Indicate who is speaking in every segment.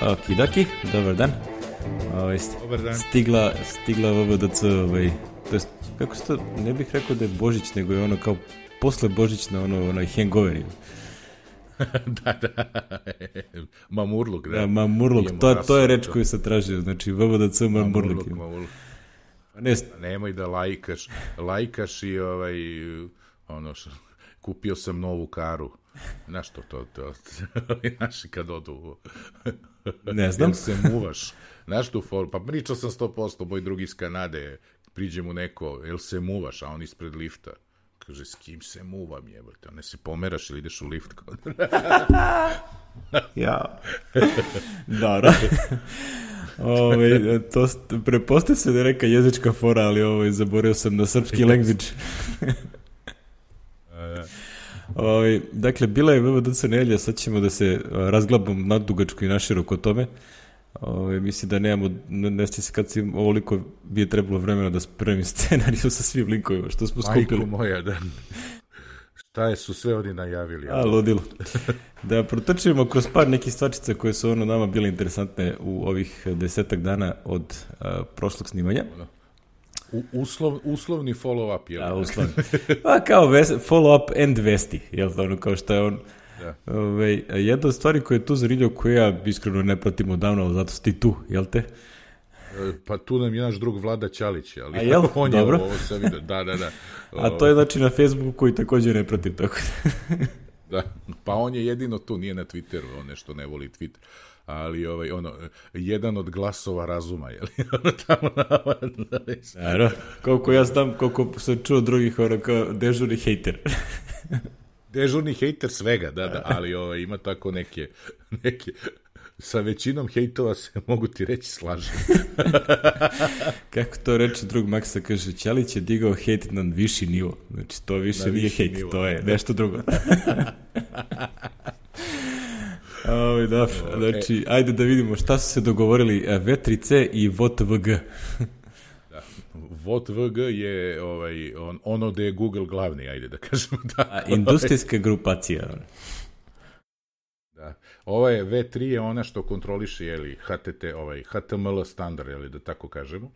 Speaker 1: Okidaki, dobar dan.
Speaker 2: Dobar dan.
Speaker 1: Stigla VVDC, to jest, kako se to, ne bih rekao da je Božić, nego je ono kao posle Božićna, onaj hangover.
Speaker 2: Da. Mamurluk, da.
Speaker 1: Da, mamurluk, to je reč koju sam tražio, znači VVDC mamurluk.
Speaker 2: Nemoj da lajkaš i kupio sam novu karu. Znaš to, znaš kad odu,
Speaker 1: ne znam.
Speaker 2: Jel se muvaš, znaš tu foru, pa pričao sam 100%, moj drugi iz Kanade, priđe mu neko, jel se muvaš, a on ispred lifta, kaže, s kim se muvam, jebate, a ne se pomeraš ili ideš u lift?
Speaker 1: Ja. Dobro. To prepostavlja se da je neka jezička fora, ali zaboravio sam na srpski language. Dakle, bila je VVDC nedelja, sad ćemo da se razglabamo nadugačko i naširoko o tome. Mislim da nemamo, ne sjeća se kad si ovoliko bi je trebalo vremena da spremim scenariju sa svim linkovima što smo skupili.
Speaker 2: Majko moja, da. Šta su sve oni najavili?
Speaker 1: Ludilo. Da protrčimo kroz par nekih stvačica koje su nama bile interesantne u ovih 10 dana od prošlog snimanja.
Speaker 2: Uslovni follow-up, jel?
Speaker 1: Da, uslovni. Pa kao follow-up and vesti, jel to kao što je on. Da. Jedna od stvari koja je tu zanimljivo, koju ja iskreno ne pratim odavno, ali zato si ti tu, jel te?
Speaker 2: Pa tu nam je naš drug Vlada Ćalić, ali
Speaker 1: a jel?
Speaker 2: On
Speaker 1: dobro.
Speaker 2: Je ovo sam vidio, da.
Speaker 1: A to je znači na Facebooku koji također ne pratim, tako
Speaker 2: da. Pa on je jedino tu, nije na Twitteru, on nešto ne voli Twitter. Ali jedan od glasova razuma, je li?
Speaker 1: Naravno, koliko ja znam, koliko sam čuo drugih, kao dežurni hejter.
Speaker 2: Dežurni hejter svega, da, ali ima tako neke, sa većinom hejtova se, mogu ti reći, slažem.
Speaker 1: Kako to reče drug Maksa, kaže, Ćalić je digao hejt na viši nivo. Znači, to više nije hejt, nivo. To je nešto drugo. Znači, ajde da vidimo šta su se dogovorili V3C i VOTVG.
Speaker 2: Da, VOTVG je ono da je Google glavni, ajde da kažemo. Da,
Speaker 1: industrijska grupacija.
Speaker 2: Da, ova je V3 je ona što kontroliše, jeli, HTML standard, jeli, da tako kažemo,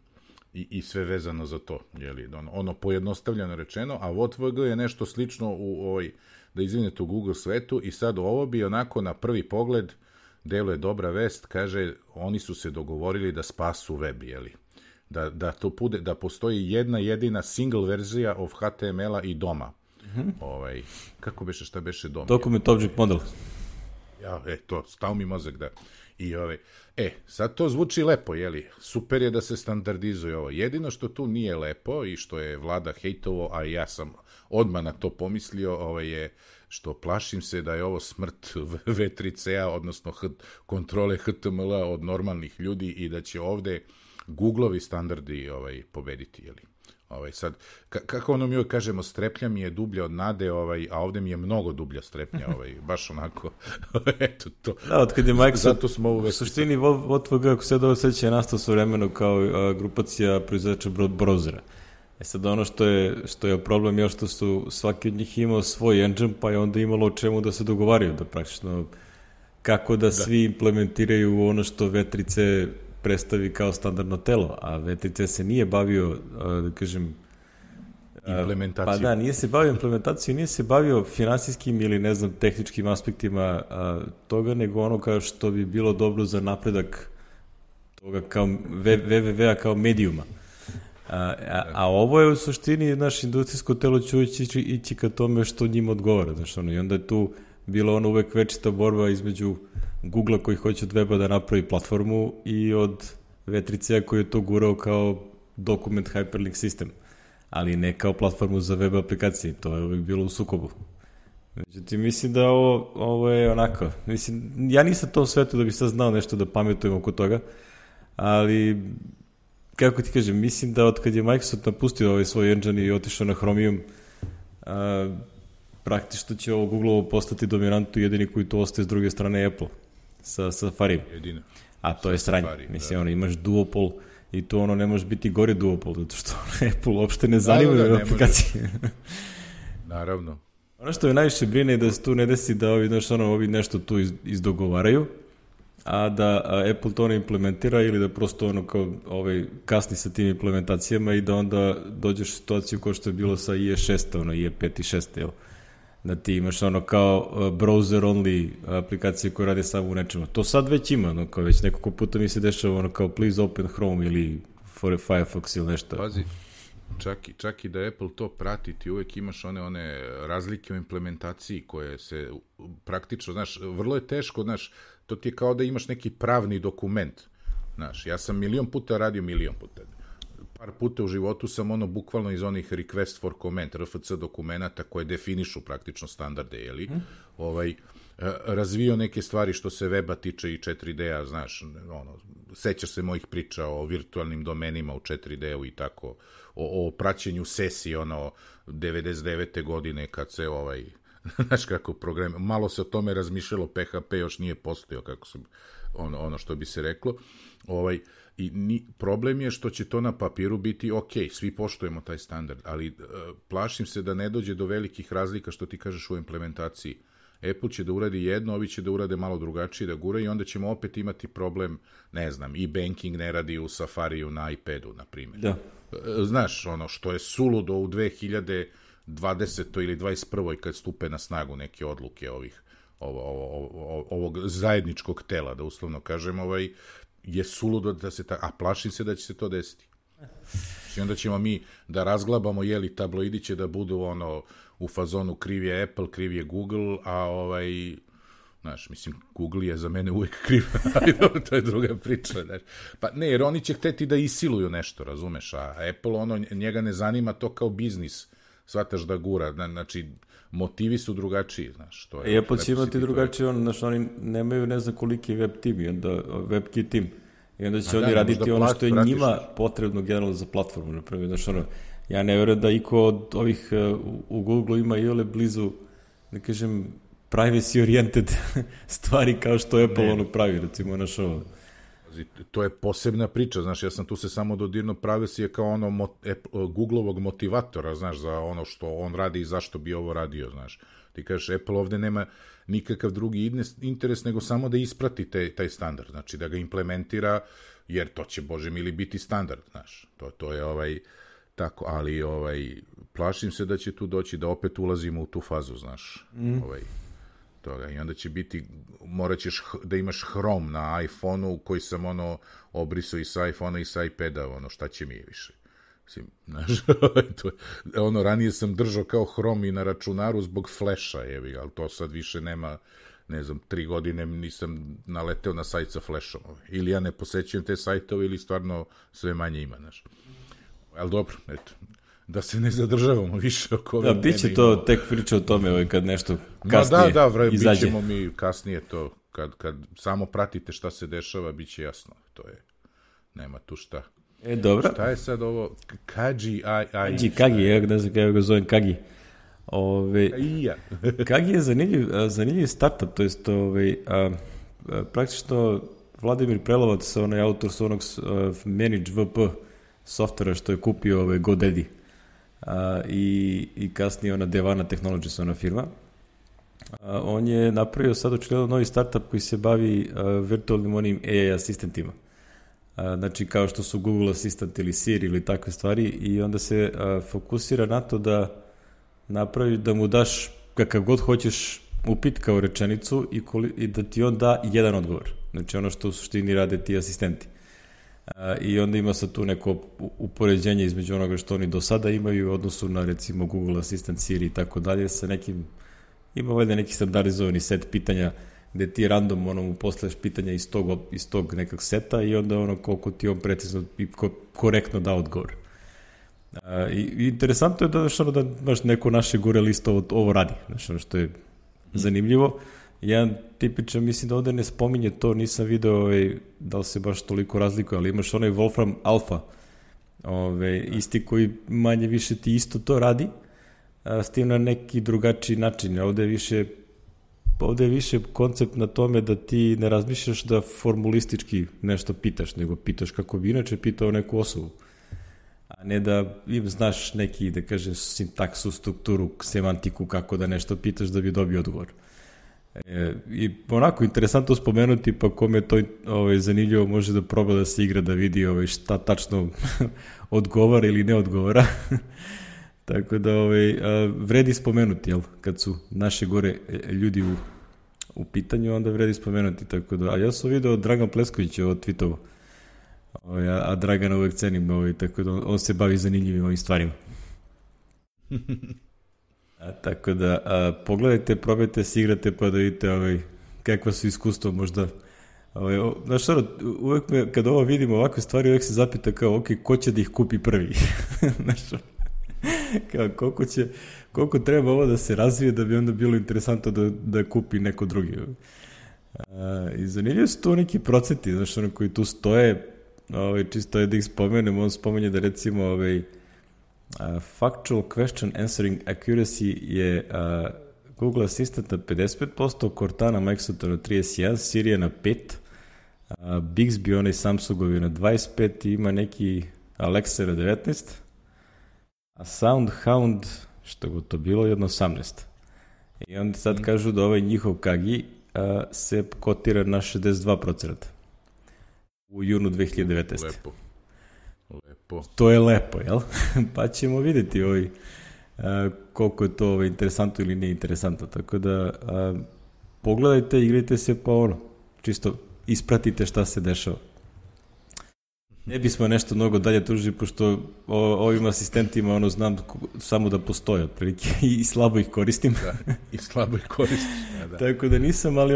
Speaker 2: i sve vezano za to, jeli, ono pojednostavljeno rečeno, a VOTVG je nešto slično u da izvinete u Google svetu i sad ovo bi onako na prvi pogled deluje dobra vest, kaže oni su se dogovorili da spasu web, jeli? Da postoji jedna jedina single verzija of HTML-a i DOM-a. Kako beše, šta beše DOM?
Speaker 1: Document Object Model.
Speaker 2: Ja, to, stao mi mozak, da. I sad to zvuči lepo, jeli? Super je da se standardizuje ovo. Jedino što tu nije lepo i što je Vlada hejtovo, a ja sam odmah na to pomislio, je što plašim se da je ovo smrt V3C-a, odnosno kontrole HTML-a od normalnih ljudi i da će ovde Google-ovi standardi pobediti, jeli? Sad, kako mi uvijek kažemo, streplja mi je dublja od nade, a ovde mi je mnogo dublja strepnja, baš onako, eto to.
Speaker 1: Da, od kad je Microsoft,
Speaker 2: zato smo
Speaker 1: u suštini VOTVG, ako se dobro seća, je nastao svovremeno kao grupacija proizvođača browsera. Sad ono što je problem je što su svaki od njih imao svoj engine, pa je onda imalo o čemu da se dogovaraju, da praktično kako da svi implementiraju ono što V3C predstavi kao standardno telo, a V3C se nije bavio, da kažem,
Speaker 2: implementacijom.
Speaker 1: Pa da, nije se bavio implementacijom, nije se bavio finansijskim ili ne znam tehničkim aspektima toga, nego ono kao što bi bilo dobro za napredak toga kao www-a kao medijuma. A ovo je u suštini naš industrijsko telo će ići ka tome što njima odgovara. I onda je tu bila uvek večita borba između Google-a koji hoće od weba da napravi platformu i od V3C-a koji je to gurao kao document hyperlink sistem, ali ne kao platformu za web aplikacije. To je uvek bilo u sukobu. Međutim, mislim da ovo je onako. Mislim, ja nisam to u svetu da bi sad znao nešto da pametujem oko toga, ali kako ti kažem, mislim da od kad je Microsoft napustio svoj engine i otišao na Chromium, praktično će ovo Google-ovo postati dominantu, jedini koji to ostaje s druge strane Apple, sa Safari.
Speaker 2: Jedino.
Speaker 1: A to je sranje. Mislim, imaš duopol i to ne može biti gori duopol, zato što Apple uopšte ne zanima aplikacije.
Speaker 2: Naravno.
Speaker 1: Ono što je najviše brine je da se tu ne desi da ovi nešto tu izdogovaraju a da Apple to ne implementira ili da prosto ono kao kasni sa tim implementacijama i da onda dođeš u situaciju kao što je bilo sa IE6, ono IE5 i 6, jel? Da ti imaš ono kao browser only aplikacije koje rade samo u nečemu. To sad već ima, ono kao već nekoliko puta mi se dešava ono kao please open Chrome ili for Firefox ili nešto.
Speaker 2: Pazi, čak i da Apple to prati, ti uvek imaš one razlike u implementaciji koje se praktično, znaš, vrlo je teško, znaš, to ti je kao da imaš neki pravni dokument, znaš, ja sam milion puta radio, par puta u životu sam bukvalno iz onih request for comment, RFC dokumenta koje definišu praktično standarde, jeli, razvio neke stvari što se weba tiče i 4D-a, znaš, sećaš se mojih priča o virtualnim domenima u 4D-u i tako, o praćenju sesije, 99. godine kad se znaš kako program, malo se o tome razmišljalo, PHP još nije postojao, kako se, ono što bi se reklo, problem je što će to na papiru biti ok, svi poštujemo taj standard, ali plašim se da ne dođe do velikih razlika što ti kažeš u implementaciji. Apple će da uradi jedno, ovi će da urade malo drugačije, da gure i onda ćemo opet imati problem, ne znam, i banking ne radi u Safariju na iPadu, na primjer.
Speaker 1: Da.
Speaker 2: Znaš, što je suludo u 2020. ili 21. kad stupe na snagu neke odluke ovog zajedničkog tela, da uslovno kažem, je suludo da se a plašim se da će se to desiti. I onda ćemo mi da razglabamo, jeli tabloidi će da budu u fazonu kriv je Apple, kriv je Google, a znaš, mislim, Google je za mene uvek kriv, ali dobro, to je druga priča, znaš. Pa ne, jer oni će hteti da isiluju nešto, razumeš, a Apple, njega ne zanima to kao biznis, shvataš da gura, znači, motivi su drugačiji, znaš. To je,
Speaker 1: Apple će imati drugačije, znaš, oni nemaju ne znam koliki web tim i onda WebKit tim, i onda će oni raditi ono što je njima potrebno generalno za platformu, napravio, znaš, ja ne verujem da iko od ovih u Google ima i ole blizu, da kažem, privacy oriented stvari kao što Apple pravi, recimo, naš ovo.
Speaker 2: To je posebna priča, znaš, ja sam tu se samo dodirno privacy je kao Googlovog motivatora, znaš, za ono što on radi i zašto bi ovo radio, znaš. Ti kažeš, Apple ovde nema nikakav drugi interes nego samo da isprati taj standard, znači da ga implementira, jer to će, Bože mili, biti standard, znaš. To je tako, ali plašim se da će tu doći da opet ulazimo u tu fazu, znaš, toga. I onda će biti, morat ćeš da imaš Chrome na iPhone-u koji sam obrisao i sa iPhone-a i sa iPada, šta će mi više. Mislim, znaš, ranije sam držao kao Chrome i na računaru zbog Flasha, ali to sad više nema, ne znam, 3 godine nisam naleteo na sajt sa Flashom. Ili ja ne posećujem te sajtove ili stvarno sve manje ima, znaš. Ali dobro, eto, da se ne zadržavamo više oko ove.
Speaker 1: Da, bit će to tek priča o tome kad nešto kasnije izađe.
Speaker 2: Bit ćemo mi kasnije to, kad samo pratite šta se dešava, bit će jasno. To je, nema tu šta.
Speaker 1: Dobro.
Speaker 2: Šta je sad ovo? Kagi,
Speaker 1: ja ne znam kako ga zovem Kagi. Kagi je zanimljiv startup, to jest praktično Vladimir Prelovac, onaj autor s onog Manage VP softvera što je kupio GoDaddy i kasnije ona Devana Technologies, ona firma. On je napravio sad očigledno novi startup koji se bavi virtualnim onim AI asistentima. Znači kao što su Google Assistant ili Siri ili takve stvari, i onda se fokusira na to da napravi, da mu daš kakav god hoćeš upit kao rečenicu i da ti on da jedan odgovor. Znači ono što u suštini rade ti asistenti. I onda ima sad tu neko upoređenje između onoga što oni do sada imaju u odnosu na recimo Google Assistant, Siri i tako dalje, sa nekim, ima valjda neki standardizovani set pitanja gde ti random mu postavljaš pitanja iz tog nekog seta i onda koliko ti on precizno i korektno da odgovor. I interesantno je da baš neko naše gure listo ovo radi, znači što je zanimljivo. Jedan tipičan, mislim da ovde ne spominje to, nisam video da li se baš toliko razlikuje, ali imaš onaj Wolfram Alpha, isti koji manje više ti isto to radi, s tim na neki drugačiji način. Ovde je više koncept na tome da ti ne razmišljaš da formulistički nešto pitaš, nego pitaš kako bi inače pitao neku osobu. A ne da znaš neki, da kažem, sintaksu, strukturu, semantiku, kako da nešto pitaš da bi dobio odgovor. I onako interesantno spomenuti, pa kome to zanimljivo može da proba da se igra, da vidi šta tačno odgovara ili ne odgovara. Tako da vredi spomenuti, jel? Kad su naše gore ljudi u pitanju, onda vredi spomenuti. Tako da, a ja sam vidio Dragan Plesković tweetovo, a Dragana uvek cenim, tako da on se bavi zanimljivim ovim stvarima. Tako da, pogledajte, probajte se igrate pa da vidite kakva su iskustva možda. Znaš, uvek kada ovo vidimo ovakve stvari, uvek se zapita kao, ok, ko će da ih kupi prvi? Znaš, kao, koliko treba ovo da se razvije da bi onda bilo interesantno da kupi neko drugi. I zanimljivo su to neki procenti, znaš, koji tu stoje, čisto je da ih spomenem, on spomenje da recimo factual question answering accuracy je Google Assistant na 55%, Cortana Microsofta na 31%, Siri na 5%, Bixby, onaj Samsungovi na 25%, ima neki Alexa na 19%, a SoundHound, što je to bilo, jedno 18%. I onda sad kažu da ovaj njihov Kagi se kotira na 62% u junu 2019.
Speaker 2: Lepo.
Speaker 1: To je lepo, jel? Pa ćemo vidjeti koliko je to interesantno ili nije interesantno. Tako da pogledajte, igrajte se pa čisto ispratite šta se dešava. Ne bismo nešto mnogo dalje tužili, pošto ovim asistentima znam samo da postoje otprilike i slabo ih koristim.
Speaker 2: Da, i slabo ih koristiš. Da.
Speaker 1: Tako da nisam, ali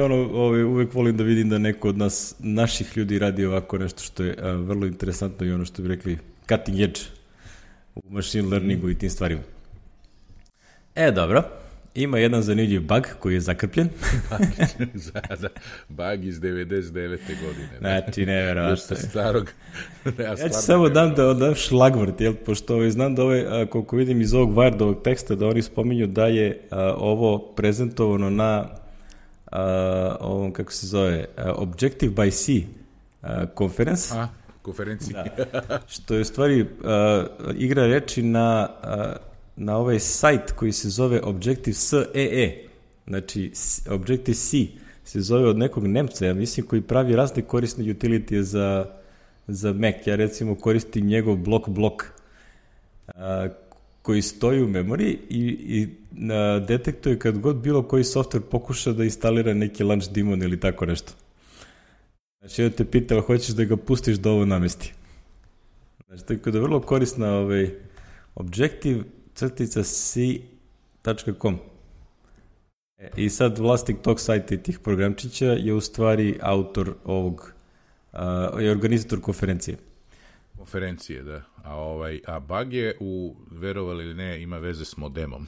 Speaker 1: uvek volim da vidim da neko od nas, naših ljudi radi ovako nešto što je vrlo interesantno i ono što bi rekli cutting edge u machine learningu i tim stvarima. Dobro. Ima jedan zanimljiv bug koji je zakrpljen.
Speaker 2: Bug iz 99. godine.
Speaker 1: Znači, neverovatno.
Speaker 2: Još sa starog.
Speaker 1: Ja ću samo dam šlagvort, jel? Pošto znam da koliko vidim iz ovog Wiredovog teksta, da oni spominju da je ovo prezentovano na ovom, kako se zove, Objective by C conference.
Speaker 2: Konferenciji.
Speaker 1: Da. Što je u stvari igra reči na ovaj sajt koji se zove Objective-C. Znači, Objective-C se zove od nekog Nemca, ja mislim, koji pravi razne korisne utility za Mac. Ja recimo koristim njegov blok koji stoji u memoriji i detektuje kad god bilo koji software pokuša da instalira neki launch daemon ili tako nešto. Znači, ja te pitam, hoćeš da ga pustiš da ovo namesti. Znači, tako da je vrlo korisna Objective-C.com. I sad vlasnik tog sajta i tih programčića je u stvari autor ovog, je organizator konferencije.
Speaker 2: Konferencije, da. A bug je, verovali ili ne, ima veze s modemom.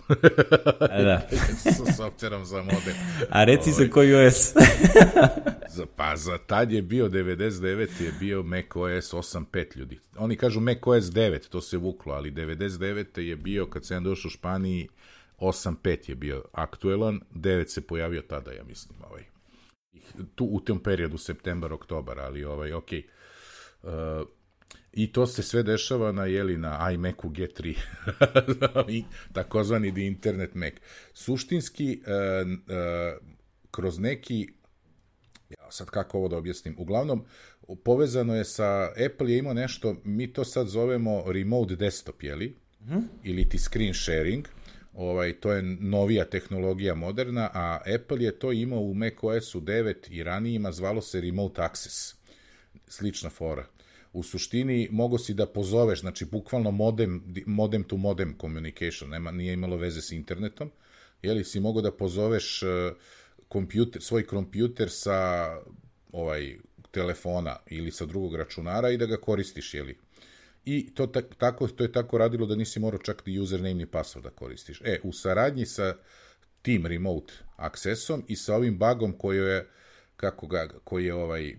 Speaker 1: Da.
Speaker 2: Sa softverom za modem.
Speaker 1: A reci za koji OS?
Speaker 2: Pa za tad je bio 99. je bio macOS 8.5 ljudi. Oni kažu macOS 9, to se vuklo, ali 99. je bio, kad sam došao u Španiji, 8.5 je bio aktuelan, 9 se pojavio tada, ja mislim. Tu u tom periodu, septembar, oktobar, ali okej. I to se sve dešava na iMacu G3, takozvani The Internet Mac. Suštinski, kroz neki, sad kako ovo da objasnim, uglavnom, povezano je sa, Apple je imao nešto, mi to sad zovemo remote desktop, ili ti screen sharing, to je novija tehnologija moderna, a Apple je to imao u macOS-u 9 i ranijima, zvalo se remote access, slična fora. U suštini mogo si da pozoveš, znači bukvalno modem to modem communication, nije imalo veze s internetom, si mogo da pozoveš svoj kompjuter sa telefona ili sa drugog računara i da ga koristiš, I to je tako radilo da nisi morao čak ni username ni password da koristiš. U saradnji sa tim remote accessom i sa ovim bugom koji je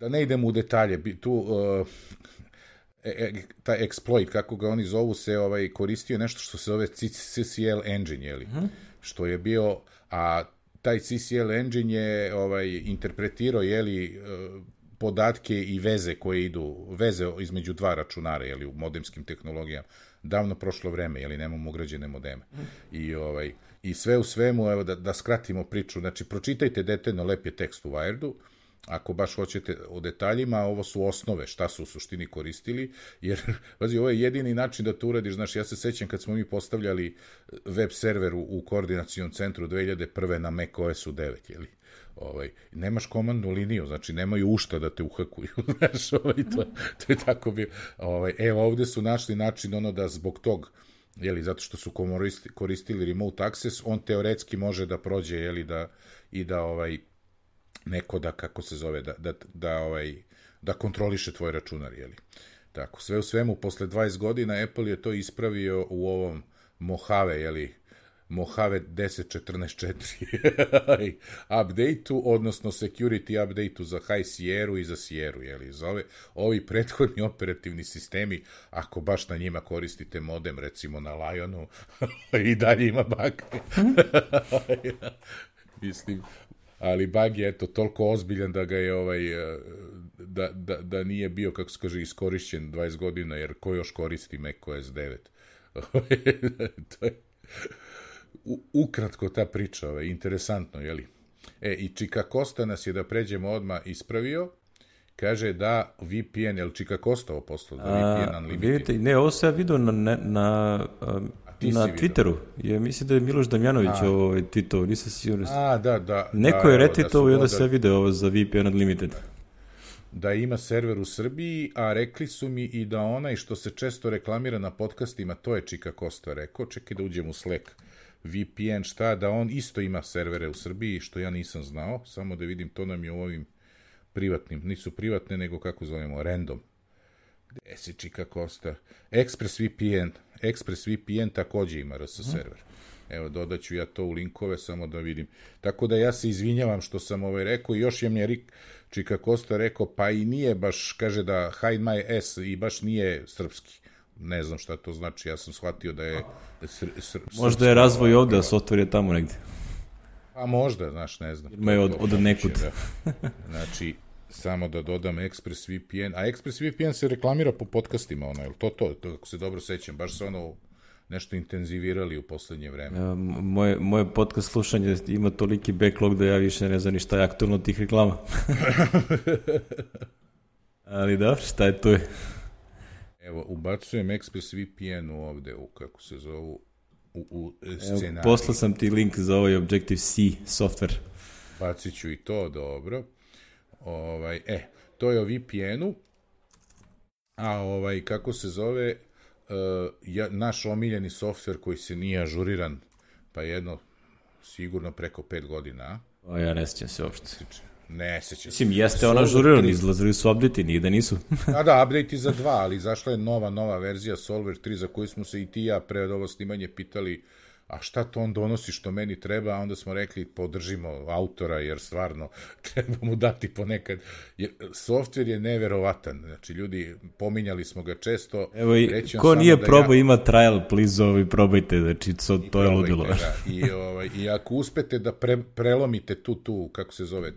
Speaker 2: da ne idemo u detalje, tu taj exploit, kako ga oni zovu, se koristio nešto što se zove CCL engine, što je bio, a taj CCL engine je interpretirao, podatke i veze koje idu, veze između dva računara, jeli, u modemskim tehnologijama, davno prošlo vreme, jeli, nemamo ugrađene modeme. I sve u svemu, evo, da skratimo priču, znači, pročitajte detaljno, lep je tekst u Wiredu, ako baš hoćete o detaljima, ovo su osnove, šta su u suštini koristili, jer, pazi, ovo je jedini način da to uradiš, znaš, ja se sećam kad smo mi postavljali web server u koordinacijom centru 2001. na Mac OS-u 9, jeli? Nemaš komandnu liniju, znači nemaju ušta da te uhakuju, znaš, to je tako bilo. Evo, ovde su našli način da zbog tog, jeli, zato što su koristili remote access, on teoretski može da prođe, jeli, neko da, kako se zove, da kontroliše tvoj računar, jeli. Tako, sve u svemu, posle 20 godina Apple je to ispravio u ovom Mojave, jeli, Mojave 10.14.4 update-u, odnosno security update-u za High Sierra i za Sierra, jeli, za ovi prethodni operativni sistemi, ako baš na njima koristite modem, recimo na Lionu, i dalje ima bug. Mislim, ali bug je, eto, toliko ozbiljan da ga je, da nije bio, kako se kaže, iskorišćen 20 godina, jer ko još koristi Mac OS 9? To je ukratko ta priča, interesantno, jeli? I Čika Kosta nas je, da pređemo odmah, ispravio, kaže da VPN, je li Čika Kosta ovo poslao, da VPN Unlimited?
Speaker 1: Vidite, ne, ovo se ja vidio na Twitteru. Ja mislim da je Miloš Damjanović ovo tweetovao, nisam sigurno.
Speaker 2: Da.
Speaker 1: Neko je retweetovao i onda se ja vidio ovo za VPN Unlimited.
Speaker 2: Da ima server u Srbiji, a rekli su mi i da onaj što se često reklamira na podcastima, to je Čika Kosta rekao, čekaj da uđem u Slack, VPN, šta, da on isto ima servere u Srbiji, što ja nisam znao, samo da vidim, to nam je u ovim privatnim, nisu privatne, nego kako zovemo, random. Gde si Čika Kosta? ExpressVPN takođe ima RS server. Evo, dodaću ja to u linkove, samo da vidim. Tako da ja se izvinjavam što sam rekao, i još je mi Čika Kosta rekao, pa i nije baš, kaže da Hide My S i baš nije srpski. Ne znam šta to znači, ja sam shvatio da je
Speaker 1: možda je razvoj ovde, a software je tamo negde.
Speaker 2: A možda, znaš, ne znam.
Speaker 1: Ima je od nekud.
Speaker 2: Znači, samo da dodam ExpressVPN, a ExpressVPN se reklamira po podcastima, je li to, ako se dobro sećam, baš se nešto intenzivirali u poslednje vreme.
Speaker 1: Moje podcast slušanje ima toliki backlog da ja više ne znam ni šta je aktualno tih reklama. Ali da, šta je to?
Speaker 2: Evo, ubacujem ExpressVPN ovde, kako se zovu, u scenariju.
Speaker 1: Poslao sam ti link za ovaj Objective-C software.
Speaker 2: Bacit ću i to, dobro. To je o VPN-u, a kako se zove, naš omiljeni softver koji se nije ažuriran, pa sigurno preko 5 godina.
Speaker 1: Ja ne sjećam se uopšte.
Speaker 2: Ne sjećam se.
Speaker 1: Mislim, jeste ona ažuriran, izlazili su update-i, nije da nisu.
Speaker 2: Da, update-i za 2, ali zašla je nova verzija Solver 3, za koju smo se i ti i ja pre ovo snimanje pitali, a šta to on donosi što meni treba, a onda smo rekli podržimo autora, jer stvarno treba mu dati ponekad. Softver je neverovatan, znači ljudi, pominjali smo ga često.
Speaker 1: Evo, ko nije probao, ima trial, please, probajte, znači to je ludilo.
Speaker 2: I ako uspete da prelomite tu, kako se zove,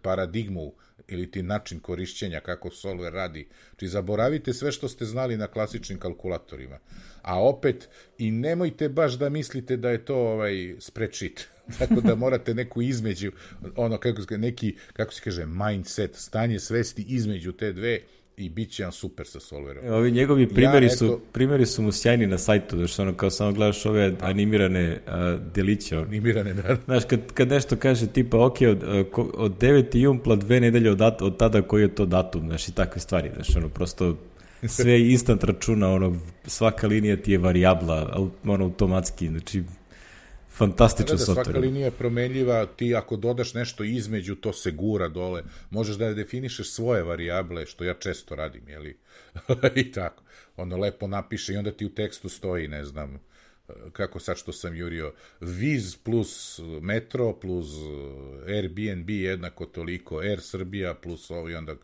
Speaker 2: paradigmu ili ti način korišćenja, kako Solver radi, znači zaboravite sve što ste znali na klasičnim kalkulatorima. A opet, i nemojte baš da mislite da je to spreadsheet. Tako da morate neku između, kako se kaže, mindset, stanje svesti između te dve i bit će vam super sa Solverom.
Speaker 1: Ovi njegovi primjeri su mu sjajni na sajtu, znači kao samo gledaš ove animirane deliće.
Speaker 2: Animirane, da.
Speaker 1: Znaš, kad nešto kaže tipa, ok, od 9. jumpla 2 nedelje od tada koji je to datum, znaš, i takve stvari, znaš, prosto sve je instant računa, svaka linija ti je varijabla, automatski, znači, fantastičan software.
Speaker 2: Svaka linija je promenljiva, ti ako dodaš nešto između, to se gura dole, možeš da definišeš svoje varijable, što ja često radim, jeli, i tako, lepo napiše i onda ti u tekstu stoji, ne znam, kako sad što sam jurio, Viz plus Metro plus Airbnb jednako toliko, Air Srbija plus ovo i onda,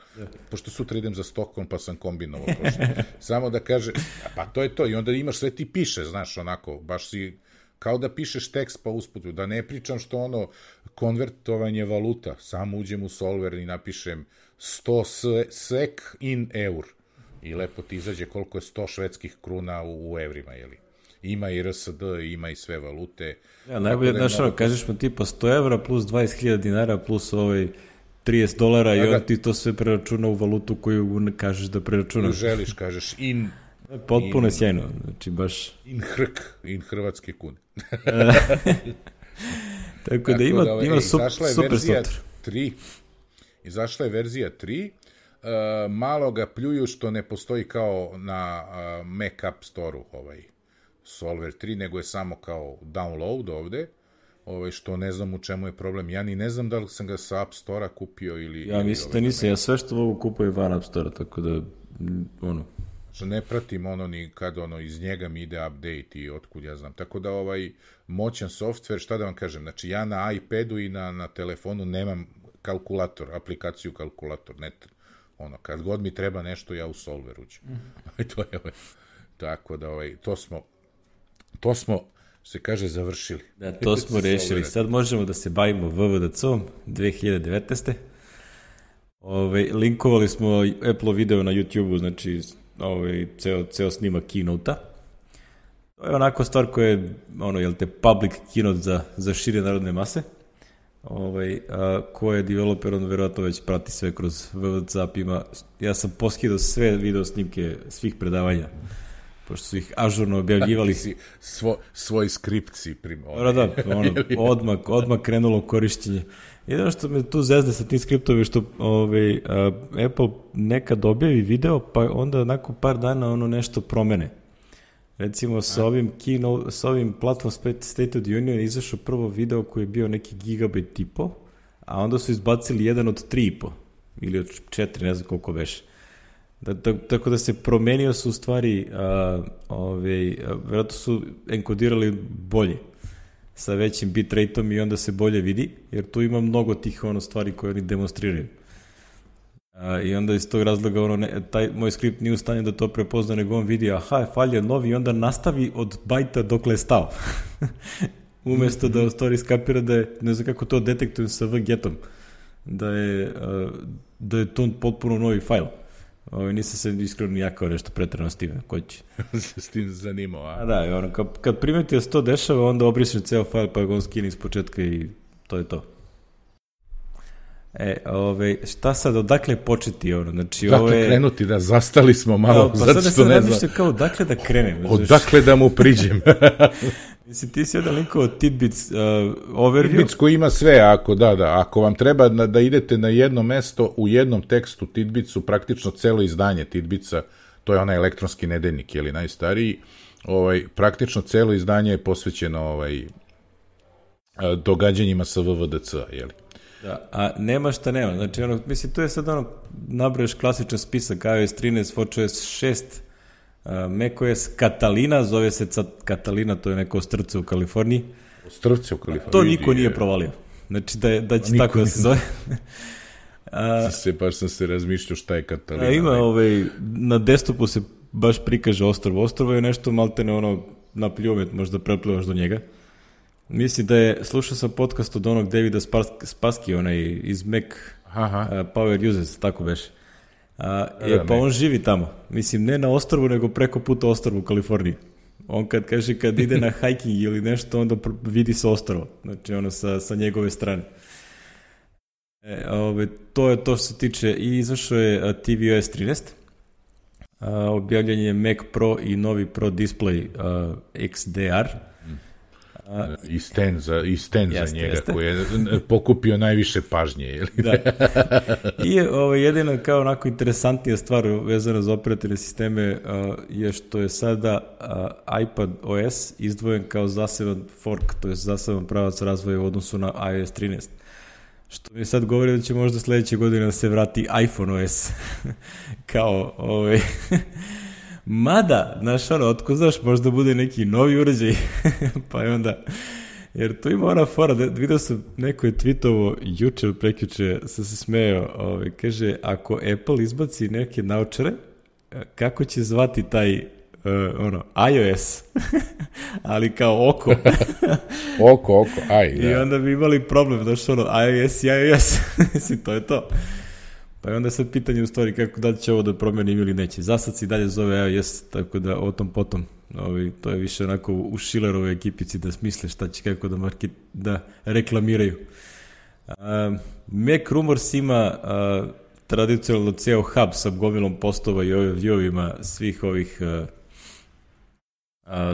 Speaker 2: pošto sutra idem za Stockholm pa sam kombinovao prošlo. Samo da kaže, pa to je to i onda imaš sve ti piše, znaš, baš si kao da pišeš tekst pa usputu, da ne pričam što ono konvertovanje valuta, samo uđem u Solver i napišem 100 SEK in eur i lepo ti izađe koliko je 100 švedskih kruna u evrima, jeli? Ima i RSD, ima i sve valute.
Speaker 1: Ja, najbolje, znaš, kažeš mu tipa 100 evra plus 20.000 dinara plus $30 i on ti to sve preračuna u valutu koju kažeš da preračunaš.
Speaker 2: Želiš, kažeš in...
Speaker 1: Potpuno je sjajno, znači baš...
Speaker 2: In hrvatske kune.
Speaker 1: Tako da ima super software.
Speaker 2: Izašla je verzija 3, malo ga pljuju što ne postoji kao na Mac App Store-u Solver 3, nego je samo kao download ovde, što ne znam u čemu je problem. Ja ni ne znam da li sam ga sa App Store-a kupio ili...
Speaker 1: Ja mislim da nisam, ja sve što mogu kupujem van App Store-a, tako da,
Speaker 2: što ne pratim ni kad iz njega mi ide update i otkud ja znam. Tako da moćan software, šta da vam kažem, znači ja na iPadu i na telefonu nemam kalkulator, aplikaciju kalkulator, kad god mi treba nešto, ja u Solver uđem. To je tako da to smo se kaže završili.
Speaker 1: Da, to smo rešili. Sad možemo da se bavimo VVDC-om 2019. Linkovali smo Apple video na YouTube-u, znači ceo snimak keynote-a. To je onako stvar koja je, public keynote za šire narodne mase, ko je developer, on verovatno već prati sve kroz VVDC app ima. Ja sam poskidao sve video snimke svih predavanja, pošto su ih ažurno objavljivali.
Speaker 2: Svoj skript si
Speaker 1: odmah krenulo korišćenje. Jedino što me tu zezde sa tim skriptovima, što Apple nekad objavi video, pa onda nakon par dana nešto promene. Recimo sa ovim Platform State of the Union izašao prvo video koji je bio neki gigabajt i po, a onda su izbacili jedan od 3,5 ili od 4, ne znam koliko beše. Tako da se promenio su u stvari, vjerojatno su enkodirali bolje sa većim bitrateom i onda se bolje vidi, jer tu ima mnogo tih stvari koje oni demonstriraju. I onda iz tog razloga taj moj skript nije u stanju da to prepozna, nego on vidi, falja novi i onda nastavi od bajta dokle je stao. Umesto da u stvari skapira da je, ne znam kako to detektujem sa VGET-om, da je to potpuno novi fajl. Nisam se iskreno nijakao nešto pretrano s time, ko će.
Speaker 2: S tim zanimao, a?
Speaker 1: Da, kad primeti da se to dešava, onda obrišem ceo fajl pa ga on skine iz početka i to je to. Šta sad, odakle početi znači
Speaker 2: dakle krenuti, da zastali smo malo, zato što ne znam.
Speaker 1: Kao, odakle da krenem?
Speaker 2: Odakle da mu priđem?
Speaker 1: Mislim, ti si jedan linkovo Tidbits overview.
Speaker 2: Tidbits koji ima sve, ako vam treba da idete na jedno mesto u jednom tekstu Tidbitsu, praktično celo izdanje Tidbitsa, to je onaj elektronski nedeljnik, najstariji, praktično celo izdanje je posvećeno događanjima sa VVDC-a,
Speaker 1: Da, a nema šta nema, znači mislim, to je sad nabroješ klasičan spisak iOS 13, WatchOS 6, macOS Catalina, zove se Catalina, to je neko ostrvce u Kaliforniji.
Speaker 2: Ostrvce u Kaliforniji?
Speaker 1: To niko nije provalio, znači da će tako da se zove.
Speaker 2: Baš sam se razmišljao šta je Catalina.
Speaker 1: Ima, na desktopu se baš prikaže ostrvo. Ostrvo je nešto maltene na pljumet, možda preplivaš do njega. Mislim da je, slušao sam podcast od onog Davida Spassky, iz Mac Power Users, tako beše. Pa on živi tamo. Mislim, ne na ostrvu, nego preko puta ostrvu u Kaliforniji. On kad ide na hiking ili nešto, onda vidi se ostrvo. Znači, sa njegove strane. To je to što se tiče. I izašao je tvOS 13. Objavljen je Mac Pro i novi Pro Display XDR.
Speaker 2: I stand za njega koji je pokupio najviše pažnje.
Speaker 1: Da. I jedina kao onako interesantnija stvar vezana za operativne sisteme je što je sada iPad OS izdvojen kao zaseban fork, to je zaseban pravac razvoja u odnosu na iOS 13. Što mi sad govori da će možda sledeće godine da se vrati iPhone OS. Kao mada, znaš, otko znaš, možda bude neki novi uređaj, pa je onda, jer tu ima ona fora, vidio sam, neko je tweetovo juče ili prekjuče, sam se smejao, kaže, ako Apple izbaci neke naučare, kako će zvati taj iOS, ali kao oko.
Speaker 2: oko, aj, da.
Speaker 1: I onda bi imali problem, znaš, iOS i iOS, mislim, to je to. Pa je onda sad pitanje u stvari kako da će ovo da promenim ili neće. Zasad se i dalje zove iOS, tako da o tom potom. To je više onako u Schillerovoj ekipici da smisle šta će kako da reklamiraju. Mac Rumors ima tradicionalno ceo hub sa gomilom postova i view-ovima svih ovih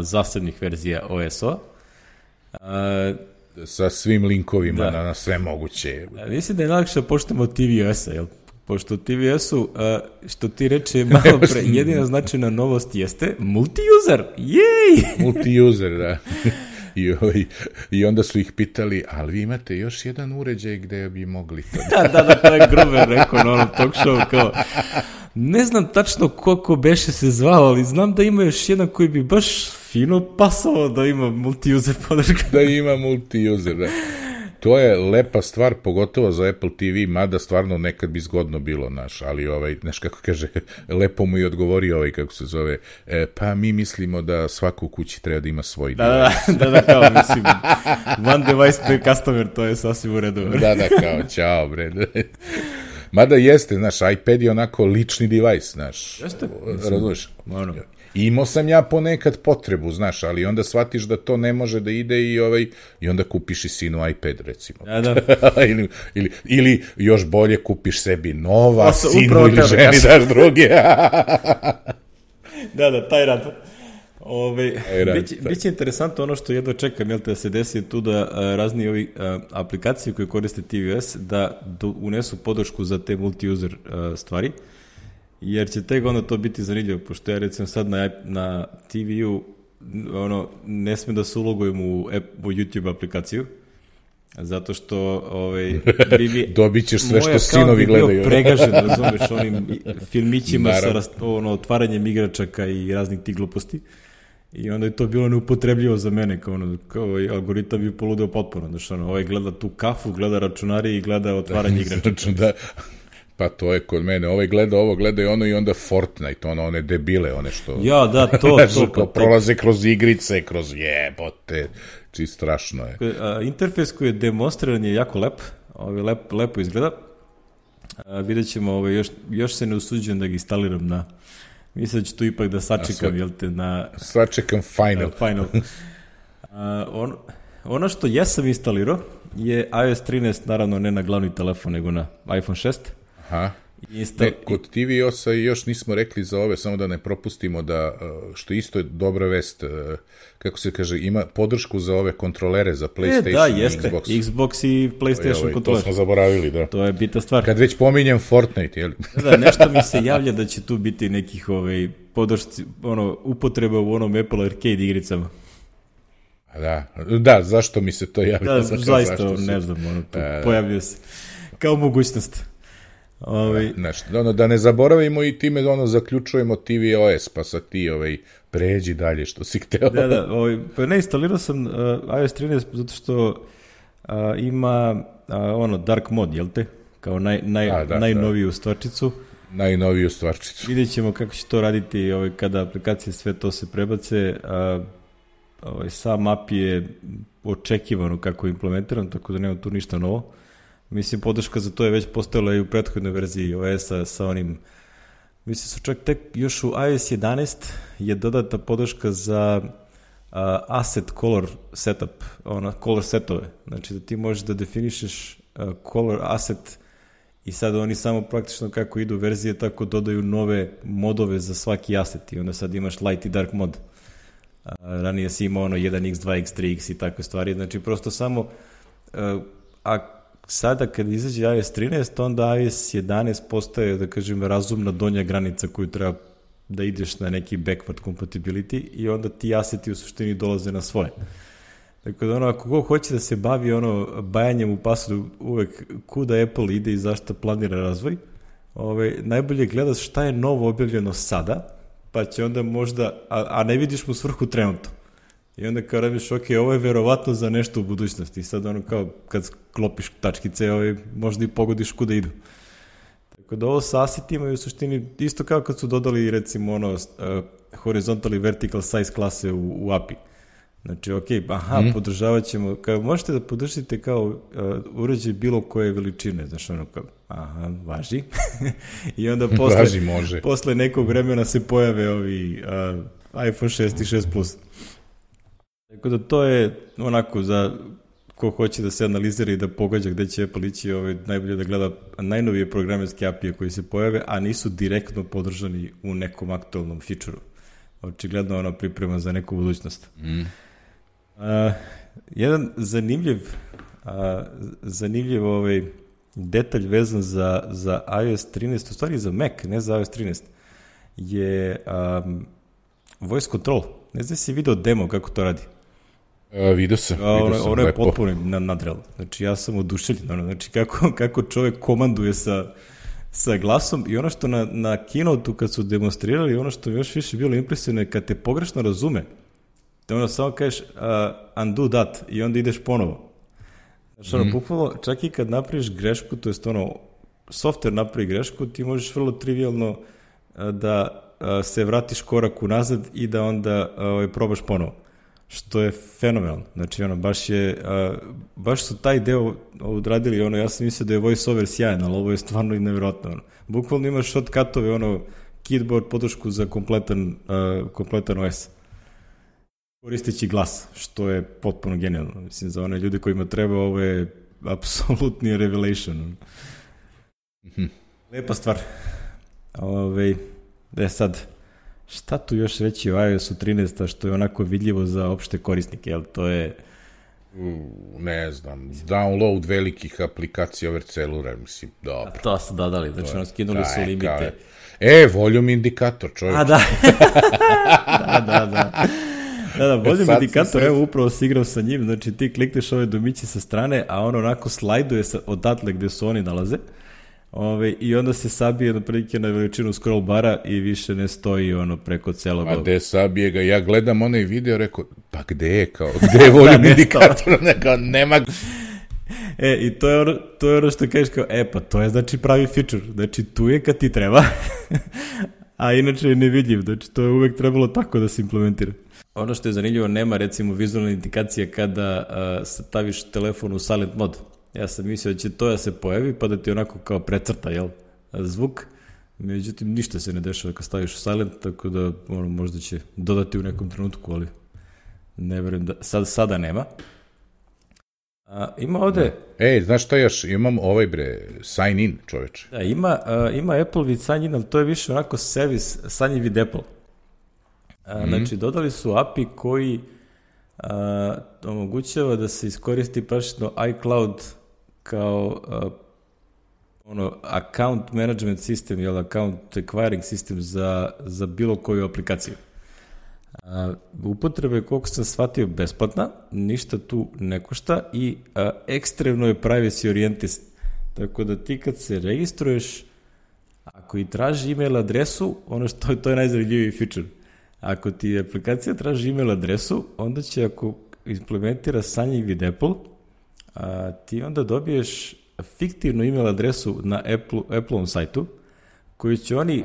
Speaker 1: zasebnih verzija OS-a.
Speaker 2: Sa svim linkovima na sve moguće.
Speaker 1: Mislim da je najlakše da počnemo od tvOS-a, jel? Pošto u tvOS-u, što ti reče malo pre, jedina značajna novost jeste multi-user. Jej!
Speaker 2: Multi-user, da. I onda su ih pitali, ali vi imate još jedan uređaj gde bi mogli to
Speaker 1: da, to je Gruber rekao na onom talk show, kao, ne znam tačno koliko beše se zvao, ali znam da ima još jedan koji bi baš fino pasao da ima multi-user podrška.
Speaker 2: Da ima multi-user, da. To je lepa stvar, pogotovo za Apple TV, mada stvarno nekad bi zgodno bilo, ali znaš kako kaže, lepo mu i odgovori kako se zove, pa mi mislimo da svako u kući treba da ima svoj device.
Speaker 1: Da, kao, mislim, one device per customer, to je sasvim u redu.
Speaker 2: Da, kao, čao, bre. Mada jeste, znaš, iPad je onako lični device, znaš.
Speaker 1: Jeste?
Speaker 2: Razumeš? Imao sam ja ponekad potrebu, znaš, ali onda shvatiš da to ne može da ide i onda kupiš i sinu iPad, recimo.
Speaker 1: Da.
Speaker 2: ili još bolje kupiš sebi nova, sinu ili ženi daš druge.
Speaker 1: Da, taj rad. Biće interesantno ono što jedva čekam, da se desi tu da razni ovi aplikacije koje koriste tvOS da unesu podršku za te multi-user stvari, jer će tek onda to biti zanimljivo, pošto ja recimo sad na TV-u ne sme da se ulogujem u YouTube aplikaciju, zato što
Speaker 2: dobit ćeš sve što sinovi gledaju.
Speaker 1: Moj akaunt bi bio pregažen, razumeš, onim filmićima sa otvaranjem igračaka i raznih tih gluposti. I onda je to bilo neupotrebljivo za mene, kao algoritam bi poludeo potpuno. Znači, ovaj gleda tu kafu, gleda računari i gleda otvaranje igračaka.
Speaker 2: Da. Pa to je kod mene, ovaj gleda ovo, gleda i ono i onda Fortnite, one debile, one što...
Speaker 1: Ja, da, to.
Speaker 2: Prolaze kroz igrice, kroz jebote, či strašno je.
Speaker 1: Interfejs koji je demonstriran je jako lep, lepo izgleda. Vidjet ćemo, još se ne usuđujem da ga instaliram na... Mislim da ću tu ipak da sačekam, jel te, na...
Speaker 2: Sačekam Final.
Speaker 1: Ono što jesam instalirao je iOS 13, naravno ne na glavni telefon, nego na iPhone 6.
Speaker 2: Aha. Kod tvOS-a još nismo rekli za ove, samo da ne propustimo da, što isto je dobra vest, kako se kaže, ima podršku za ove kontrolere za PlayStation i Xbox.
Speaker 1: Xbox i PlayStation kontroler.
Speaker 2: To smo zaboravili, da.
Speaker 1: To je bitna stvar.
Speaker 2: Kad već pominjem Fortnite, jel?
Speaker 1: Da, nešto mi se javlja da će tu biti nekih podršci, upotreba u onom Apple Arcade igricama.
Speaker 2: Da, zašto mi se to javlja?
Speaker 1: Da, zaista, ne znam, pojavljuje se. Kao mogućnost.
Speaker 2: Da ne zaboravimo i time zaključujemo tvOS, pa sad ti pređi dalje što si hteo.
Speaker 1: Da, pa ne, instalirao sam iOS 13 zato što ima dark mode, jel te? Kao najnoviju stvarčicu.
Speaker 2: Najnoviju stvarčicu.
Speaker 1: Vidjet ćemo kako će to raditi kada aplikacije sve to se prebace. Sam app je očekivano kako je implementiran, tako da nema tu ništa novo. Mislim, podrška za to je već postojala i u prethodnoj verziji OS-a sa onim... Mislim, su čak tek još u iOS 11 je dodata podrška za asset color setup, color setove. Znači da ti možeš da definišeš color asset i sad oni samo praktično kako idu verzije tako dodaju nove modove za svaki asset i onda sad imaš light i dark mod. Ranije si imao 1x, 2x, 3x i takve stvari. Znači prosto samo... Sada kad izađe iOS 13, onda iOS 11 postaje, da kažem, razumna donja granica koju treba da ideš na neki backward compatibility i onda ti aseti u suštini dolaze na svoje. Tako da ako ko hoće da se bavi bajanjem u pasu uvek kuda Apple ide i zašto planira razvoj, najbolje gledaš šta je novo objavljeno sada, pa će onda možda, a ne vidiš mu svrhu trenutno. I onda kao radiš, ovo je verovatno za nešto u budućnosti. I sad kao kad sklopiš tačkice, možda i pogodiš kuda idu. Tako da ovo sa asetima je u suštini isto kao kad su dodali recimo horizontal i vertical size klase u API. Znači, podržavat ćemo, kao možete da podržite kao uređaj bilo koje veličine, znači važi. I onda posle nekog vremena se pojave ovi iPhone 6 i 6 Plus. Tako da to je onako za ko hoće da se analizira i da pogađa gde će Apple ići, najbolje da gleda najnovije programerske API-e koji se pojave, a nisu direktno podržani u nekom aktualnom feature-u. Očigledno ona priprema za neku budućnost. Jedan zanimljiv detalj vezan za iOS 13, u stvari za Mac, ne za iOS 13, je voice control. Ne znam si video demo kako to radi.
Speaker 2: Vidio sam.
Speaker 1: Ono je potpuno nadrealno. Znači, ja sam oduševljen. Znači, kako čovek komanduje sa glasom i ono što na keynote-u kad su demonstrirali, ono što mi još više bilo impresivno je kad te pogrešno razume, da samo kažeš undo that i onda ideš ponovo. Znači, bukvalno, čak i kad napraviš grešku, to jest software napravi grešku, ti možeš vrlo trivialno da se vratiš korak unazad i da onda probaš ponovo. Što je fenomenalno. Znači, baš su taj deo odradili, ja sam mislio da je voice-over sjajan, ali ovo je stvarno i nevjerojatno. Bukvalno imaš shortcutove, keyboard podršku za kompletan OS. Koristeći glas, što je potpuno genijalno. Mislim, za one ljude kojima treba, ovo je apsolutni revelation. Lepa stvar. Sad, šta tu još reći o iOS-u 13, što je onako vidljivo za opšte korisnike, jel to je...
Speaker 2: Ne znam, download velikih aplikacija over cellular, mislim, dobro.
Speaker 1: A to su dodali, znači skinuli su limite.
Speaker 2: Volume indikator, čovječ.
Speaker 1: Da, volume indikator, evo, upravo si igrao sa njim, znači ti klikneš ove domiće sa strane, a on onako slajduje odatle gde su oni nalaze, i onda se sabije na veličinu scroll bara i više ne stoji preko celog...
Speaker 2: A gde sabije ga? Ja gledam onaj video, rekao, pa gde je volume indikator? Nema...
Speaker 1: I to je ono što kažeš kao, pa to je znači pravi feature, znači tu je kad ti treba, a inače je nevidljiv, znači to je uvek trebalo tako da se implementira. Ono što je zanimljivo, nema recimo vizualna indikacija kada staviš telefon u silent mod. Ja sam mislio da će to da se pojavi pa da ti onako kao precrta, zvuk. Međutim, ništa se ne dešava kad staviš u silent, tako da možda će dodati u nekom trenutku, ali ne verujem da sada nema. Ima ovde...
Speaker 2: znaš šta još? Imam sign in, čoveč.
Speaker 1: Da, ima Apple with sign in, ali to je više onako servis sanji vid Apple. Znači, dodali su API koji omogućava da se iskoristi praktično iCloud kao account management system, account acquiring system za bilo koju aplikaciju. Upotreba je, koliko sam shvatio, besplatna, ništa tu ne košta i ekstremno je privacy oriented. Tako da ti kad se registruješ, ako i traži email adresu, to je najzanimljiviji feature. Ako ti aplikacija traži email adresu, onda će, ako implementira sanji vid Apple, ti onda dobiješ fiktivnu email adresu na Apple-om sajtu, koji će oni,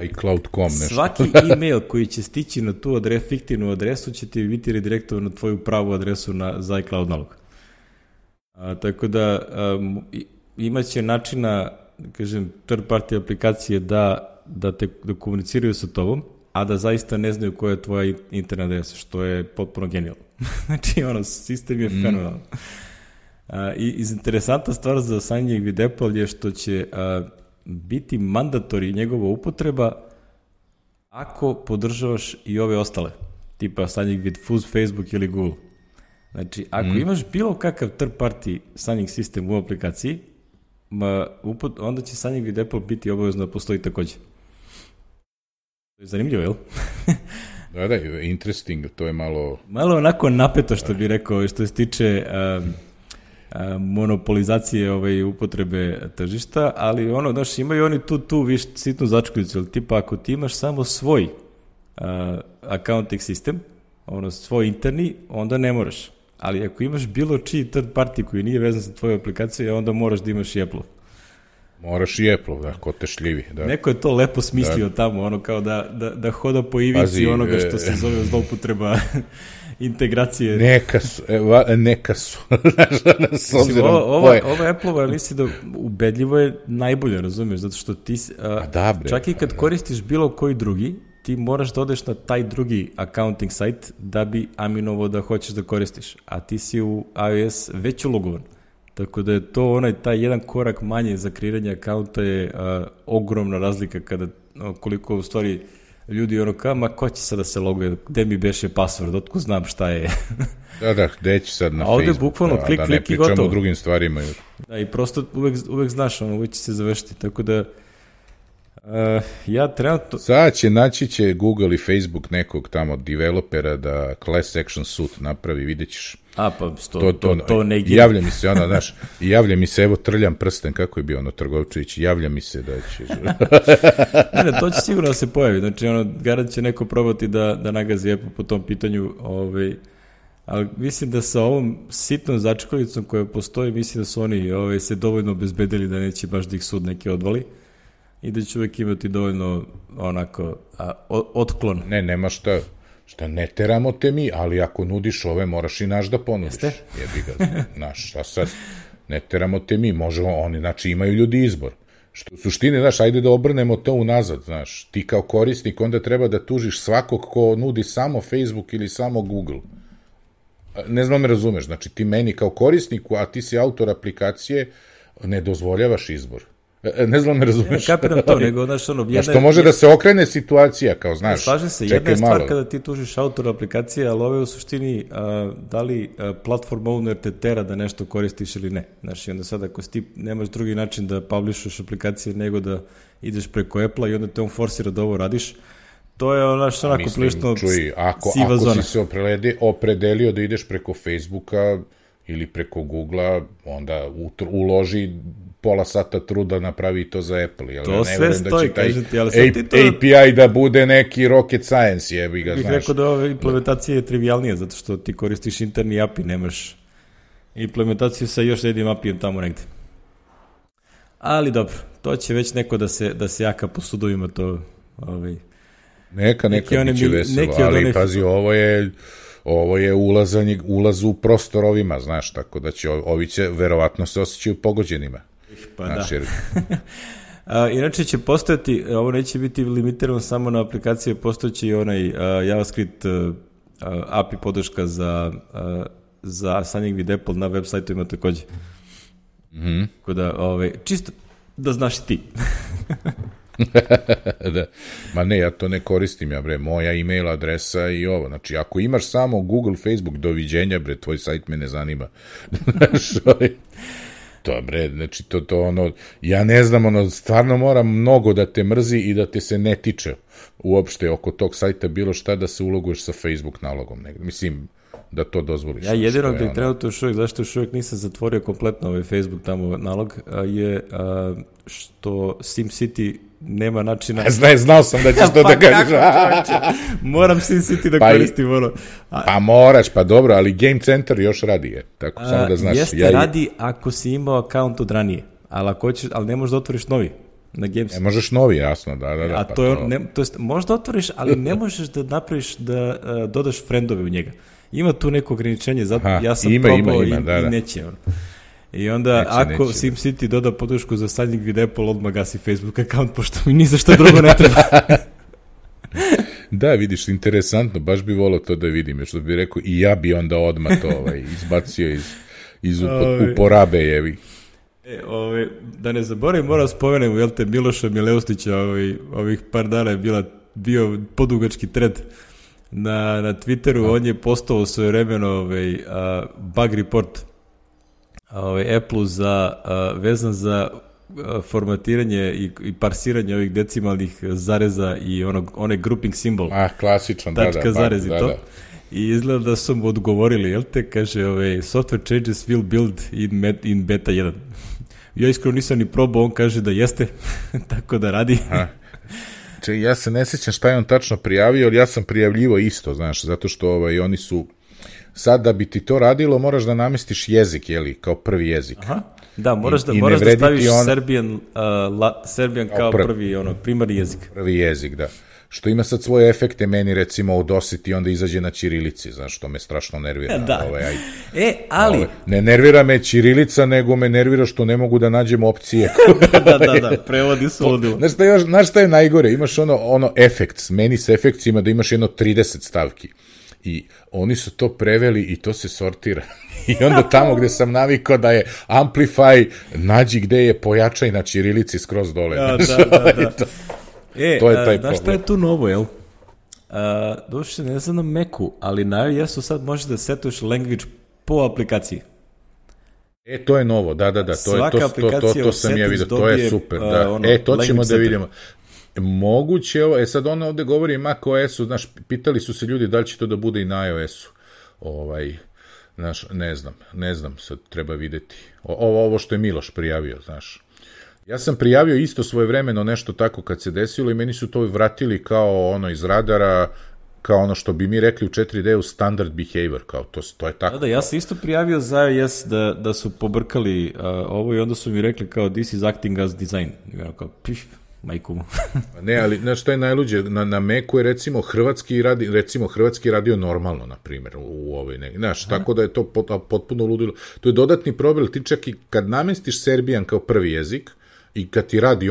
Speaker 1: svaki email koji će stići na tu fiktivnu adresu će ti biti redirektovan na tvoju pravu adresu za iCloud nalog. Tako da imaće načina, kažem, third party aplikacije da komuniciraju sa tobom, a da zaista ne znaju koja je tvoja internet adresa, što je potpuno genijalno. Znači, sistem je fenomenalan. I interesantna stvar za sanjanje vid Apple je što će biti mandatori njegova upotreba ako podržavaš i ove ostale, tipa signing vid Facebook ili Google. Znači, ako imaš bilo kakav third party signing sistem u aplikaciji, onda će signing vid Apple biti obavezno da postoji takođe. To je zanimljivo, jel?
Speaker 2: Da, interesting, to je malo...
Speaker 1: Malo onako napeto, što bi rekao, što se tiče monopolizacije upotrebe tržišta, ali imaju oni tu sitnu začkoljicu, ali tipa ako ti imaš samo svoj accounting sistem, svoj interni, onda ne moraš. Ali ako imaš bilo čiji third party koji nije vezan sa tvoju aplikaciju, onda moraš da imaš i Apple.
Speaker 2: Moraš i Apple, da, ko te šljivi. Da.
Speaker 1: Neko je to lepo smislio tamo, ono kao da hoda po ivici onoga što se zove zloupotreba integracije.
Speaker 2: Neka su.
Speaker 1: Ovo Apple-ova, mislim da ubedljivo je najbolje, razumiješ, zato što ti, čak i kad koristiš bilo koji drugi, ti moraš da odeš na taj drugi accounting sajt da bi aminovo da hoćeš da koristiš, a ti si u iOS već ulogovan. Tako da je to taj jedan korak manje za kreiranje akaunta je ogromna razlika kada, koliko u stvari ljudi ko će sad da se loguje, gde mi beše password, otko znam šta je.
Speaker 2: Da, gde će sad na
Speaker 1: Facebook,
Speaker 2: bukvalno
Speaker 1: klik i gotovo. Da ne
Speaker 2: pričamo o drugim stvarima.
Speaker 1: Da, i prosto uvek znaš, uvek će se završiti, tako da ja trenutno...
Speaker 2: Sad naći će Google i Facebook nekog tamo developera da class action suit napravi, vidjet ćeš.
Speaker 1: To ne gine.
Speaker 2: Javlja mi se, evo trljam prsten, kako je bio Trgovčević, javlja mi se da će...
Speaker 1: Ne, to će sigurno da se pojavi, znači garant će neko probati da nagazi Apple po tom pitanju, ali mislim da sa ovom sitnom začkovicom koja postoji, mislim da su oni se dovoljno obezbedili da neće baš da ih sud neki odvali i da će uvek imati dovoljno onako otklon.
Speaker 2: Nema šta ne teramo te mi, ali ako nudiš ove, moraš i naš da ponudiš.
Speaker 1: Jeste?
Speaker 2: Jebi ga, znaš, šta sad? Ne teramo te mi, možemo oni, znači imaju ljudi izbor. Što u suštini, znaš, ajde da obrnemo to unazad, znaš, ti kao korisnik onda treba da tužiš svakog ko nudi samo Facebook ili samo Google. Ne znam me razumeš, znači ti meni kao korisniku, a ti si autor aplikacije, ne dozvoljavaš izbor. Ne znam me razumeš.
Speaker 1: Kapiram to, nego, znaš,
Speaker 2: što može da se okrene situacija, kao, znaš,
Speaker 1: slažem se, jedna je stvar kada ti tužiš autor aplikacije, ali ovo je u suštini da li platform owner te tera da nešto koristiš ili ne. Znaš, i onda sad ako ti nemaš drugi način da publishuješ aplikacije nego da ideš preko Apple-a i onda te on forsira da ovo radiš, to je onako prilično siva zona.
Speaker 2: Ako si se opredelio da ideš preko Facebooka ili preko Googlea, onda uloži pola sata truda napravi to za Apple. Jel?
Speaker 1: To sve stoji, kažem ti, ali
Speaker 2: sad ti to... API da bude neki rocket science, jebi ga, znaš.
Speaker 1: Bih rekao da ova implementacija je trivialnija, zato što ti koristiš interni API, nemaš implementaciju sa još jednim API-em tamo negde. Ali dobro, to će već neko da se jaka po sudovima, to...
Speaker 2: Neka biće veselo, ali pazi, ovo je ulaz u prostor ovima, znaš, tako da će ovi će verovatno se osjećaju pogođenima.
Speaker 1: Pa znaš, da. Inače će postojati, ovo neće biti limitirano samo na aplikacije, postojeći i onaj JavaScript API podrška za signing with Apple na web sajtu ima takođe. Tako da, čisto da znaš ti.
Speaker 2: Da. Ma ne, ja to ne koristim, moja e-mail adresa i ovo, znači ako imaš samo Google, Facebook, doviđenja, tvoj sajt me ne zanima. To, znači to ja ne znam, stvarno mora mnogo da te mrzi i da te se ne tiče uopšte oko tog sajta bilo šta da se uloguješ sa Facebook nalogom negde, mislim da to dozvoliš.
Speaker 1: Ja jedino gde trenutno još uvijek, zašto još uvijek nisam zatvorio kompletno ovaj Facebook tamo nalog, je što SimCity nema načina...
Speaker 2: Znao sam da ćeš to da kažeš.
Speaker 1: Moram SimCity da koristim ono.
Speaker 2: Pa moraš, pa dobro, ali Game Center još radi je. Tako samo da znaš.
Speaker 1: Jeste, radi ako si imao akaunt od ranije, ali ne možeš da otvoriš novi. Na Games.
Speaker 2: Ne možeš novi, jasno, da.
Speaker 1: A to je, to jest, možeš da otvoriš, ali ne možeš da napraviš da dodaš friendove u njega. Ima tu neko ograničenje, zato ja sam probao i neće. I onda, ako SimCity doda podršku za signing with Apple, odmah gasi Facebook account, pošto mi ni za što drugo ne treba.
Speaker 2: Da, vidiš, interesantno, baš bi volao to da vidim, što bi rekao, i ja bi onda odmah to izbacio iz uporabe, jevi.
Speaker 1: Da ne zaboravim, moram spomenem, Miloša Mileustića, ovih par dana je bio podugački thread na Twitteru, on je postao svojevremeno bug report Apple-u vezan za formatiranje i parsiranje ovih decimalnih zareza i onaj grouping simbol.
Speaker 2: Klasičan,
Speaker 1: tačka zarez i to. I izgleda da su mu odgovorili, kaže, software changes will build in beta 1. Ja iskreno nisam ni probao, on kaže da jeste, tako da radi.
Speaker 2: Ja se ne sjećam šta je on tačno prijavio, ali ja sam prijavljivo isto, znaš, zato što oni su, sad da bi ti to radilo, moraš da namestiš jezik, kao prvi jezik.
Speaker 1: Da, moraš da staviš Serbian kao prvi primarni jezik.
Speaker 2: Prvi jezik, da. Što ima sad svoje efekte meni, recimo, u dositi, onda izađe na ćirilici, znaš, što me strašno nervira.
Speaker 1: Da. Ali...
Speaker 2: Ne nervira me ćirilica, nego me nervira što ne mogu da nađem opcije.
Speaker 1: Da, prevodi su ludilo.
Speaker 2: Znaš šta je najgore? Imaš ono effects, meni s efekcima da imaš jedno 30 stavki. I oni su to preveli i to se sortira. I onda tamo gde sam navikao da je amplify, nađi gde je pojačaj na ćirilici skroz dole.
Speaker 1: Da. To je taj problem. Znaš šta je tu novo, jel? Došli, ne znam na Macu, ali jesu sad možeš da setuješ language po aplikaciji.
Speaker 2: To je novo, da. To sam ja vidio, to je super. Da. To ćemo da vidimo. Moguće ovo, sad on ovde govori Mac OS-u, znaš, pitali su se ljudi da li će to da bude i na iOS-u. Znaš, ne znam, sad treba videti. Ovo što je Miloš prijavio, znaš. Ja sam prijavio isto svojevremeno nešto tako kad se desilo i meni su to vratili kao ono iz radara, kao ono što bi mi rekli u 4D-u standard behavior, kao to je tako.
Speaker 1: Da, ja sam isto prijavio za iOS da su pobrkali ovo i onda su mi rekli kao this is acting as design. I ono kao majku.
Speaker 2: Ne, ali znaš što je najluđe, na Macu je recimo hrvatski radio normalno, na primjer, u ovoj znaš, tako da je to potpuno ludilo. To je dodatni problem, ti čak i kad namestiš Serbian kao prvi jezik, i kad ti radi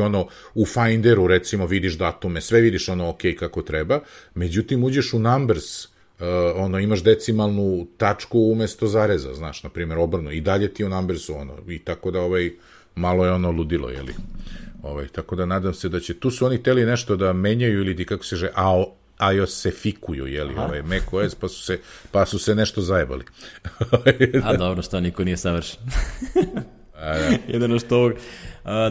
Speaker 2: u Finderu, recimo, vidiš datume, sve vidiš ok kako treba, međutim, uđeš u Numbers, imaš decimalnu tačku umesto zareza, znaš, na primjer, obrno, i dalje ti u Numbersu, i tako da, malo je ludilo, jeli? Tako da nadam se da će, tu su oni teli nešto da menjaju ili kako se iOS-efikuju, jeli, macOS, pa su se nešto zajebali.
Speaker 1: A dobro, što niko nije savršen. Jedino što ovog...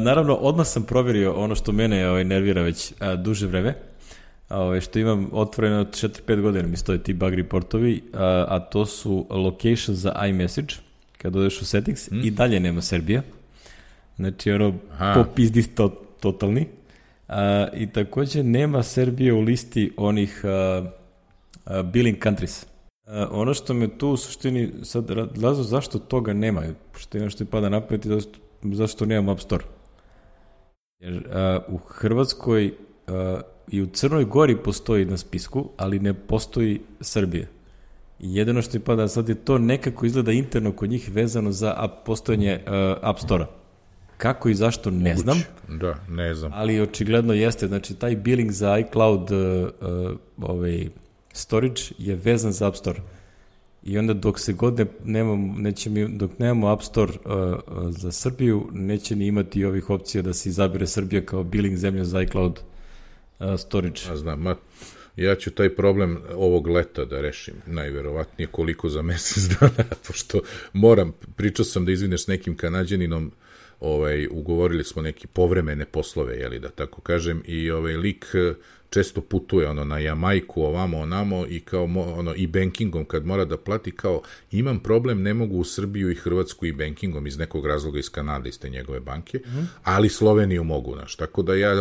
Speaker 1: Naravno, odmah sam provjerio ono što mene nervira već duže vreme, što imam otvoreno od 4-5 godina mi stoje ti bug reportovi, a to su location za iMessage, kad odeš u settings, i dalje nema Serbija. Znači, popizdi totalni. I također nema Serbije u listi onih billing countries. Ono što me tu u suštini sad razlog zašto toga nema, što je ono što je pada napred i zašto nemam App Store. Jer u Hrvatskoj i u Crnoj Gori postoji na spisku, ali ne postoji Srbija. I jedino što je pada sad je to nekako izgleda interno kod njih vezano za postojanje App Store-a. Kako i zašto, ne znam.
Speaker 2: Da, ne znam.
Speaker 1: Ali očigledno jeste, znači taj billing za iCloud storage je vezan za App Store. I onda dok se god dok nemamo App Store za Srbiju, neće ni imati ovih opcija da se izabire Srbija kao billing zemlja za iCloud storage.
Speaker 2: Znam, ja ću taj problem ovog leta da rešim, najverovatnije koliko za mesec dana, pošto pričao sam da izvineš s nekim Kanađaninom, ugovorili smo neki povremene poslove, jeli, da tako kažem, i lik često putuje na Jamajku, ovamo, onamo, i kao i bankingom kad mora da plati, kao imam problem, ne mogu u Srbiju i Hrvatsku i bankingom iz nekog razloga iz Kanade, iz te njegove banke, ali Sloveniju mogu, tako da ja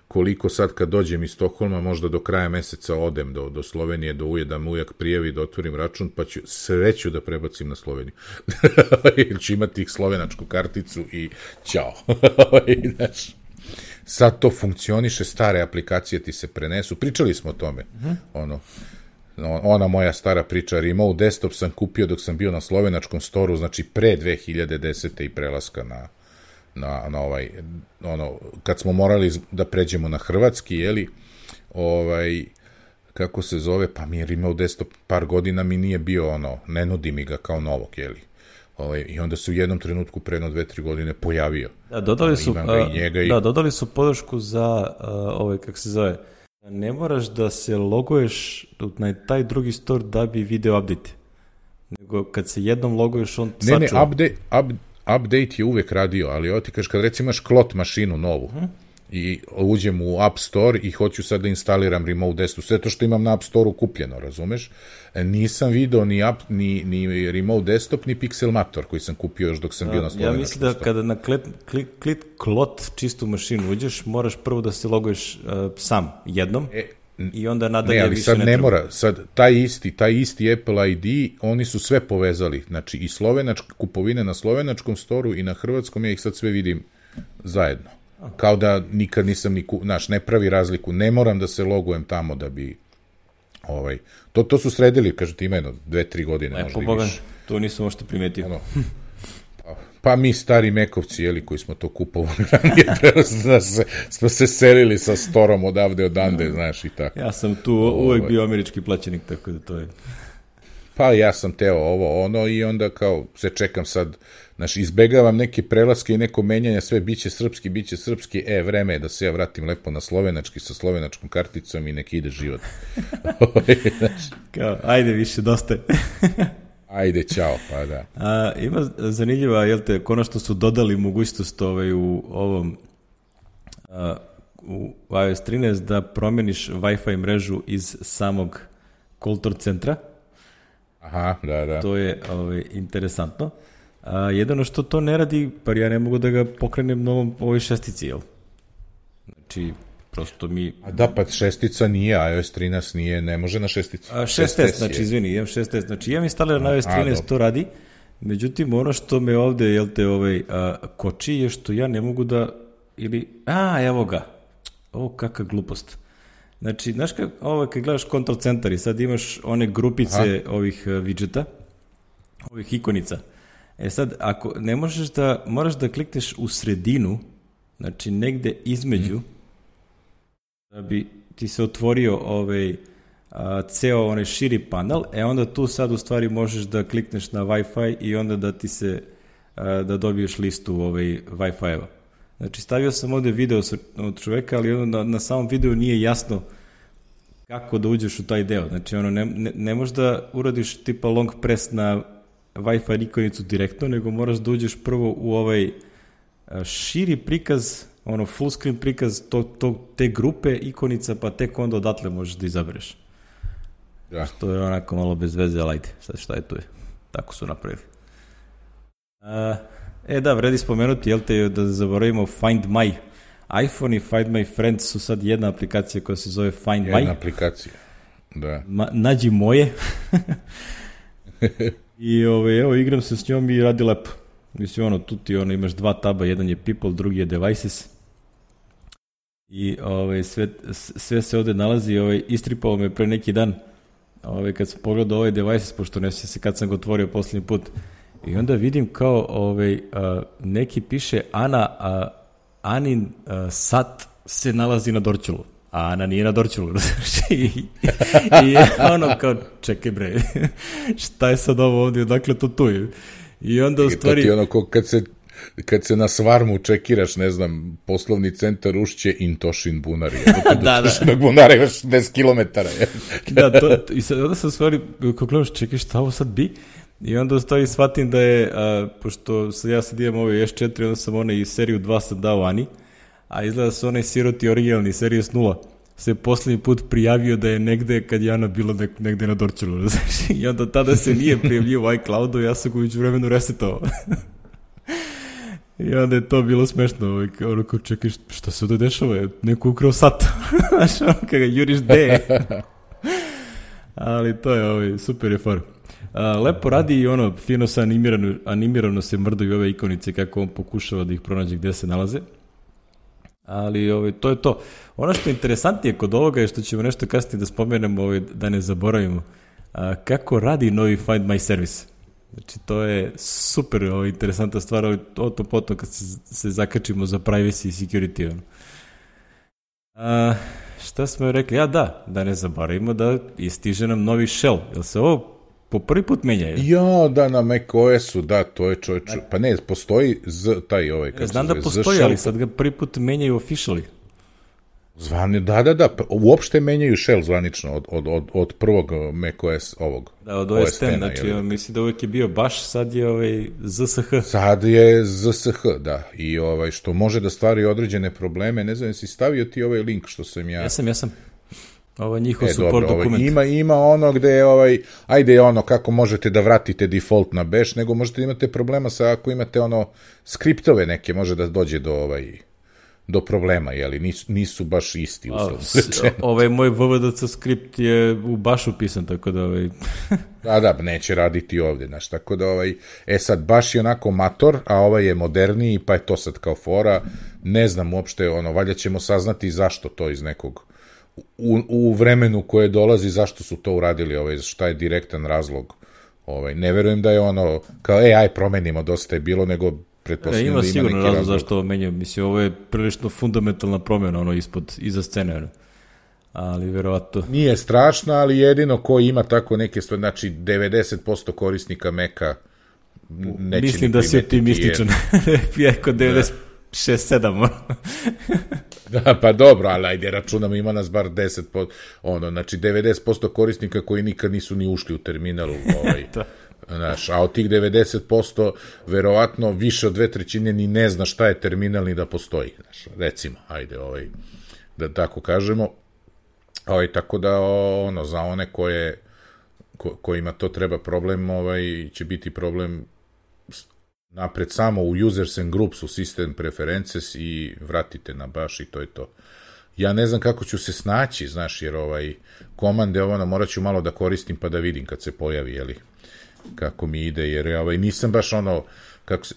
Speaker 2: koliko sad kad dođem iz Stokholma, možda do kraja meseca odem do Slovenije, da me ujak prijavi, da otvorim račun, pa ću sreću da prebacim na Sloveniju. Jer ću imati slovenačku karticu i ćao. Znaš, sad to funkcioniše, stare aplikacije ti se prenesu. Pričali smo o tome. Ona moja stara priča, Remote Desktop sam kupio dok sam bio na slovenačkom storu, znači pre 2010. i prelaska na kad smo morali da pređemo na hrvatski, jeli, kako se zove, pa mi je Remote Desktop par godina mi nije bio, ne nudi mi ga kao novog, jeli. I onda se u jednom trenutku pre 2-3 godine pojavio.
Speaker 1: Da, dodali su podršku za, kako se zove, ne moraš da se loguješ na taj drugi store da bi video update. Nego kad se jednom loguješ, on sačuva.
Speaker 2: Update je uvek radio, ali ovo ti kažeš, kad recimo imaš klot mašinu novu i uđem u App Store i hoću sad da instaliram Remote Desktop, sve to što imam na App Store-u kupljeno, razumeš? Nisam video ni Remote Desktop, ni Pixelmator koji sam kupio još dok sam bio na slovenačkom.
Speaker 1: Ja mislim da kada na klot čistu mašinu uđeš, moraš prvo da se loguješ sam jednom. i onda nadalje
Speaker 2: ali
Speaker 1: više
Speaker 2: sad
Speaker 1: ne
Speaker 2: ne
Speaker 1: treba.
Speaker 2: mora, sad taj isti Apple ID, oni su sve povezali, znači i kupovine na slovenačkom storu i na hrvatskom, ja ih sad sve vidim zajedno. Kao da nikad nisam ne pravi razliku, ne moram da se logujem tamo da bi to su sredili, kažete, ima jedno 2-3 godine, možda i više.
Speaker 1: To nisam možda primetio.
Speaker 2: Pa mi stari mekovci, koji smo to kupovali ranije, smo se selili sa storom odande, znaš, i tako.
Speaker 1: Ja sam tu uvek bio američki plaćenik, tako da to je...
Speaker 2: Pa ja sam teo i onda kao se čekam sad, znaš, izbegavam neke prelaske i neko menjanje, sve biće srpski, vreme je da se ja vratim lepo na slovenački sa slovenačkom karticom i nek ide život.
Speaker 1: Kao, ajde više, dosta je.
Speaker 2: Ajde, čao, pa da.
Speaker 1: Ima zanimljiva, konačno su dodali mogućnost u ovom u iOS 13 da promeniš Wi-Fi mrežu iz samog call centra.
Speaker 2: Aha, da.
Speaker 1: To je interesantno. Jedino što to ne radi, pa ja ne mogu da ga pokrenem na ovoj šestici, jel? Znači, prosto mi...
Speaker 2: Da, pa šestica nije, iOS 13 nije, ne može na šesticu.
Speaker 1: 6S, znači, izvini, imam 6S. Znači, imam instaliran na iOS 13, to radi. Međutim, ono što me ovde, koči je što ja ne mogu da... evo ga. Kakva glupost. Znači, znaš kad gledaš control centar i sad imaš one grupice ovih widgeta, ovih ikonica. Sad, ako ne možeš moraš da klikneš u sredinu, znači negde između, da bi ti se otvorio ceo onaj širi panel, onda tu sad u stvari možeš da klikneš na Wi-Fi i onda da ti se, da dobiješ listu Wi-Fi-eva. Znači, stavio sam ovde video od čoveka, ali na samom videu nije jasno kako da uđeš u taj deo. Znači, ne možeš da uradiš tipa long press na Wi-Fi ikonicu direktno, nego moraš da uđeš prvo u širi prikaz, full screen prikaz te grupe ikonica, pa tek onda odatle možeš da izabereš.
Speaker 2: Da.
Speaker 1: Što je onako malo bez veze, ali ajde, sad šta je tu je. Tako su napravili. Da, vredi spomenuti, da zaboravimo Find My. iPhone i Find My Friends su sad jedna aplikacija koja se zove Find My.
Speaker 2: Jedna aplikacija, da.
Speaker 1: Nađi moje. I evo, igram se s njom i radi lepo. Mislim, tu ti imaš dva taba, jedan je People, drugi je Devices. I sve se ovde nalazi, istripao me pre neki dan, kad sam pogledao ovaj Devices, pošto ne se kad sam ga otvorio poslednji put. I onda vidim kao neki piše Anin sat se nalazi na Dorćolu, a Ana nije na Dorćolu. I kao, čekaj bre, šta je sad ovo ovdje, odakle to tu je? I onda u stvari...
Speaker 2: To ti kad se na Svarmu čekiraš, ne znam, poslovni centar Ušće Intošin Bunari. Da. Bunara imaš 10 kilometara.
Speaker 1: Da, i sad onda sam stvari, kako gledaš, čekaj, šta ovo sad bi? I onda u stvari shvatim da je, pošto ja sad imam ovaj S4, onda sam i seriju 2 sam dao Ani, a izgleda su onaj siroti originalni, Series 0, se poslednji put prijavio da je negde, kad je Ana bila negde na Dorćolu, i onda tada se nije prijavljivo u iCloudu, ja sam ga uđu vremenu resetovao. I onda je to bilo smešno, kao čekaj, šta se ovdje dešava, neko ukrao sat, znaš, kada juriš de. Ali to je, super je far. Lepo radi i fino se animirano se mrdaju ove ikonice kako on pokušava da ih pronađe gde se nalaze. Ali to je to. Ono što je interesantnije kod ovoga je što ćemo nešto kasnije da spomenemo, da ne zaboravimo, kako radi novi Find My servis. Znači, to je super interesantna stvar, potom kad se zakačimo za privacy i security. Šta smo rekli? Da ne zaboravimo da stiže nam novi shell. Jel se ovo po prvi put menja?
Speaker 2: Da, na macOS-u, da, to je pa ne, postoji taj
Speaker 1: znam da postoji, ali sad ga prvi put menjaju officially.
Speaker 2: Da, uopšte menjaju shell zvanično od prvog macOS ovog.
Speaker 1: Da, od OS X, znači mislim da uvijek je bio baš, sad je ZSH.
Speaker 2: Sad je ZSH, da, i što može da stvari određene probleme, ne znam, jesi stavio ti ovaj link što sam ja...
Speaker 1: Jesam. Ovo je njihov support dokument.
Speaker 2: Ima ono gde je, ajde kako možete da vratite default na bash, nego možete da imate problema sa ako imate skriptove neke, može da dođe do problema, jeli, nisu baš isti uslovno.
Speaker 1: Ovaj moj VVDC skript je u baš upisan, tako da
Speaker 2: Da, neće raditi ovde, znaš, tako da sad baš je onako mator, a ovaj je moderniji, pa je to sad kao fora, ne znam uopšte, valjda ćemo saznati zašto to iz nekog, u vremenu koje dolazi, zašto su to uradili, šta je direktan razlog, ne verujem da je kao, aj promenimo, dosta je bilo, nego pretpostavljam da ima neki razlog.
Speaker 1: Ima sigurno razlog zašto ovo menjaju, mislim, ovo je prilično fundamentalna promjena, iza scene, ali verovatno...
Speaker 2: Nije strašno, ali jedino ko ima tako neke stvari, znači 90% korisnika Maca neće ni primetiti.
Speaker 1: Mislim da si optimističan, jako 96-7.
Speaker 2: Da, pa dobro, ali ajde računamo, ima nas bar 10%, znači 90% korisnika koji nikad nisu ni ušli u terminalu, znaš, a od tih 90% verovatno više od 2/3 ni ne zna šta je terminal ni da postoji, znaš, recimo, ajde, da tako kažemo, tako da, za one kojima to treba problem, će biti problem napred samo u users and groups, u system preferences i vratite na baš i to je to. Ja ne znam kako ću se snaći, znaš, jer komande, morat ću malo da koristim pa da vidim kad se pojavi, jeli, kako mi ide, jer nisam baš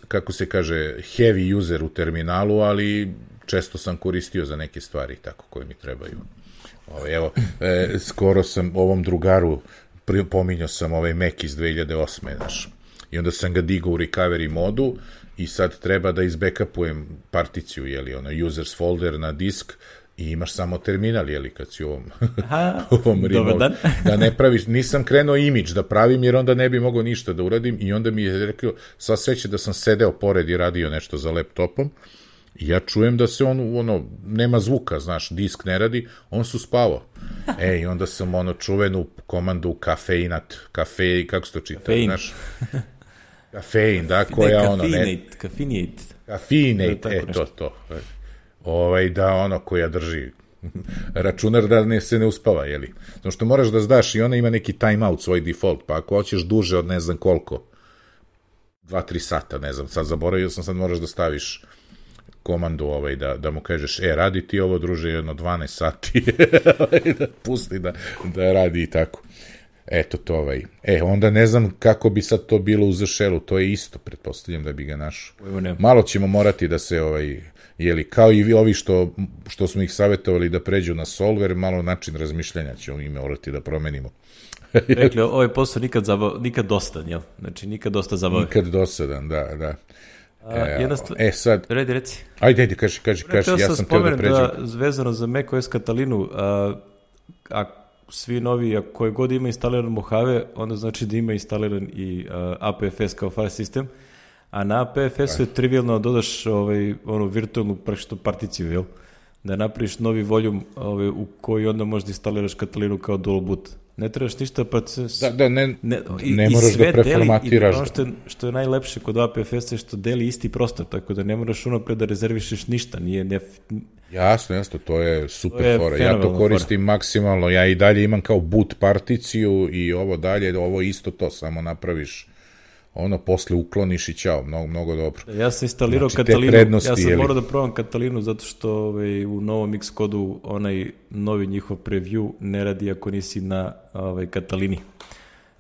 Speaker 2: kako se kaže, heavy user u terminalu, ali često sam koristio za neke stvari tako koje mi trebaju. Evo, skoro sam ovom drugaru pominjao sam Mac iz 2008. Znaš, i onda sam ga digao u recovery modu i sad treba da izbackupujem particiju, jeli, users folder na disk i imaš samo terminal, jeli, kad si u ovom remote. Da ne praviš, nisam krenuo image da pravim, jer onda ne bi mogao ništa da uradim i onda mi je rekao, sva sreće da sam sedeo pored i radio nešto za laptopom i ja čujem da se nema zvuka, znaš, disk ne radi, on su spavao. I onda sam čuvenu komandu kafeinat, kako se to čita, znaš? Kafein, da, koja Kafinate, to. Da, koja drži računar da se ne uspava, jeli? Znači što moraš da znaš i ona ima neki timeout, svoj default, pa ako hoćeš duže od ne znam koliko, 2-3 sata, ne znam, sad zaboravio sam, sad moraš da staviš komandu da mu kažeš, radi ti ovo, druže, jedno 12 sati, da pusti da radi i tako. Eto to onda ne znam kako bi sad to bilo u ZŠL-u, to je isto, pretpostavljam da bi ga našao. Malo ćemo morati da se, jeli, kao i ovi što smo ih savjetovali da pređu na solver, malo način razmišljanja ćemo i morati da promenimo.
Speaker 1: Rekli, ovaj posao nikad dosadan, jel? Znači, nikad dosta zabave.
Speaker 2: Nikad dosadan, da.
Speaker 1: Sad... Reci.
Speaker 2: Ajde, kaži, ja sam teo da pređem.
Speaker 1: Vezano za macOS Catalinu, a svi novi, a koje god ima instaliran Mojave, onda znači da ima instaliran i APFS kao file system, a na APFS-u je trivialno dodaš onu virtualnu particiju, jel? Da napraviš novi voljum u koji onda možda instaliraš Catalinu kao dual boot. Ne trebaš ništa
Speaker 2: ne moraš da preformatiraš.
Speaker 1: Ono što je najlepše kod APFS je što deli isti prostor, tako da ne moraš unapred da rezervišeš ništa.
Speaker 2: Jasno, to je super fora. Ja to koristim maksimalno. Ja i dalje imam kao boot particiju i ovo dalje, ovo isto to, samo napraviš posle ukloniš i ćao, mnogo dobro.
Speaker 1: Ja sam instalirao Catalinu, ja sam morao da probam Catalinu zato što u novom Xcodu onaj novi njihov preview ne radi ako nisi na Catalini.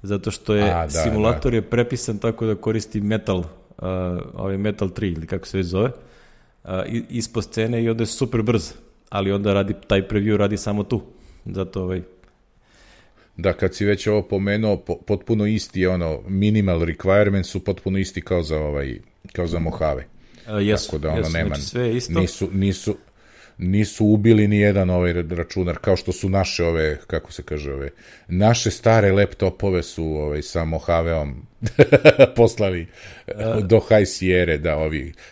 Speaker 1: Zato što je simulator je prepisan tako da koristi Metal 3 ili kako se već zove, ispod scene i onda je super brz, ali onda taj preview radi samo tu. Zato
Speaker 2: Da, kad si već ovo pomenuo, potpuno isti je minimal requirements su potpuno isti kao za Mojave.
Speaker 1: Tako da nema, znači sve je isto.
Speaker 2: Nisu ubili ni jedan računar, kao što su naše kako se kaže, naše stare laptopove su sa Mojaveom poslali do High Sierra,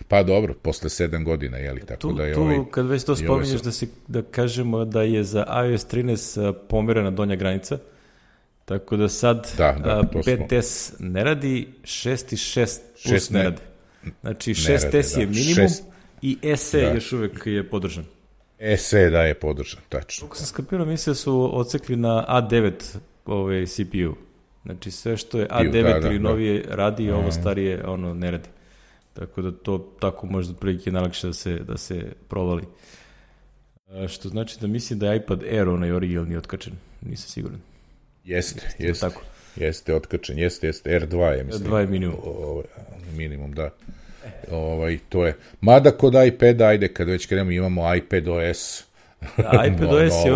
Speaker 2: pa dobro, posle 7 godina, jeli, tako da je
Speaker 1: tu, kad već to spominješ, da kažemo da je za iOS 13 pomerena donja granica, tako da sad 5S ne radi, 6 i 6 plus ne radi. Znači 6S je minimum i SE još uvek je podržan.
Speaker 2: SE je podržan, tačno.
Speaker 1: Kako sam skapirao, mislim da su odsekli na A9 CPU. Znači sve što je A9 ili novije radi, ovo starije ne radi. Tako da to tako možda prilike najlakše da se provali. Što znači da mislim da je iPad Air onaj originalni otkačen, nisam siguran.
Speaker 2: Jeste otkačen, jeste, R2 je, mislim.
Speaker 1: R2 je minimum.
Speaker 2: Minimum, da. To je. Mada kod iPada, ajde, kad već krenemo, imamo iPadOS.
Speaker 1: iPadOS je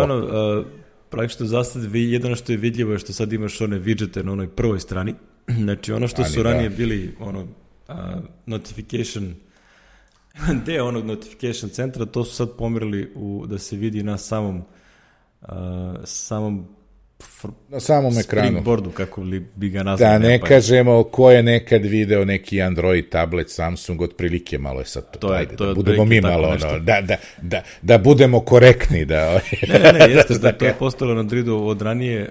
Speaker 1: praktično za sad jedino što je vidljivo je što sad imaš one widgete na onoj prvoj strani. Znači ono što su ranije bili notification deo onog notification centra, to su sad pomerili da se vidi na samom
Speaker 2: ekranu.
Speaker 1: Springboardu, kako bi ga nazvali.
Speaker 2: Da ne kažemo ko je nekad video neki Android tablet, Samsung, otprilike malo je sad to. Ajde, da budemo mi malo, da budemo korektni.
Speaker 1: Ne, jeste da to je postalo na Androidu od ranije.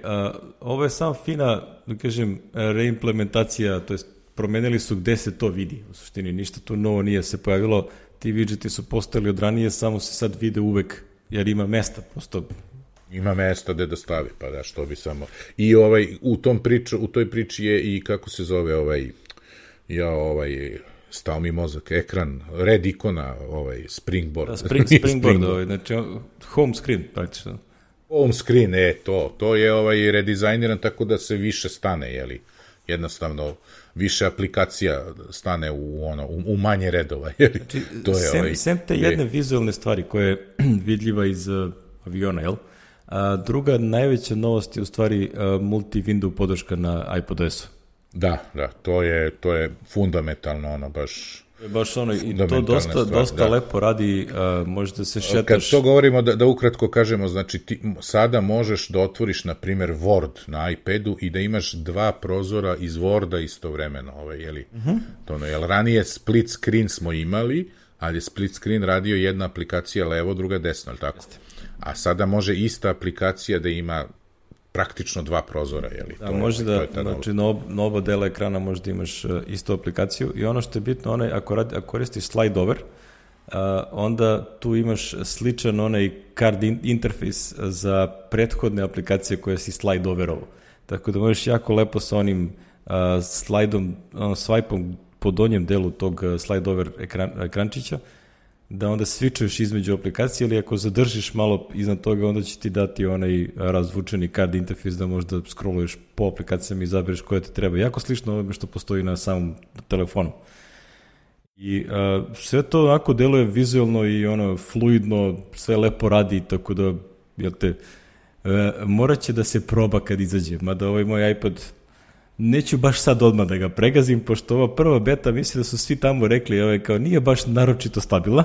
Speaker 1: Ovo je samo fina, da kažem, reimplementacija, to jest promenili su gde se to vidi. U suštini ništa tu novo nije se pojavilo. Ti widgeti su postali od ranije, samo se sad vide uvek, jer ima mesta.
Speaker 2: Ima mesta gde da stavi, pa da, što bi samo. I u toj priči je i, kako se zove, stao mi mozak, ekran, red ikona, Springboard.
Speaker 1: Springboard, znači home screen, praktično.
Speaker 2: Home screen, to je redizajniran tako da se više stane, jeli, jednostavno više aplikacija stane u manje redova.
Speaker 1: Znači, sem te jedne vizualne stvari koja je vidljiva iz aviona, jel? A druga najveća novost je u stvari multi-window podrška na iPadOS-u.
Speaker 2: Da, to je fundamentalno, baš
Speaker 1: i to dosta lepo radi, možete se šetaš.
Speaker 2: Kad to govorimo, da ukratko kažemo, znači ti sada možeš da otvoriš, na primjer, Word na iPadu i da imaš dva prozora iz Worda istovremeno, jel ranije split screen smo imali, ali je split screen radio jedna aplikacija levo, druga desno, ali tako? A sada može ista aplikacija da ima praktično dva prozora, jeli?
Speaker 1: Da, može znači na oba dela ekrana može da imaš istu aplikaciju i ono što je bitno, ako koristiš slide over, onda tu imaš sličan onaj card interface za prethodne aplikacije koje si slide overovo. Tako da možeš jako lepo sa onim slajdom, swipe-om po donjem delu tog slide over ekrančića, da onda switchuješ između aplikacije, ili ako zadržiš malo iznad toga, onda će ti dati onaj razvučeni card interface da možda scrolluješ po aplikacijama i izabereš koja ti treba. Jako slično ovome što postoji na samom telefonu. I sve to onako deluje vizualno i fluidno, sve lepo radi, tako da, morat će da se proba kad izađe. Mada ovaj moj iPad, neću baš sad odmah da ga pregazim, pošto ova prva beta, mislim da su svi tamo rekli, kao nije baš naročito stabilna.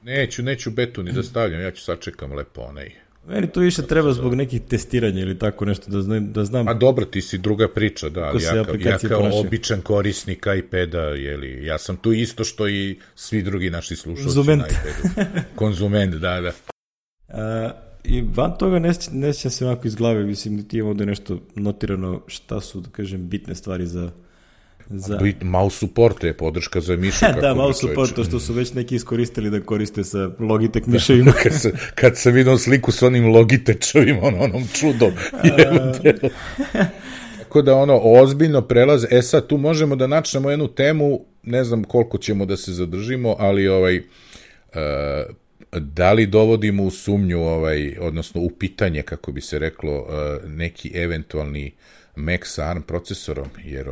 Speaker 2: Neću betu ni da stavljam, ja ću sačekam lepo onaj.
Speaker 1: Meni to više treba zbog nekih testiranja ili tako nešto, da znam.
Speaker 2: A dobro, ti si druga priča, da, ali ja kao običan korisnik iPada, ja sam tu isto što i svi drugi naši slušalci na iPadu. Konzument, da.
Speaker 1: I van toga ne sjećam se ovako iz glave, mislim da ti imamo da je nešto notirano šta su, da kažem, bitne stvari za...
Speaker 2: Mouse support je podrška za mišu.
Speaker 1: Da, mouse support, to što su već neki iskoristili da koriste sa Logitech miševima.
Speaker 2: Kad sam vidio sliku s onim Logitechovim, onom čudom. Tako da ozbiljno prelaze. Sad tu možemo da načnemo jednu temu, ne znam koliko ćemo da se zadržimo, ali da li dovodimo u sumnju, odnosno u pitanje, kako bi se reklo, neki eventualni Mac sa ARM procesorom, jer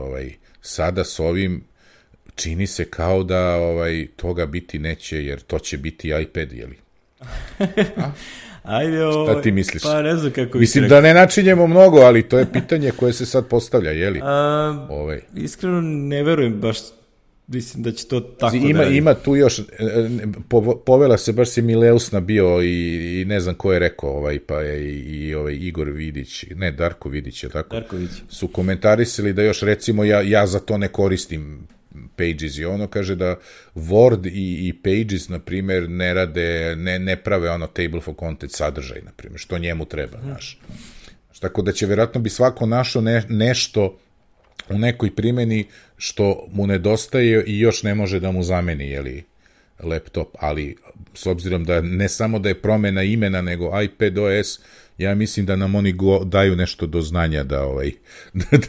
Speaker 2: sada s ovim čini se kao da toga biti neće, jer to će biti iPad, jeli?
Speaker 1: Ajde,
Speaker 2: šta ti misliš?
Speaker 1: Pa ne znam kako
Speaker 2: mislim da ne načinjemo mnogo, ali to je pitanje koje se sad postavlja, jeli?
Speaker 1: Iskreno ne verujem baš. Mislim da će to tako
Speaker 2: ima tu još, povela se, baš si Mileusna bio i ne znam ko je rekao, pa je i Igor Vidić, ne, Darko Vidić, je tako?
Speaker 1: Darko Vidić.
Speaker 2: Su komentarisali da još, recimo, ja za to ne koristim Pages i kaže da Word i Pages, na primjer, ne rade, ne prave table for content sadržaj, na primjer, što njemu treba, znaš. Tako da će, vjerojatno bi svako našao nešto u nekoj primjeni što mu nedostaje i još ne može da mu zameni, jeli, laptop, ali s obzirom da ne samo da je promena imena, nego iPadOS, ja mislim da nam oni daju nešto do znanja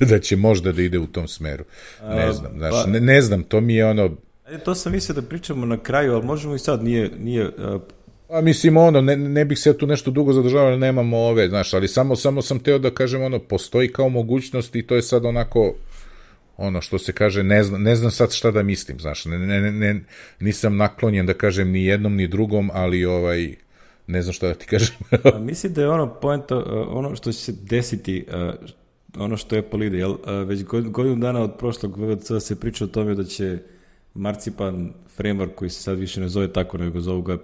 Speaker 2: da će možda da ide u tom smeru. Ne znam, ne znam, to mi je ono...
Speaker 1: To sam mislio da pričamo na kraju, ali možemo i sad, nije
Speaker 2: A mislim, ne bih se ja tu nešto dugo zadržavao, ali nemamo ove, znaš, ali samo sam teo da kažem, postoji kao mogućnost i to je sad onako, što se kaže, ne znam sad šta da mislim, znaš, nisam naklonjen da kažem ni jednom ni drugom, ali ne znam šta da ti kažem.
Speaker 1: Mislim da je poenta, ono što će se desiti, ono što Apple ide, već godinu dana od prošlog VVC se priča o tome da će Marcipan framework, koji se sad više ne zove tako, nego zovu ga,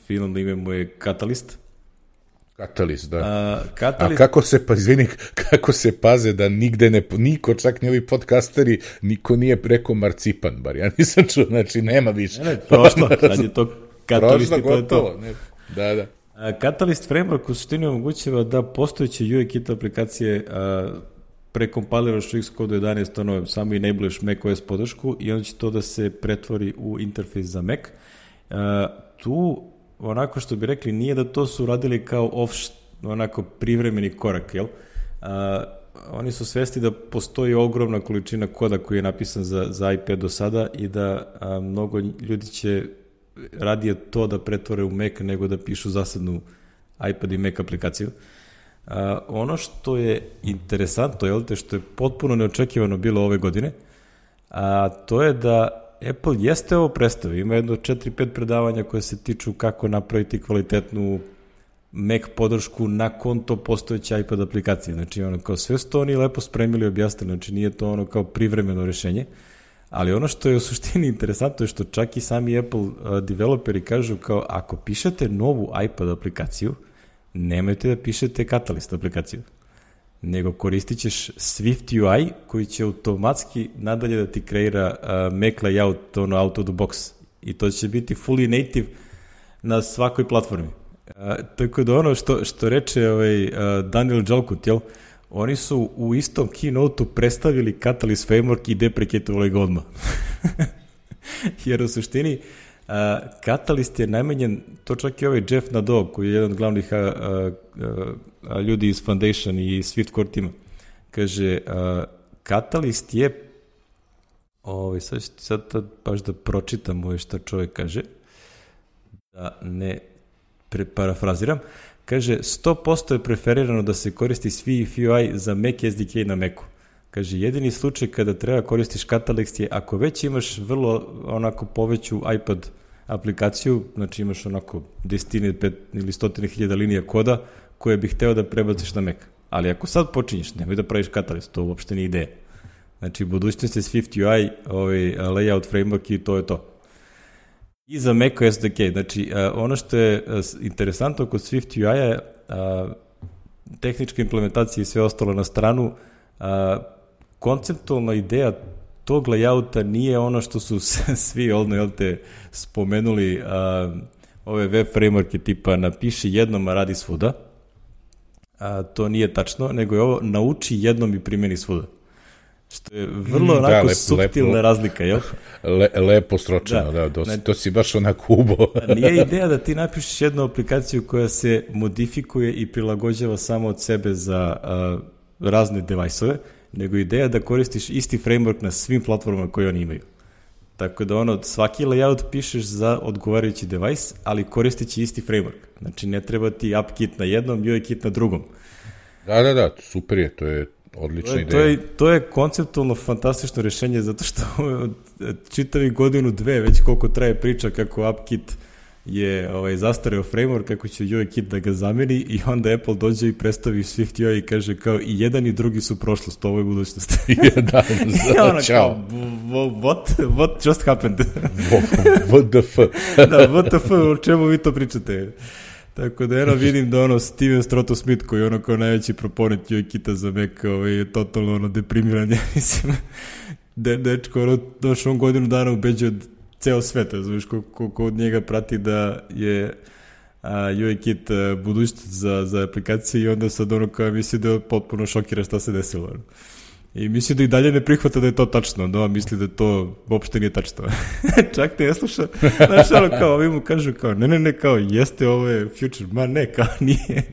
Speaker 1: finalno ime mu je Catalyst.
Speaker 2: Catalyst, da. A kako se paze da nigde niko, čak ni ovi podcasteri, niko nije preko Marcipan, bar ja nisam čuo, znači nema više.
Speaker 1: Ne, prošlo, sad je to Catalyst i to je to.
Speaker 2: Da.
Speaker 1: Catalyst framework u suštini omogućava da postojeće UIKit aplikacije prekompiliraš u Xcode 11, samo enabluješ macOS podršku i onda će to da se pretvori u interfejs za Mac. Tu, onako što bi rekli, nije da to su radili kao onako privremeni korak, jel? Oni su svesti da postoji ogromna količina koda koji je napisan za iPad do sada i da mnogo ljudi će radije to da pretvore u Mac nego da pišu zasadnu iPad i Mac aplikaciju. Ono što je interesantno, što je potpuno neočekivano bilo ove godine, to je da Apple jeste ovo predstavio, ima jedno 4-5 predavanja koje se tiču kako napraviti kvalitetnu Mac podršku na konto postojeće iPad aplikacije. Znači, kao sve su to oni lepo spremili i objasnili, znači nije to kao privremeno rešenje, ali ono što je u suštini interesantno je što čak i sami Apple developeri kažu kao ako pišete novu iPad aplikaciju, nemojte da pišete Catalyst aplikaciju, nego koristit ćeš Swift UI koji će automatski nadalje da ti kreira Mac layout out of the box i to će biti fully native na svakoj platformi. Tako da ono što reče Daniel Jalkut, oni su u istom keynote-u predstavili Catalyst framework i deprecatovali ga odmah. Jer u suštini Catalyst je najmanjen, to čak i Jeff Nadeau, koji je jedan od glavnih ljudi iz Foundation i Swift Core tima, kaže, Catalyst je, sad baš da pročitam ovo što čovjek kaže, da ne parafraziram, kaže, 100% je preferirano da se koristi Swift UI za Mac SDK na Macu. Kaže, jedini slučaj kada treba koristiš Catalyst je ako već imaš vrlo onako poveću iPad aplikaciju, znači imaš onako 10 ili 100.000 linija koda koje bih hteo da prebaciš na Mac. Ali ako sad počinješ, nemoj da praviš Catalyst, to uopšte nije ideja. Znači, budućnost je Swift UI, layout framework i to je to. I za Mac SDK. Znači, ono što je interesantno kod Swift UI-a, tehnička implementacija i sve ostalo na stranu, konceptualna ideja tog layouta nije ono što su svi spomenuli, ove web frameworke tipa napiši jednom, a radi svuda. To nije tačno, nego je ovo nauči jednom i primjeni svuda. Što je vrlo onako suptilna razlika, jel?
Speaker 2: Lepo sročeno, to si baš onako ubo.
Speaker 1: Nije ideja da ti napišeš jednu aplikaciju koja se modifikuje i prilagođava samo od sebe za razne device-ove, nego ideja da koristiš isti framework na svim platformama koje oni imaju. Tako da svaki layout pišeš za odgovarajući device, ali koristići isti framework. Znači ne treba ti AppKit na jednom, UIKit na drugom.
Speaker 2: Da, super je, to je odlična ideja.
Speaker 1: To je konceptualno fantastično rešenje, zato što čitavi godinu, dve, već koliko traje priča kako AppKit je zastareo framework, kako će UIKit da ga zameni i onda Apple dođe i predstavi Swift UI i kaže kao i jedan i drugi su prošlost, ovo je budućnost.
Speaker 2: Da, čao.
Speaker 1: What just happened?
Speaker 2: What the fuck?
Speaker 1: Da, what the fuck, o čemu vi to pričate? Tako da vidim da Steven Strotto-Smith koji je kao najveći proponent UIKita za Mac je totalno deprimiran, ja mislim. Dečko, došao godinu dana ubeđuje ceo svet, znaš, koliko od njega prati da je UIKit budućnost za aplikacije i onda sad kao misli da je potpuno šokira šta se desilo. I misli da i dalje ne prihvata da je to tačno, da on misli da to uopšte nije tačno. Čak te ne sluša, znaš, ono kao, ovi mu kažu kao, ne, kao, jeste, ovo je future, ma ne, kao, nije.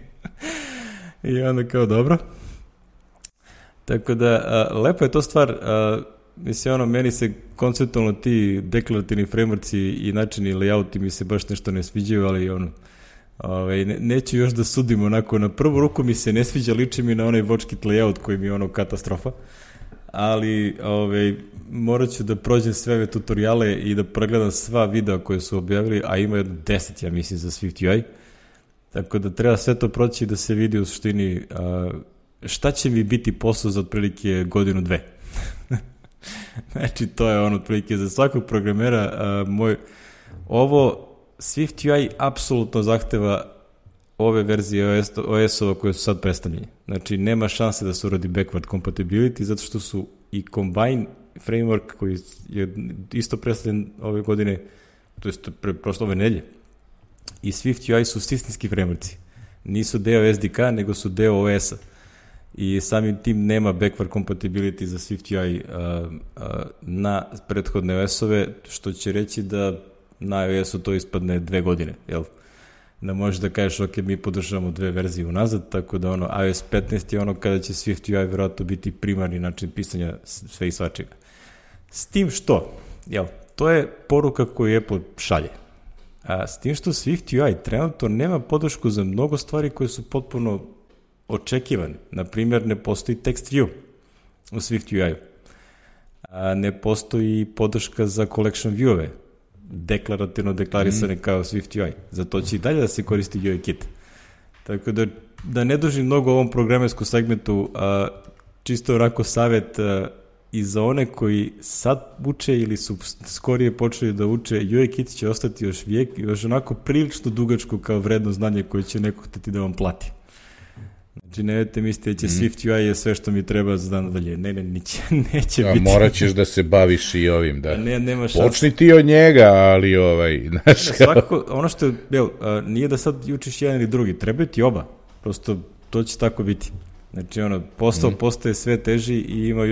Speaker 1: I onda kao, dobro. Tako da, lepo je to stvar, mislim, ono, meni se konceptualno ti deklarativni frameworkci i načini layouti mi se baš nešto ne sviđaju, ali ono, neću još da sudim onako, na prvu ruku mi se ne sviđa, liči mi na onaj WatchKit layout koji mi je ono katastrofa, ali morat ću da prođem sve ove tutoriale i da pregledam sva videa koje su objavili, a ima 10, ja mislim, za Swift UI, tako da treba sve to proći i da se vidi u suštini šta će mi biti posao za otprilike godinu, dve. Znači, to je ono otprilike za svakog programera. Ovo Swift UI apsolutno zahteva ove verzije OS-ova koje su sad predstavljene. Znači, nema šanse da se uradi backward compatibility, zato što su i Combine framework koji je isto predstavljen ove godine, to je prošle ove nedelje, i Swift UI su sistemski frameworkci. Nisu deo SDK, nego su deo OS-a. I samim tim nema backward compatibility za Swift UI na prethodne OS-ove, što će reći da na iOS-u to ispadne 2 godine, jel? Da možeš da kažeš, ok, mi podržavamo 2 verzije unazad, tako da ono, iOS 15 je ono kada će Swift UI vjerojatno biti primarni način pisanja sve i svačega. S tim što, jel, to je poruka koju Apple šalje. A s tim što Swift UI trenutno nema podršku za mnogo stvari koje su potpuno očekivane. Naprimjer, ne postoji text view u Swift UI-u. Ne postoji podrška za collection view-ove, deklarativno deklarisane kao Swift UI. Zato će i dalje da se koristi UIKit. Tako da ne dužim mnogo o ovom programerskom segmentu, čisto onako savjet i za one koji sad uče ili su skorije počeli da uče, UIKit će ostati još onako prilično dugačko kao vredno znanje koje će neko hteti da vam plati. Znači, nemojte mislite da će Swift UI je sve što mi treba za dan dalje. Ne, neće biti.
Speaker 2: Morat ćeš da se baviš i ovim, da.
Speaker 1: Nema šanse.
Speaker 2: Počni ti od njega, ali znaš
Speaker 1: svakako, ono što je, nije da sad učiš jedan ili drugi, trebaju ti oba. Prosto, to će tako biti. Znači, posao postaje sve teži i ima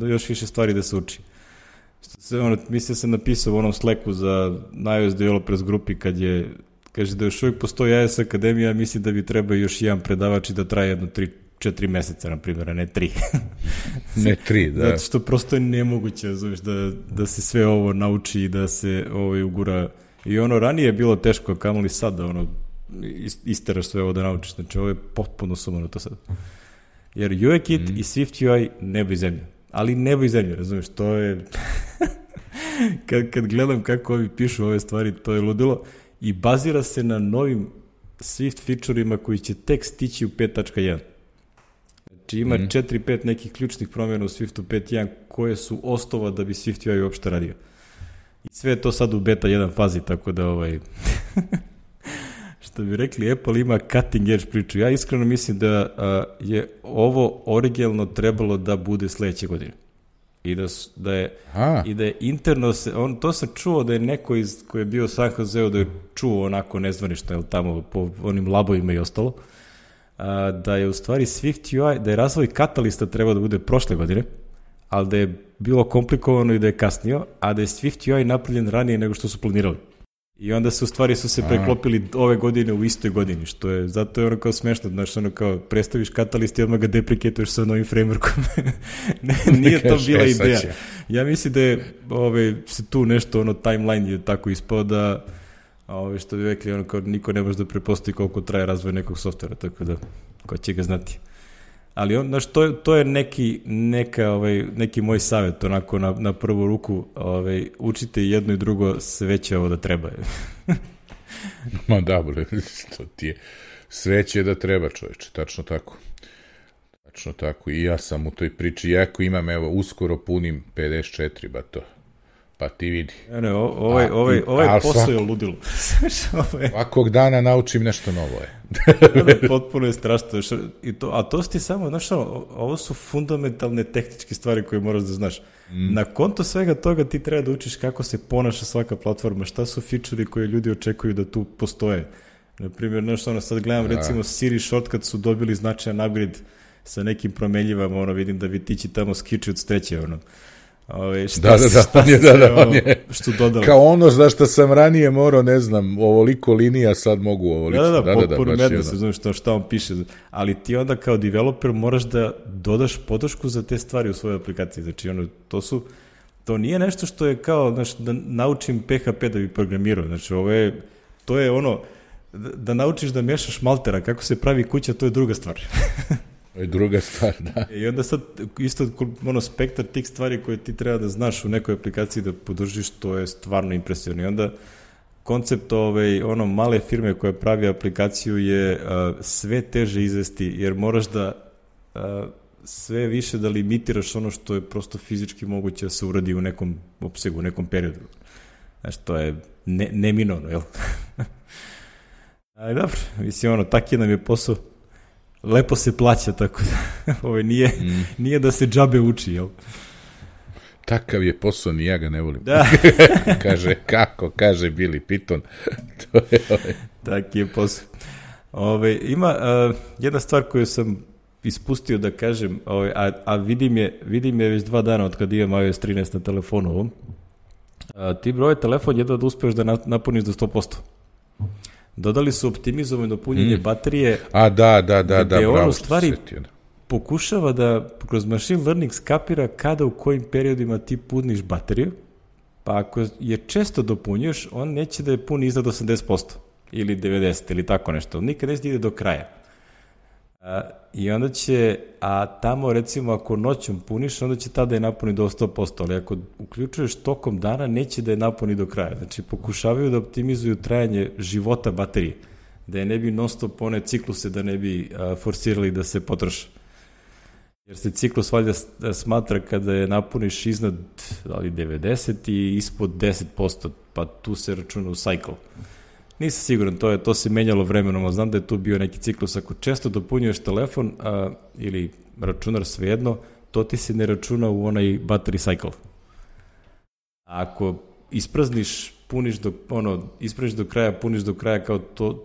Speaker 1: još više stvari da se uči. Mislim da sam napisao u onom Slacku za iOS Developers grupi kad je kaže da još uvijek postoji iOS Akademija, misli da bi trebao još jedan predavač i da traje jedno 3-4 meseca, na primjer, a ne 3.
Speaker 2: Ne 3, da.
Speaker 1: Zato što prosto je nemoguće, znaš, da se sve ovo nauči i da se ugura. I ranije je bilo teško, kamoli sad da isteraš sve ovo da naučiš. Znači, ovo je potpuno sumano to sad. Jer UIKit i Swift UI nebo i zemlja. Ali nebo i zemlja, razumiješ, to je... kad gledam kako ovi pišu ove stvari, to je ludilo. I bazira se na novim Swift feature-ima koji će tek stići u 5.1. Znači ima 4-5 nekih ključnih promjena u Swiftu 5.1 koje su osnova da bi Swift UI uopšte radio. I sve je to sad u beta 1 fazi, tako da što bi rekli, Apple ima cutting edge priču. Ja iskreno mislim da je ovo originalno trebalo da bude sledeće godine. I da je interno to sam čuo da je neko koji je bio u San Joseu da je čuo onako nezvanično tamo po onim labovima i ostalo, da je u stvari Swift UI, da je razvoj katalista trebao da bude prošle godine, ali da je bilo komplikovano i da je kasnio, a da je Swift UI napravljen ranije nego što su planirali. I onda su se preklopili ove godine u istoj godini, što je, zato je kao smešno, znaš, kao predstaviš katalist i odmah ga deprecatuješ sa novim frameworkom. Nije to bila ideja. Ja mislim da je se tu nešto, timeline je tako ispao da, što bi rekli, kao niko ne može da prepostavi koliko traje razvoj nekog softvera, tako da, ko će ga znati. Ali znaš, to je neki moj savjet, onako na prvu ruku, učite jedno i drugo, sve će ovo da treba.
Speaker 2: Ma dobro, to ti je, sve će da treba, čoveče, tačno tako. Tačno tako, i ja sam u toj priči, jako imam, uskoro punim 54, pa ti vidi.
Speaker 1: Ne, ovaj posao je ludilo.
Speaker 2: Svakog dana naučim nešto novo.
Speaker 1: Potpuno je strašno. A to su ti samo, znaš, ovo su fundamentalne tehničke stvari koje moraš da znaš. Na konto svega toga ti treba da učiš kako se ponaša svaka platforma, šta su feature-i koje ljudi očekuju da tu postoje. Naprimjer, sad gledam, recimo Siri shortcut su dobili značajan upgrade sa nekim promenljivama, ono, vidim da vitići tamo skiči od streće, ono.
Speaker 2: On je
Speaker 1: što dodali.
Speaker 2: Kao ono za što sam ranije morao, ne znam, ovoliko linija, sad mogu ovoliko.
Speaker 1: Potpuno medno se znaš šta on piše, ali ti onda kao developer moraš da dodaš podršku za te stvari u svojoj aplikaciji, znači ono, to nije nešto što je kao, znaš, da naučim PHP da bi programirao, znači to je ono, da naučiš da mešaš maltera, kako se pravi kuća, to je druga stvar.
Speaker 2: To je druga stvar, da.
Speaker 1: I onda sad, isto spektar tih stvari koje ti treba da znaš u nekoj aplikaciji da podržiš, to je stvarno impresivno. I onda koncept male firme koja pravi aplikaciju je sve teže izvesti, jer moraš da sve više da limitiraš ono što je prosto fizički moguće da se uradi u nekom opsegu, u nekom periodu. Znači, to je neminovno, jel? Ali dobro, mislim, taki nam je posao. Lepo se plaća, tako da nije da se džabe uči, jel?
Speaker 2: Takav je posao, ni ja ga ne volim.
Speaker 1: Da.
Speaker 2: kaže Billy Pitton. To je
Speaker 1: Taki je posao. Ima jedna stvar koju sam ispustio da kažem, a vidim je već 2 dana od kada imam iOS 13 na telefonu ovom. Ti broj telefon jedva da uspeš da napuniš do 100%. Dodali su optimizovano punjenje baterije.
Speaker 2: Da,
Speaker 1: gde
Speaker 2: bravo.
Speaker 1: On u stvari pokušava da kroz machine learning skapira kada u kojim periodima ti puniš bateriju, pa ako je često dopunjuješ, on neće da je puni iznad 80% ili 90% ili tako nešto. Nikad neće da ide do kraja. I onda će, tamo recimo ako noćom puniš, onda će tada je napuni do 100%, ali ako uključuješ tokom dana, neće da je napuni do kraja. Znači, pokušavaju da optimizuju trajanje života baterije, da je ne bi non stop one cikluse, da ne bi forsirali da se potroše. Jer se ciklus valjda smatra kada je napuniš iznad 90 i ispod 10%, pa tu se računa u cycle. Nisam siguran, to se menjalo vremenom, znam da je tu bio neki ciklus. Ako često dopunjuješ telefon ili računar, svejedno, to ti se ne računa u onaj battery cycle. Ako isprazniš, ispraviš do kraja, puniš do kraja, kao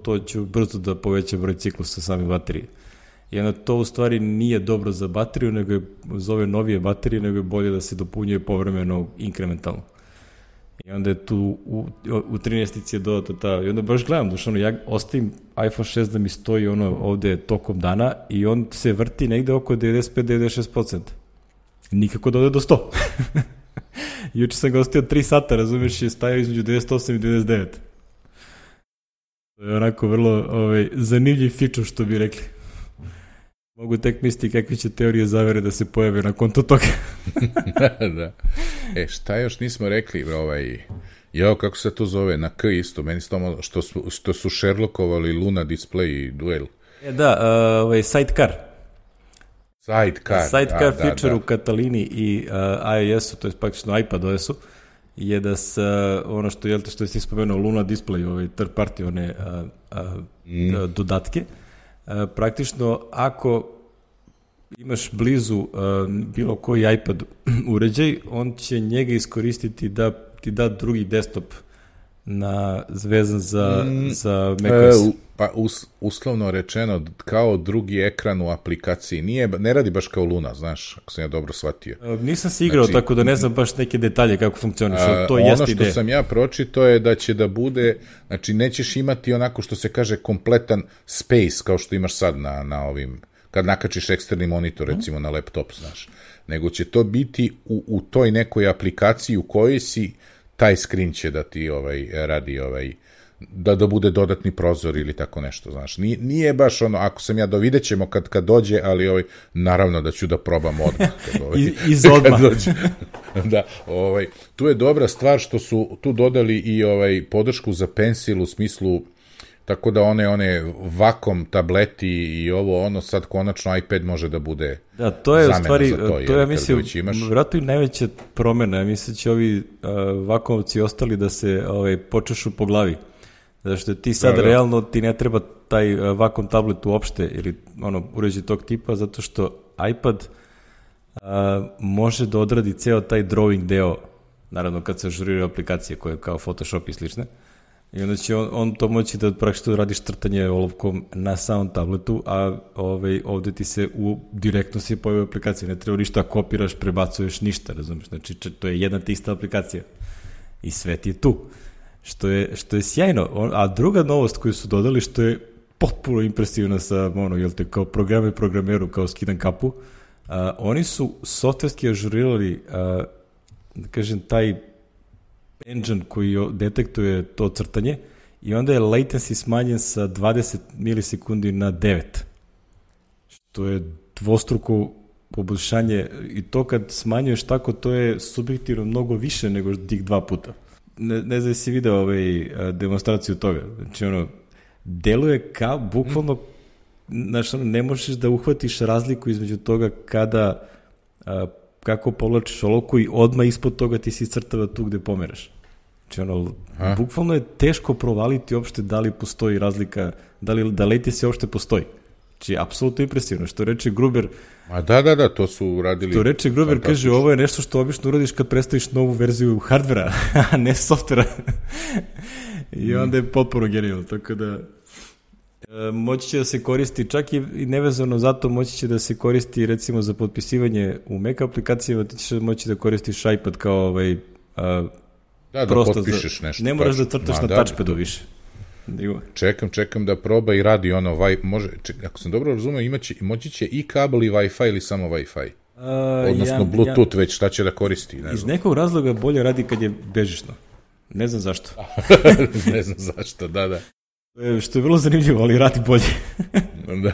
Speaker 1: to će brzo da poveća broj ciklusa same baterije. I onda to u stvari nije dobro za bateriju, nego je za ove novije baterije, nego je bolje da se dopunjuje povremeno inkrementalno. I onda je tu u 13 je dodata i onda baš gledam, ja ostavim iPhone 6 da mi stoji ovde tokom dana i on se vrti negde oko 95-96%. Nikako da ode do 100. Juče sam ga ostavio 3 sata, razumeš, je stajao između 98 i 99. To je onako vrlo zanimljiv feature, što bi rekli. Mogu tek misliti kakve će teorije zavere da se pojave na konto toga.
Speaker 2: Da. Šta još nismo rekli, kako se to zove, na K isto, meni što su Sherlockovali Luna Display i Duel.
Speaker 1: Da, Sidecar.
Speaker 2: Sidecar
Speaker 1: feature u Catalini i iOS-u, to je praktično iPad OS-u, je da se, ono što si spomenuo, Luna Display, third party, one dodatke, praktično ako imaš blizu bilo koji iPad uređaj, on će njega iskoristiti da ti da drugi desktop vezan za macOS.
Speaker 2: Pa uslovno rečeno, kao drugi ekran u aplikaciji. Ne radi baš kao Luna, znaš, ako sam ja dobro shvatio.
Speaker 1: Nisam se igrao, tako da ne znam baš neke detalje kako funkcioniš. To jeste ideja.
Speaker 2: Ono što sam ja pročitao je da će da bude, znači nećeš imati onako što se kaže kompletan space kao što imaš sad na ovim, kad nakačiš eksterni monitor recimo na laptop, znaš. Nego će to biti u toj nekoj aplikaciji u kojoj si, taj screen će da ti radi da bude dodatni prozor ili tako nešto, znaš. Nije baš ono, ako sam ja vidjet ćemo kad dođe, ali naravno da ću da probam odmah.
Speaker 1: Iz odmah.
Speaker 2: Da, tu je dobra stvar što su tu dodali i podršku za Pencil u smislu, tako da one vakom tableti i sad konačno iPad može da bude
Speaker 1: da, to je u stvari, to ja mislim,
Speaker 2: imaš...
Speaker 1: vjerojatno i najveća promena, ja mislim će ovi vakovci ostali da se počešu po glavi. Zato što ti sad realno ti ne treba taj vakom tablet uopšte ili uređaj tog tipa, zato što iPad može da odradi ceo taj drawing deo, naravno kad se ažuriraju aplikacije koje kao Photoshop i slične, I onda će on to moći da praktično radiš crtanje olovkom na samom tabletu, a ovde ti se direktno se pojavi aplikacija. Ne treba ništa kopiraš, prebacuješ, ništa, razumiješ? Znači, to je jedna te ista aplikacija. I sve ti je tu. Što je sjajno. A druga novost koju su dodali, što je potpuno impresivna sa, kao programeru, kao skidan kapu, oni su softverski ažurirali, da kažem, taj engine koji detektuje to crtanje i onda je latency smanjen sa 20 milisekundi na 9. Što je dvostruko poboljšanje i to kad smanjuješ tako, to je subjektivno mnogo više nego tih 2 puta. Ne znam si video demonstraciju toga. Znači, deluje kao, bukvalno, znači, ne možeš da uhvatiš razliku između toga kako povlačiš olovku i odmah ispod toga ti si crtava tu gde pomeraš. Znači, bukvalno je teško provaliti uopšte da li postoji razlika, da latency uopšte postoji. Znači, apsolutno impresivno. Što reče Gruber...
Speaker 2: Da, to su uradili...
Speaker 1: Što reče Gruber, kaže, ovo je nešto što obično uradiš kad predstaviš novu verziju hardvera, a ne softvera. I onda je potpuno genijalno, tako da... Moći će da se koristi, čak i nevezano zato moći će da se koristi recimo za potpisivanje u Mac aplikacijama, ti ćeš moći da koristiš iPad kao
Speaker 2: da potpišeš nešto.
Speaker 1: Ne moraš da crtaš na touchpadu više.
Speaker 2: Čekam da proba i radi ako sam dobro razumeo, moći će i kabel i Wi-Fi ili samo Wi-Fi? Odnosno Bluetooth već šta će da koristi?
Speaker 1: Iz nekog razloga bolje radi kad je bežično. Ne znam zašto.
Speaker 2: Ne znam zašto, da.
Speaker 1: Što je vrlo zanimljivo, ali radi bolje.
Speaker 2: Da.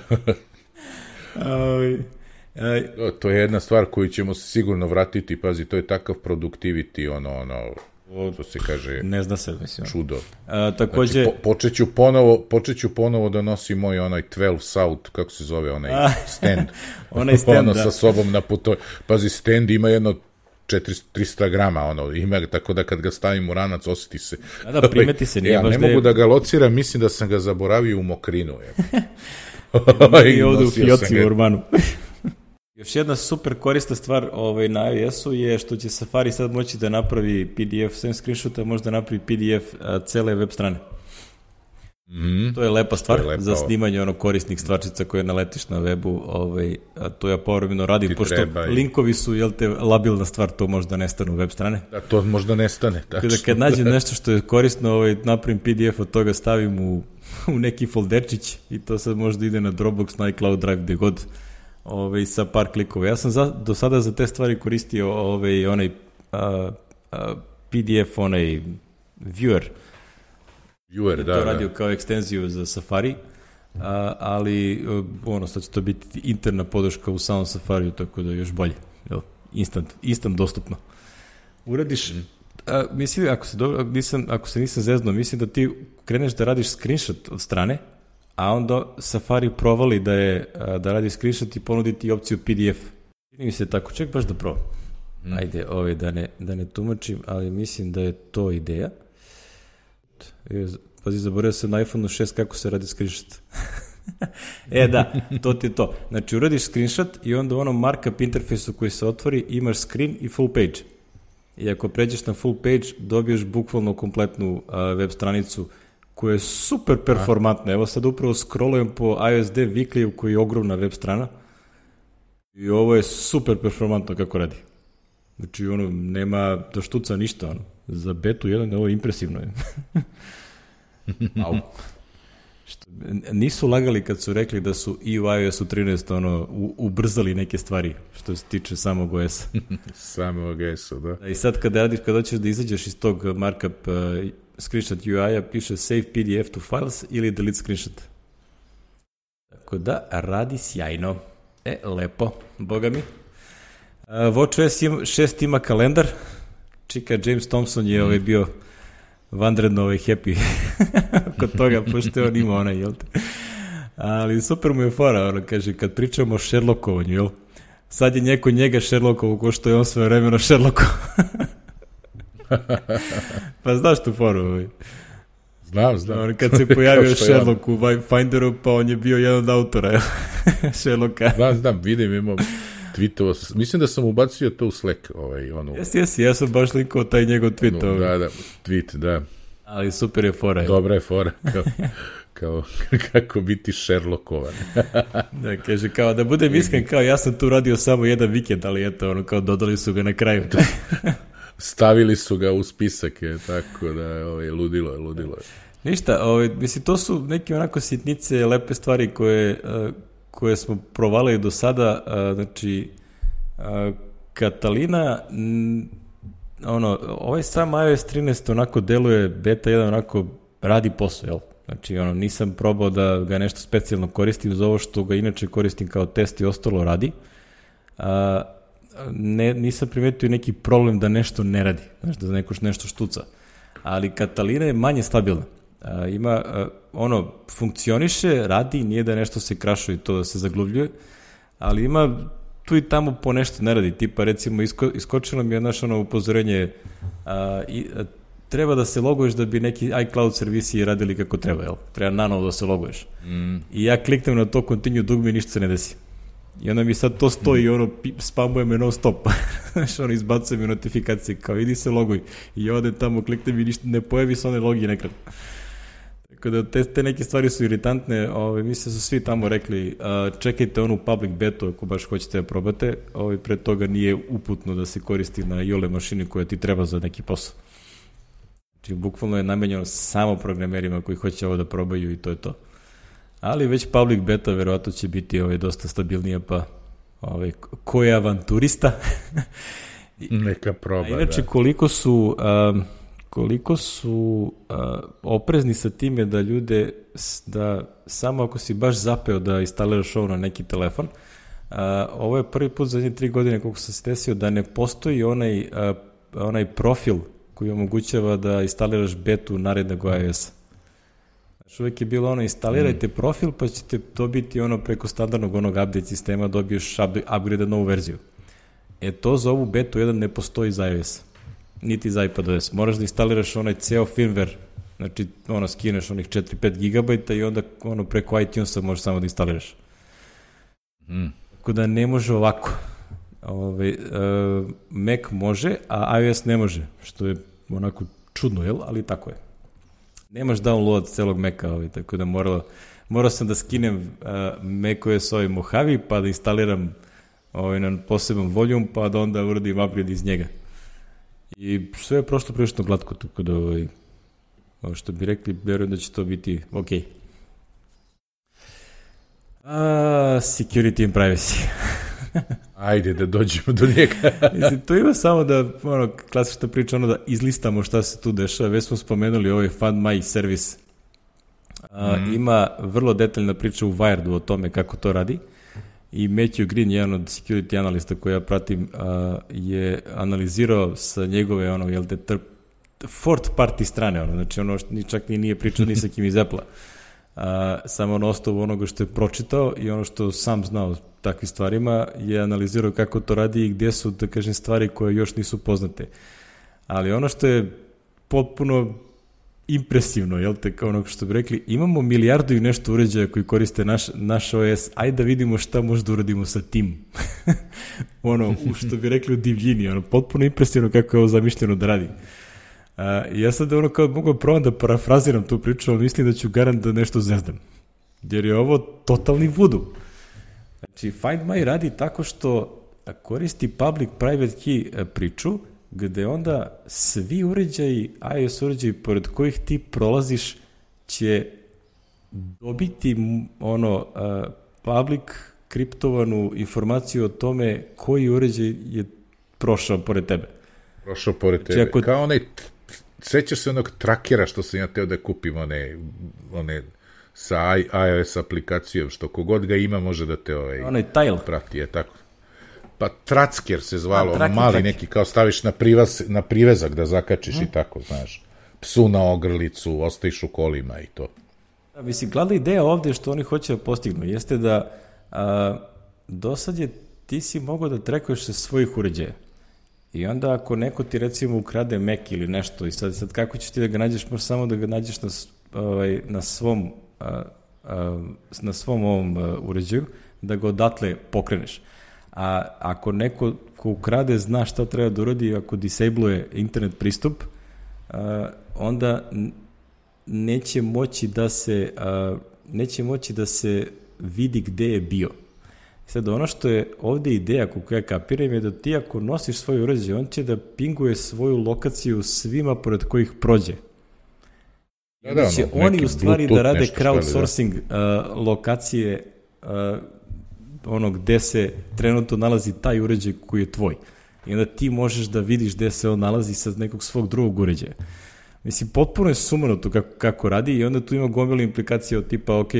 Speaker 2: To je jedna stvar koju ćemo se sigurno vratiti, pazi, to je takav productivity, što se kaže,
Speaker 1: ne zna se, mislim.
Speaker 2: Čudo.
Speaker 1: Takođe...
Speaker 2: Znači, počeću ponovo da nosi moj 12 South, kako se zove, stand.
Speaker 1: Onaj stand,
Speaker 2: sa sobom na putu. Pazi, stand ima jedno 300 grama, ima, tako da kad ga stavim u ranac, osjeti se.
Speaker 1: Da, primeti se.
Speaker 2: Ja ne mogu da ga lociram, mislim da sam ga zaboravio u Mokrinu.
Speaker 1: I ovde u Fioci u Urbanu. Još jedna super korisna stvar na iOS-u je što će Safari sad moći da napravi PDF sem screenshota, možda napravi PDF cele web strane. To je lepa stvar za snimanje korisnih stvarčica koje naletiš na webu, to ja povremeno radim, pošto linkovi su, labilna stvar, to možda nestane u web strane.
Speaker 2: Da, to možda nestane, tačno.
Speaker 1: Kad nađem nešto što je korisno, napravim PDF od toga, stavim u neki folderčić i to sad možda ide na Dropbox, na iCloud Drive, gde god, sa par klikova. Ja sam do sada za te stvari koristio onaj PDF, onaj viewer, to radio kao ekstenziju za Safari, ali sad će to biti interna podrška u samom Safariju, tako da još bolje. Instant dostupno. Uradiš, mislim, ako se nisam zeznuo, mislim da ti kreneš da radiš screenshot od strane, a onda Safari provali da radi screenshot i ponudi ti opciju PDF. Čini mi se tako, ček baš da probam. Ajde, da ne tumačim, ali mislim da je to ideja. Pazi, zaboravio sam na iPhone 6 kako se radi screenshot. Da, to ti je to. Znači, uradiš screenshot i onda u onom markup interfejsu koji se otvori imaš screen i full page. I ako pređeš na full page, dobiješ bukvalno kompletnu web stranicu koja je super performantna. Evo sad upravo scrollujem po iOS Dev Weekly koji je ogromna web strana i ovo je super performantno kako radi. Znači, nema da štuca ništa, za betu 1 ovo je impresivno. Nisu lagali kad su rekli da su i u iOS-u 13 ubrzali neke stvari što se tiče samog OS-a.
Speaker 2: Samog OS-a, da.
Speaker 1: I sad kad hoćeš da izađeš iz tog markup screenshot UI-a, piše save PDF to files ili delete screenshot. Tako da, radi sjajno. Lepo, boga mi. WatchOS 6 ima kalendar. Čika James Thompson je bio vanredno happy kod toga, pošto on ima onaj, ali super mu je fora, kaže, kad pričamo o Sherlockovanju, sad je njega Sherlockovu ko što je on sve vremeno Sherlockovo. Pa znaš tu foru?
Speaker 2: Znam.
Speaker 1: Kad se pojavio Sherlock u Finderu, pa on je bio jedan od autora Sherlocka.
Speaker 2: Znam, vidim, imam tweetova, mislim da sam ubacio to u Slack.
Speaker 1: Jesi, ja sam baš linkao taj njegov tweet.
Speaker 2: Tweet, da.
Speaker 1: Ali super je fora.
Speaker 2: Dobra je fora, kao kako biti Sherlockovan.
Speaker 1: Da, kaže, kao da budem iskren, kao ja sam tu radio samo jedan vikend, ali eto, ono, kao dodali su ga na kraju.
Speaker 2: Stavili su ga u spisak, tako da ludilo je.
Speaker 1: Ništa, mislim, to su neke onako sitnice, lepe stvari koje smo provalili do sada, znači, Catalina, ovaj sam iOS 13 onako deluje, beta 1 onako radi posao, jel? Znači, nisam probao da ga nešto specijalno koristim za ovo što ga inače koristim kao test i ostalo radi. Nisam primetio neki problem da nešto ne radi, znači da nešto štuca. Ali Catalina je manje stabilna. Ima, funkcioniše, radi, nije da nešto se krašuje i to da se zagluvljuje, ali ima tu i tamo po nešto ne radi. Tipa, recimo, iskočilo mi je upozorenje, treba da se loguješ da bi neki iCloud servisi radili kako treba, jel? Treba nanovo da se loguješ. I ja kliknem na to continue dugme i ništa se ne desi. I onda mi sad to stoji i spamuje me non stop. Znaš, izbacuje mi notifikacije, kao idi se loguj. I ja odem tamo, kliknem i ništa, ne pojavi se one login ekran. Tako da te neke stvari su iritantne, mislim da su svi tamo rekli, čekajte onu public betu ako baš hoćete da probate, pre toga nije uputno da se koristi na iole mašini koja ti treba za neki posao. Znači, bukvalno je namenjeno samo programerima koji hoće ovo da probaju i to je to. Ali već public beta verovatno će biti dosta stabilnija, pa ko je avanturista?
Speaker 2: Neka proba,
Speaker 1: inače, koliko su oprezni sa time da ljude, da samo ako si baš zapeo da instaliraš ovo na neki telefon, ovo je prvi put za 3 godine koliko sam se desio da ne postoji onaj profil koji omogućava da instaliraš betu narednog iOS-a. Znači, uvek je bilo instalirajte profil pa ćete dobiti preko standardnog update sistema dobiješ upgrade novu verziju. To za ovu betu 1 ne postoji za iOS, niti za iPadOS. Moraš da instaliraš onaj ceo firmware, znači skineš onih 4-5 GB i onda preko iTunesa možeš samo da instaliraš. Tako da ne može ovako. Mac može, a iOS ne može, što je onako čudno, jel? Ali tako je. Nemaš download celog Maca, tako da morao sam da skinem macOS Mojave, pa da instaliram na poseban volume, pa da onda uradim upgrade iz njega. I sve je prošlo prilično glatko, tako da što bi rekli, verujem da će to biti ok. Security and privacy.
Speaker 2: Ajde da dođemo do njega.
Speaker 1: Mislim, to ima samo da, klasična priča, da izlistamo šta se tu dešava. Već smo spomenuli ovaj Find My servis. Ima vrlo detaljna priča u Wiredu o tome kako to radi. I Matthew Green, jedan od security analista koji ja pratim, je analizirao sa njegove, fourth party strane, znači čak nije pričao ni sa kim iz Apple-a. Samo na osnovu onoga što je pročitao i ono što sam znao takvim stvarima je analizirao kako to radi i gdje su, da kažem, stvari koje još nisu poznate. Ali ono što je potpuno impresivno, jel te, kao ono što bi rekli, imamo milijardu i nešto uređaja koji koriste naš OS, ajde da vidimo šta možda uradimo sa tim. Što bi rekli u divljini, potpuno impresivno kako je ovo zamišljeno da radi. Ja sad kao mogu probam da parafraziram tu priču, ali mislim da ću garant da nešto zezdam. Jer je ovo totalni vudu. Znači, Find My radi tako što koristi public-private key priču, gde onda svi uređaji, iOS uređaji pored kojih ti prolaziš će dobiti public kriptovanu informaciju o tome koji uređaj je prošao pored tebe.
Speaker 2: Prošao pored tebe. Kao onaj, sećaš se onog trakera što sam ja teo da kupim, one sa iOS aplikacijom, što kogod ga ima može da te
Speaker 1: onaj tile
Speaker 2: prati, je tako. Pa Tracker se zvalo, mali neki, kao staviš na privezak da zakačiš i tako, znaš. Psu na ogrlicu, ostajiš u kolima i to.
Speaker 1: Da, mislim, glavna ideja ovde što oni hoće da postignu jeste da do sad ti si mogao da trekuješ sa svojih uređaja. I onda ako neko ti recimo ukrade Mac ili nešto i sad kako ćeš ti da ga nađeš, možeš samo da ga nađeš na svom ovom uređaju, da ga odatle pokreneš. A ako neko ko ukrade zna šta treba da uradi, ako disabluje internet pristup, onda neće moći da se vidi gde je bio. Sad, ono što je ovde ideja, kako ja kapiram, je da ti ako nosiš svoj uređaj, on će da pinguje svoju lokaciju svima pored kojih prođe. Da će oni u stvari da rade crowdsourcing lokacije gde se trenutno nalazi taj uređaj koji je tvoj. I onda ti možeš da vidiš gde se on nalazi sa nekog svog drugog uređaja. Mislim, potpuno je sumanuto kako radi i onda tu ima gomila implikacija od tipa, ok,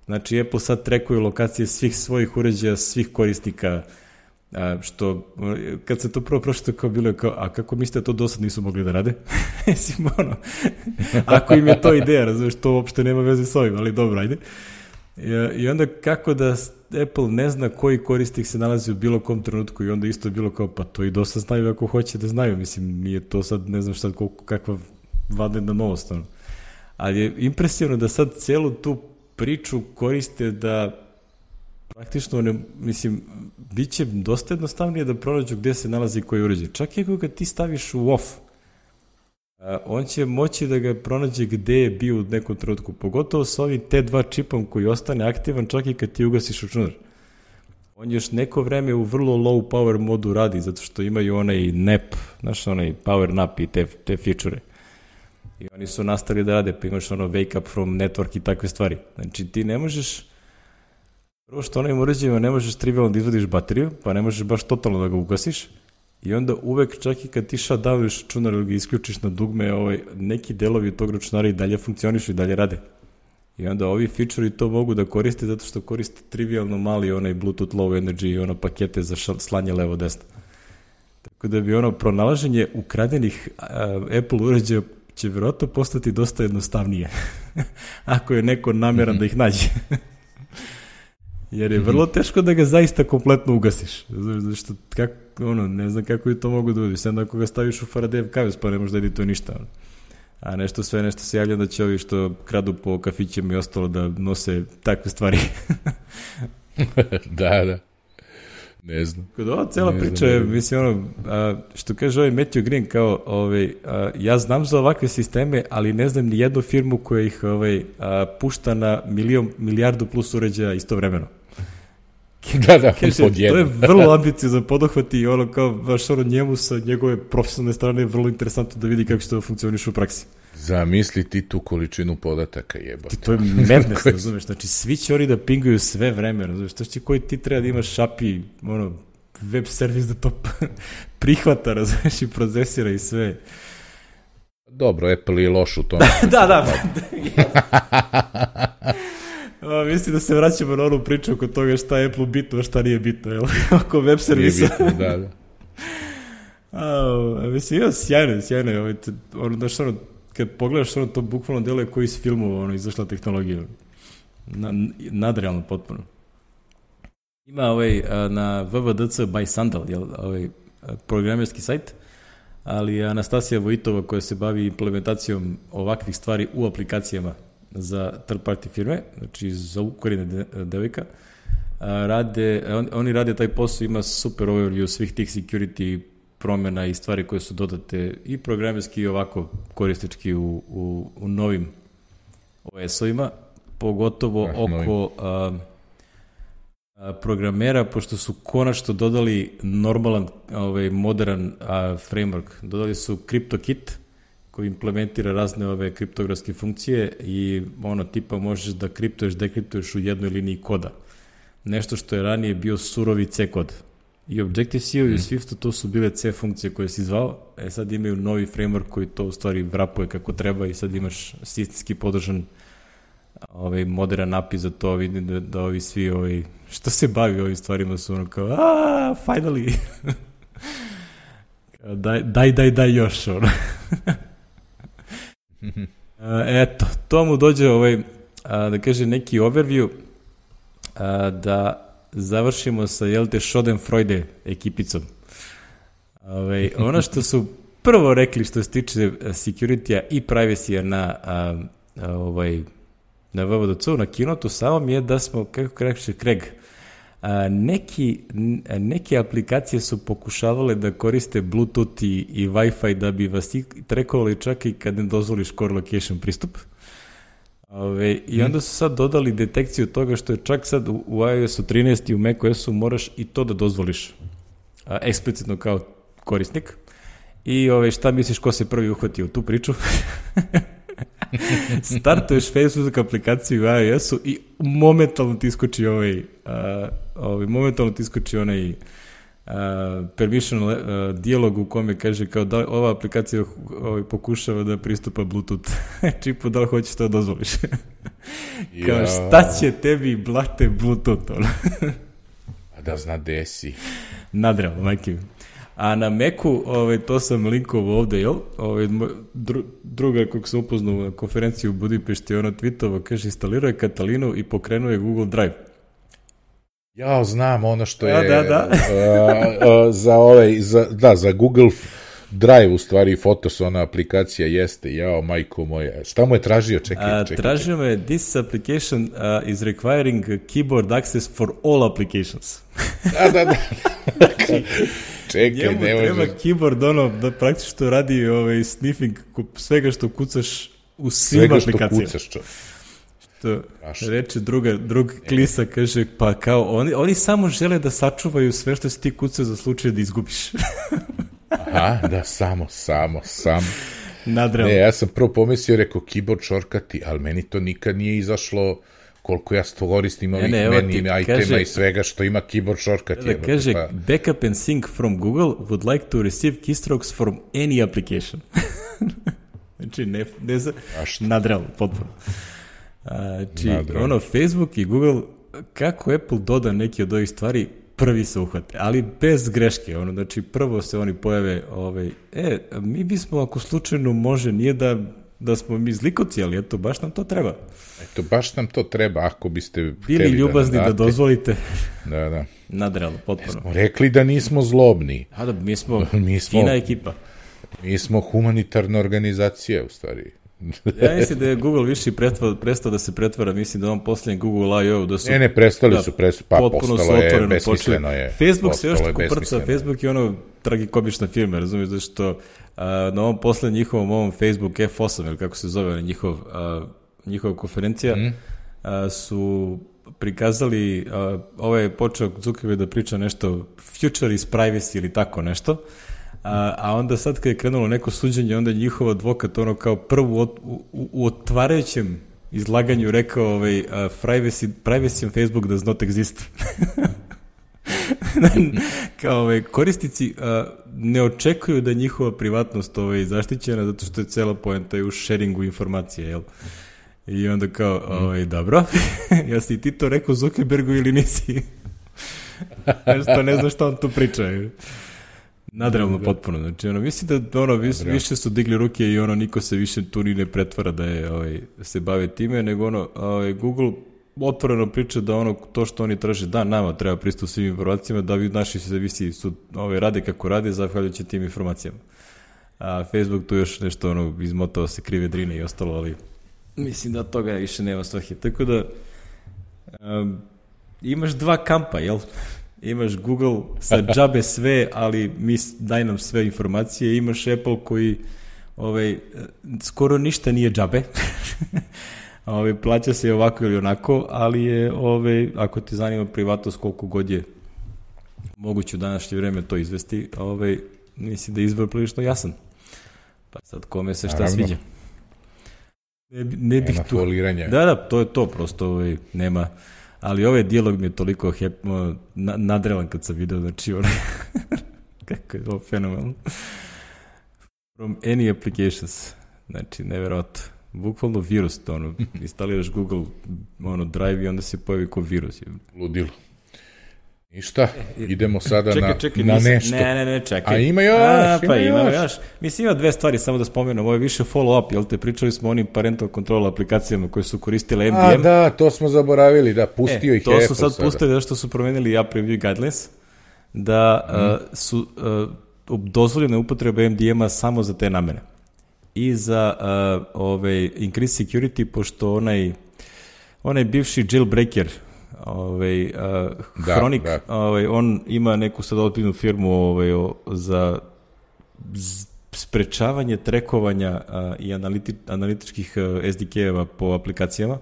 Speaker 1: znači Apple sad trackuje lokacije svih svojih uređaja, svih korisnika, što, kad se to prvo prošlo, kao bilo je kao, a kako mislite da to do sad nisu mogli da rade? Mislim, ako im je to ideja, razumiješ, to uopšte nema veze s ovim, ali dobro, ajde. I onda kako da Apple ne zna koji korisnik se nalazi u bilo kom trenutku i onda isto je bilo kao, pa to i dosta znaju ako hoće da znaju, mislim, nije to sad, ne znam šta, kakva vanredna novost, ali je impresivno da sad celu tu priču koriste da praktično, mislim, bit će dosta jednostavnije da pronađu gde se nalazi koji uređaj. Čak i ako ga ti staviš u off, on će moći da ga pronađe gde je bio u nekom trenutku, pogotovo sa ovim T2 čipom koji ostane aktivan čak i kad ti ugasiš računar. On još neko vreme u vrlo low power modu radi, zato što imaju onaj nap, znaš, onaj power nap i te feature. I oni su nastavili da rade, pa imaš wake up from network i takve stvari. Znači ti ne možeš, prvo što onim uređajima ne možeš trivialno da izvadiš bateriju, pa ne možeš baš totalno da ga ugasiš i onda uvek čak i kad ti shutdowniš računar ili ga isključiš na dugme, neki delovi tog računara i dalje funkcionišu i dalje rade. I onda ovi feature-i to mogu da koriste zato što koriste trivialno mali onaj Bluetooth low energy i pakete za slanje levo-desno. Tako da bi pronalaženje ukradenih Apple uređaja će vjerojatno postati dosta jednostavnije ako je neko nameran da ih nađe. Jer je vrlo teško da ga zaista kompletno ugasiš. Zašto, ne znam kako je to mogu da uvodiš. Sada ako ga staviš u Faraday kavez, pa ne možda edituje ništa. A nešto se javlja da će ovi što kradu po kafićima i ostalo da nose takve stvari.
Speaker 2: Da. Ne znam.
Speaker 1: Kod ova cela priča je, mislim, što kaže ovaj Matthew Green, kao, ja znam za ovakve sisteme, ali ne znam ni jednu firmu koja ih pušta na milijardu plus uređaja istovremeno.
Speaker 2: Da,
Speaker 1: kaže, to je vrlo ambiciozan poduhvat i kao, baš njemu sa njegove profesionalne strane je vrlo interesantno da vidi kako će to funkcioniš u praksi.
Speaker 2: Zamisli ti tu količinu podataka, jebate.
Speaker 1: To je madness, razumeš, znači svi će oni da pinguju sve vreme, razumeš, to će koji ti treba da imaš API, web servis da to prihvata, razumeš, i procesira i sve.
Speaker 2: Dobro, Apple je loš u tome.
Speaker 1: Da. Mislim da se vraćamo na onu priču oko toga šta je Apple bitno, a šta nije bitno, oko web servisa.
Speaker 2: Nije bitno, da.
Speaker 1: Mislim, sjajno, kad pogledaš to bukvalno deluje koji iz filmova izašla tehnologija. Nadrealno potpuno. Ima na www.dc by Sandal, programerski sajt, ali Anastasija Vojitova koja se bavi implementacijom ovakvih stvari u aplikacijama za third party firme, znači za ukorine devojka, oni rade taj posao, ima super overview svih tih security promjena i stvari koje su dodate i programerski i ovako koristički u novim OS-ovima, pogotovo oko programera, pošto su konačno dodali normalan, modern framework. Dodali su CryptoKit, koji implementira razne ove kriptografske funkcije i tipa možeš da kriptuješ, dekriptuješ u jednoj liniji koda. Nešto što je ranije bio surovi C kod. I Objective-C i Swiftu to su bile C funkcije koje si zvao, sad imaju novi framework koji to u stvari vrapuje kako treba i sad imaš sistemski podržan modern API za to, vidim da ovi svi što se bavi ovim stvarima su kao finally daj još eto, to mu dođe da kaže neki overview da završimo sa Schadenfreude ekipicom. Ono što su prvo rekli što se tiče security-a i privacy-a na WWDC-u, na Keynote-u samom je da smo, kako kaže Craig, neke aplikacije su pokušavale da koriste Bluetooth i Wi-Fi da bi vas trekovali čak i kad ne dozvoliš core location pristup. I onda su sad dodali detekciju toga što je čak sad u iOS-u 13 i u macOS-u moraš i to da dozvoliš eksplicitno kao korisnik. I šta misliš ko se prvi uhvatio u tu priču? Startuješ Facebook aplikaciju u iOS-u i momentalno ti iskoči onaj permission dijalog u kome kaže kao da ova aplikacija pokušava da pristupa Bluetooth čipu, da li hoćeš to dozvoliš? Kao šta će tebi blate Bluetooth?
Speaker 2: Da zna gde si.
Speaker 1: Nadrealno, majke mi. A na Macu, to sam linkovo ovde, jel? Druga kog sam upoznao na konferenciji u Budimpešti, ona tweetova, kaže, instalirao je Katalinu i pokrenuo je Google Drive.
Speaker 2: Ja znam ono što je za Google Drive, u stvari Photos, ona aplikacija jeste, majko moja. Šta mu je tražio? Čekaj.
Speaker 1: Tražio me, this application is requiring keyboard access for all applications.
Speaker 2: Da. Čekaj,
Speaker 1: njemu treba keyboard, da praktično radi sniffing svega što kucaš u svim aplikacijama.
Speaker 2: Svega što kucaš,
Speaker 1: što reče drug klisa, kaže, pa kao, oni samo žele da sačuvaju sve što si ti kucao za slučaj da izgubiš.
Speaker 2: Aha, da, samo.
Speaker 1: Nadrealno.
Speaker 2: Ne, ja sam prvo pomislio, rekao, keyboard shortcuti, ali meni to nikad nije izašlo koliko ja koristim ovih meni itema i svega što ima keyboard shortcut.
Speaker 1: Kaže, backup and sync from Google would like to receive keystrokes from any application. Znači, nadrealno, potpuno. Znači, Facebook i Google, kako Apple doda neki od ovih stvari, prvi se uhvate, ali bez greške, znači prvo se oni pojave, mi bismo, ako slučajno može, nije da smo mi zlikovci, ali eto, baš nam to treba. Ako biste
Speaker 2: bili
Speaker 1: ljubazni da dozvolite.
Speaker 2: Da.
Speaker 1: Nadrealno, potpuno.
Speaker 2: Smo rekli da nismo zlobni.
Speaker 1: Mi smo fina ekipa.
Speaker 2: Mi smo humanitarna organizacija, u stvari.
Speaker 1: Ja mislim da je Google više prestao da se pretvara, mislim da on poslednji Google I.O. da su...
Speaker 2: prestali su, postalo je, besmisleno je.
Speaker 1: Facebook se još tako prca, Facebook je tragikomična firma, razumiješ, zašto na ovom poslednjem njihovom ovom Facebook F8, ili kako se zove, njihova konferencija, su prikazali, je počeo Zuckerberg da priča nešto future is privacy ili tako nešto, a onda sad kad je krenulo neko suđenje, onda je njihov advokat kao prvo u otvarajućem izlaganju rekao privacy on Facebook does not exist. Kao korisnici ne očekuju da je njihova privatnost zaštićena, zato što je cela poenta u sharingu informacije, jel? I onda kao, dobro, jesi i ti to rekao Zuckerbergu ili nisi? Nešto ne znam što on tu priča. Nadrealno potpuno, znači mislim da više su digli ruke i niko se više tu ni ne pretvara da je se bave time, nego Google otvoreno priča da to što oni traže, da, nama treba pristup svim informacijama, da vi naši servisi su rade kako rade, zahvaljujući tim informacijama. A Facebook tu još nešto izmotao se krive drine i ostalo, ali mislim da toga više nema svrhe. Tako da imaš dva kampa, jel? Imaš Google sa džabe sve, ali daj nam sve informacije. Imaš Apple koji skoro ništa nije džabe. Plaća se ovako ili onako, ali je, ako te zanima privatnost, koliko god je moguće u današnje vreme to izvesti, mislim da je izbor prilično jasan. Pa sad kome se šta sviđa. Ne bih tu...
Speaker 2: foliranja.
Speaker 1: Da, to je to, prosto nema... Ali ovaj dijalog mi je toliko nadrelan kad sam video, znači kako je ovo fenomenalno. From any applications, znači neverovatno. Bukvalno virus, instaliraš Google Drive i onda se pojavi ko virus.
Speaker 2: Ludilo. Ništa, idemo sada na nešto.
Speaker 1: Ne, čekaj.
Speaker 2: A ima još.
Speaker 1: Mislim, ima dve stvari, samo da spomenem, ovo je više follow-up, jel te, pričali smo o onim parental control aplikacijama koje su koristile MDM.
Speaker 2: Da, to smo zaboravili, da, pustio ih Apple sada.
Speaker 1: To su sad pustili da što su promenili App Review Guidelines, da su dozvoljene upotrebe MDM-a samo za te namene. I za increased security, pošto onaj bivši jailbreaker Hronik, on ima neku sad ozbiljnu firmu za sprečavanje trekovanja i analitičkih SDK-eva po aplikacijama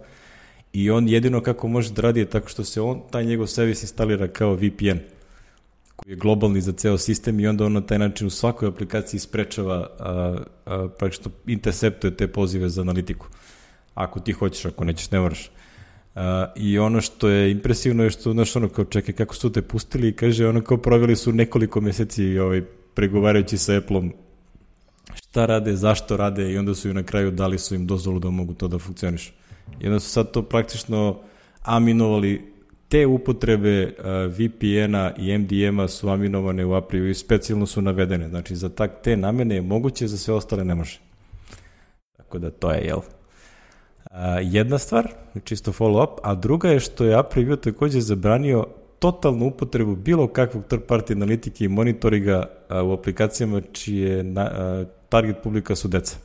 Speaker 1: i on jedino kako može da radi je tako što se taj njegov servis instalira kao VPN koji je globalni za ceo sistem i onda on na taj način u svakoj aplikaciji sprečava praktično interceptuje te pozive za analitiku. Ako ti hoćeš, ako nećeš, ne moraš. I ono što je impresivno je što, znaš, ono kao čekaj kako su te pustili i kaže, ono kao proveli su nekoliko meseci pregovarajući sa Apple-om šta rade, zašto rade i onda su im na kraju dali su im dozvolu da mogu to da funkcioniš. I onda su sad to praktično aminovali, te upotrebe VPN-a i MDM-a su aminovane u API i specijalno su navedene. Znači, za te namene je moguće, za sve ostale ne može. Tako da to je, jel? Jedna stvar, čisto follow-up, a druga je što je API takođe zabranio totalnu upotrebu bilo kakvog third-party analitike i monitoringa u aplikacijama čije target publika su deca.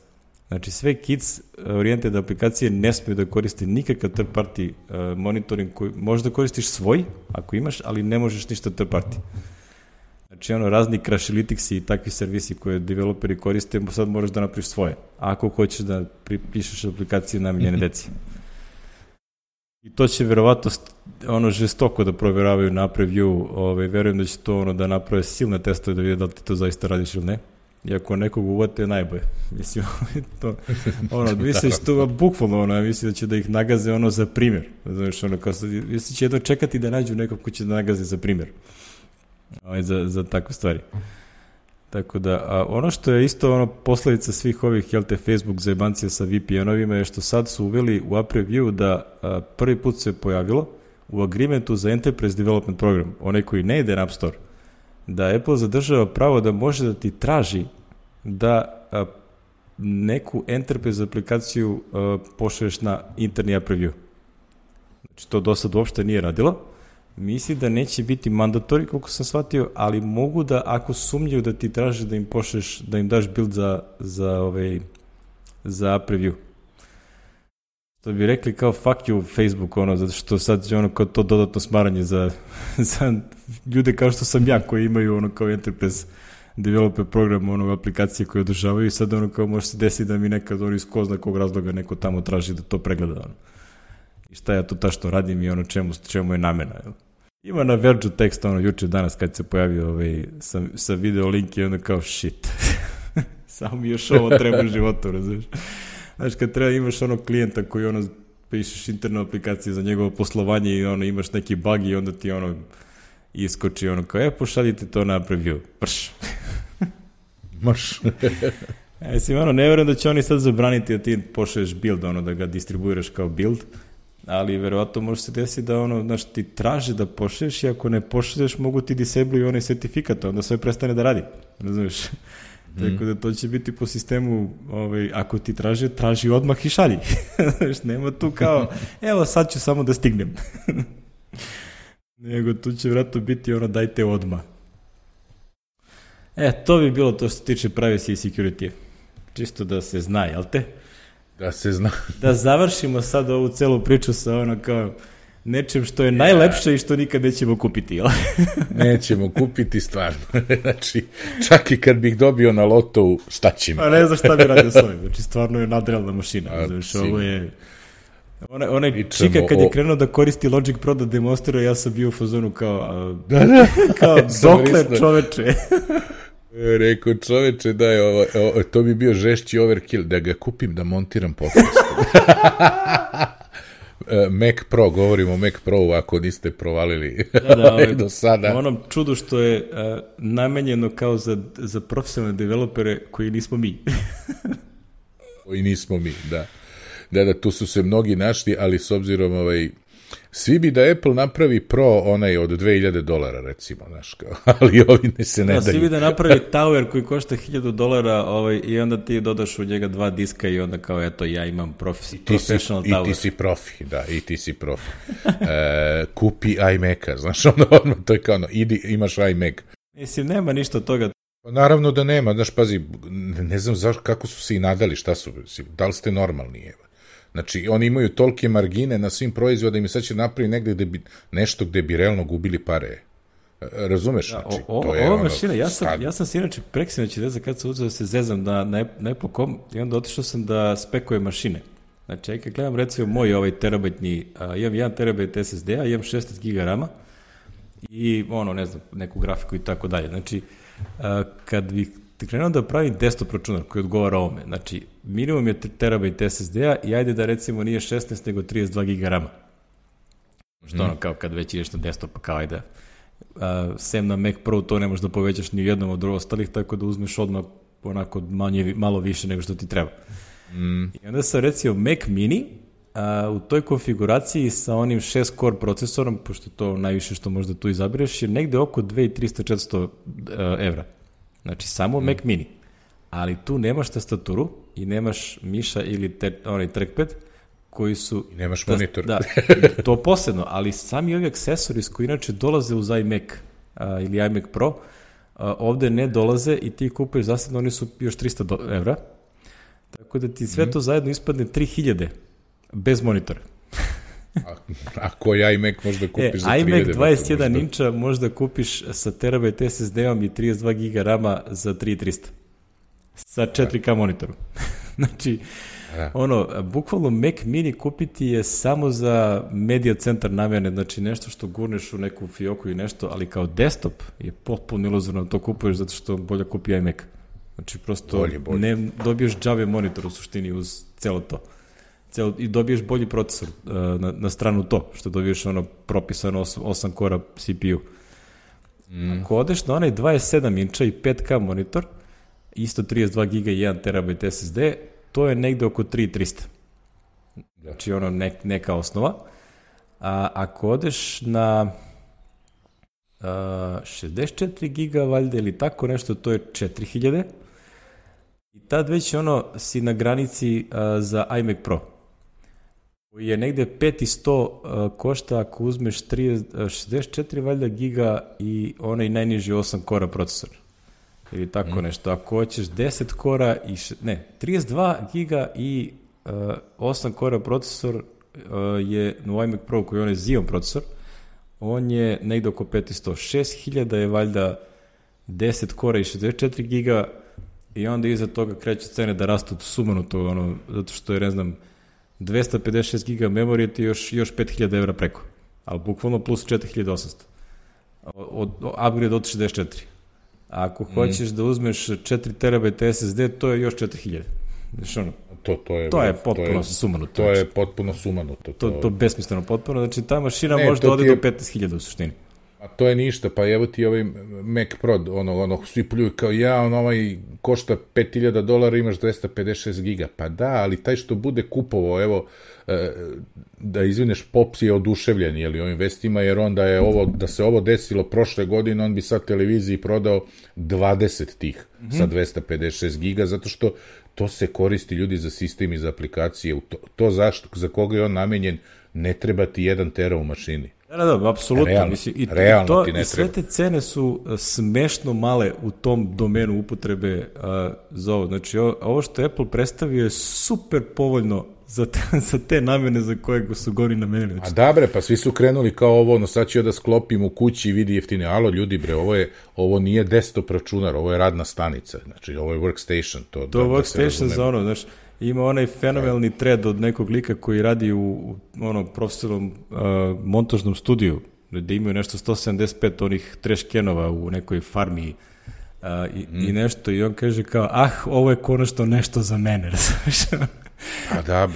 Speaker 1: Znači, sve kids orijented aplikacije ne smiju da koriste nikakav third-party monitoring koji možeš da koristiš svoj, ako imaš, ali ne možeš ništa third-party. Znači, razni Crashlytics i takvi servisi koje developeri koriste, sad moraš da napraviš svoje. Ako hoćeš da pišeš aplikacije namenjene deci. I to će verovatno žestoko da proveravaju na preview, verujem da će to da naprave silne testove da vide da li ti to zaista radiš ili ne. I ako nekog uvate, najbolje. Mislim, to, misliš to bukvalno, mislim da će da ih nagaze za primjer. Znaš, mislim će jedno čekati da nađu nekog ko će da nagaze za primjer. Za takve stvari. Tako da, ono što je isto posledica svih ovih, Facebook zajebancija sa VPN-ovima je što sad su uveli u App Review da prvi put se pojavilo u agreementu za Enterprise Development Program, onaj koji ne ide na App Store, da Apple zadržava pravo da može da ti traži da neku Enterprise aplikaciju pošalješ na interni App Review. Znači, to do sad uopšte nije radilo. Misli da neće biti mandatori, koliko sam shvatio, ali mogu da, ako sumnjaju da ti traže da im pošleš, da im daš build za App Review. To bi rekli kao fuck you Facebook, zato što sad je kao to dodatno smaranje za ljude kao što sam ja, koji imaju kao Enterprise Developer program, aplikacije koje održavaju i sad kao može se desiti da mi nekad iz ko zna kog razloga neko tamo traži da to pregleda. I šta ja to tačno radim i čemu je namena. Ima na Verge tekst juče danas kad se pojavio sa video link i kao shit. Samo mi još ovo treba u životu, razumiješ? Znaš, kad treba imaš klijenta koji pišeš internu aplikaciju za njegovo poslovanje i imaš neki bug i onda ti iskoči kao, pošaljite to na preview. Prš.
Speaker 2: Marš.
Speaker 1: Mislim, ne verujem da će oni sad zabraniti da ti pošalješ build, da ga distribuiraš kao build, ali verovatno može se desiti da ti traži da pošalješ i ako ne pošalješ mogu ti disabluju onaj sertifikat, onda sve prestane da radi, razumiješ? Tako da to će biti po sistemu, ako ti traži odmah i šalji. Nema tu kao, evo sad ću samo da stignem. Nego tu će vjerojatno biti dajte odmah. To bi bilo to što se tiče privacy i security. Čisto da se zna, jel te?
Speaker 2: Da se zna.
Speaker 1: Da završimo sad ovu celu priču sa kao nečem što je najlepše i što nikad nećemo kupiti, jel?
Speaker 2: Nećemo kupiti stvarno. Znači, čak i kad bih dobio na lotovu, šta će mi?
Speaker 1: Pa ne znam šta bi radio s ovim. Znači, stvarno je nadrealna mašina. Znači, ovo je... Onaj čika kad je krenuo da koristi Logic Pro da demonstrira, ja sam bio u fazonu kao dokle čoveče.
Speaker 2: Rekao čoveče, to bi bio žešći overkill, da ga kupim da montiram podcast. Mac Pro, govorimo o Mac Pro, ako niste provalili do sada.
Speaker 1: Onom čudu što je namenjeno kao za profesionalne developere koji nismo mi.
Speaker 2: Koji nismo mi, da. Da, tu su se mnogi našli, ali s obzirom, svi bi da Apple napravi Pro onaj od $2000, recimo, znaš, ali ovi ne se ne daju.
Speaker 1: Svi bi da napravi Tower koji košta $1000 i onda ti dodaš u njega 2 diska i onda kao, eto, ja imam professional Tower.
Speaker 2: I ti si profi, da, i ti si profi. Kupi iMac-a, znaš, odmah, to je kao, idi, imaš iMac.
Speaker 1: Mislim, nema ništa od toga.
Speaker 2: Naravno da nema, znaš, pazi, ne znam kako su se i nadali, šta su, da li ste normalni, evo. Znači, oni imaju tolike margine na svim proizvodima i sad će napraviti negde nešto gde bi realno gubili pare. Razumeš? Znači, to je
Speaker 1: ova mašina, ja sam se inače preksinoći kad sam uzeo da se zezam na Apple.com i onda otišao sam da spekujem mašine. Znači, kad gledam recimo moj ovaj terabajtni, imam 1 terabajt SSD-a, imam 16 GB RAM-a i ne znam, neku grafiku i tako dalje. Znači, kad bih krenuo da pravim desktop računar koji odgovara ovome, znači, minimum je terabajt SSD-a i ajde da recimo nije 16 nego 32 GB RAM-a. Što kao kad već ideš na desktop, pa kao ajde, sem na Mac Pro to ne možeš da povećaš ni u jednom od ostalih, tako da uzmeš odmah onako malo više nego što ti treba. I onda sam recimo Mac Mini u toj konfiguraciji sa onim 6 core procesorom, pošto to najviše što možda tu izabereš, je negde oko 2300-400 evra. Znači samo Mac Mini. Ali tu nemaš tastaturu i nemaš miša ili onaj trackpad koji su...
Speaker 2: I nemaš monitor.
Speaker 1: Da, to posebno, ali sami ovi aksesori koji inače dolaze uz iMac ili iMac Pro, ovde ne dolaze i ti kupuješ zasebno, oni su još 300 evra. Tako da ti sve to zajedno ispadne 3000 bez monitora.
Speaker 2: A koji iMac možda kupiš za 3000?
Speaker 1: iMac 21 inča možda kupiš sa terabajt SSD-om i 32 GB RAM-a za 3300. Sa 4K monitorom. Znači, bukvalno Mac Mini kupiti je samo za media centar namene, znači nešto što gurneš u neku fioku i nešto, ali kao desktop je potpuno iluzorno to kupuješ zato što bolje kupi iMac. Znači, prosto ne dobiješ džabe monitor u suštini uz celo to. I dobiješ bolji procesor na stranu to, što dobiješ propisano 8 kora CPU. Ako odeš na onaj 27 inča i 5K monitor, isto 32 GB i 1 terabajt SSD, to je negde oko 3300. Znači, neka osnova. A ako odeš na 64 GB, valjda, ili tako nešto, to je 4000. I tad već si na granici za iMac Pro, koji je negde 5100 košta ako uzmeš 64 valjda giga i onaj najniži 8 kora procesor. Ili tako nešto. Ako hoćeš 10 kora i 32 giga i 8 kora procesor je u iMac Pro koji je onaj Xeon procesor, on je negde oko 500. 6000 je valjda 10 kora i 64 giga i onda iza toga kreću cene da rastu sumanuto, zato što je, ne znam, 256 giga memorije ti još 5000 evra preko, ali bukvalno plus 4800. Upgrade od 64. A ako hoćeš da uzmeš 4 terabajta SSD, to je još 4000. Znači, to je potpuno sumanuto.
Speaker 2: To je potpuno sumanuto.
Speaker 1: To besmisleno potpuno. Znači, ta mašina može da ode do 15.000 u suštini.
Speaker 2: A to je ništa, pa evo ti ovaj Mac Pro, svi pljuju kao ovaj košta $5000, imaš 256 giga. Pa da, ali taj što bude kupovao, evo, da izvineš, Pops je oduševljen, ovim vestima, jer onda je da se ovo desilo prošle godine, on bi sad televiziji prodao 20 tih sa 256 giga, zato što to se koristi ljudi za sistem i za aplikacije. To zašto, za koga je on namenjen, ne treba ti 1 tera u mašini.
Speaker 1: Da, apsolutno.
Speaker 2: Realno ti ne treba.
Speaker 1: I sve te cene su smešno male u tom domenu upotrebe za ovo. Znači, ovo što Apple predstavio je super povoljno za te namene za koje su gori namenili. Znači,
Speaker 2: a da bre, pa svi su krenuli kao ovo, sad ću da sklopim u kući i vidi jeftine. Alo, ljudi bre, ovo nije desktop računar, ovo je radna stanica. Znači, ovo je workstation. To
Speaker 1: workstation za znači, ima onaj fenomenalni thread od nekog lika koji radi u profesionalnom montažnom studiju, gde imaju nešto 175 onih trash canova u nekoj farmi i nešto, i on kaže kao, ovo je konačno nešto za mene, razumiješ?
Speaker 2: A da,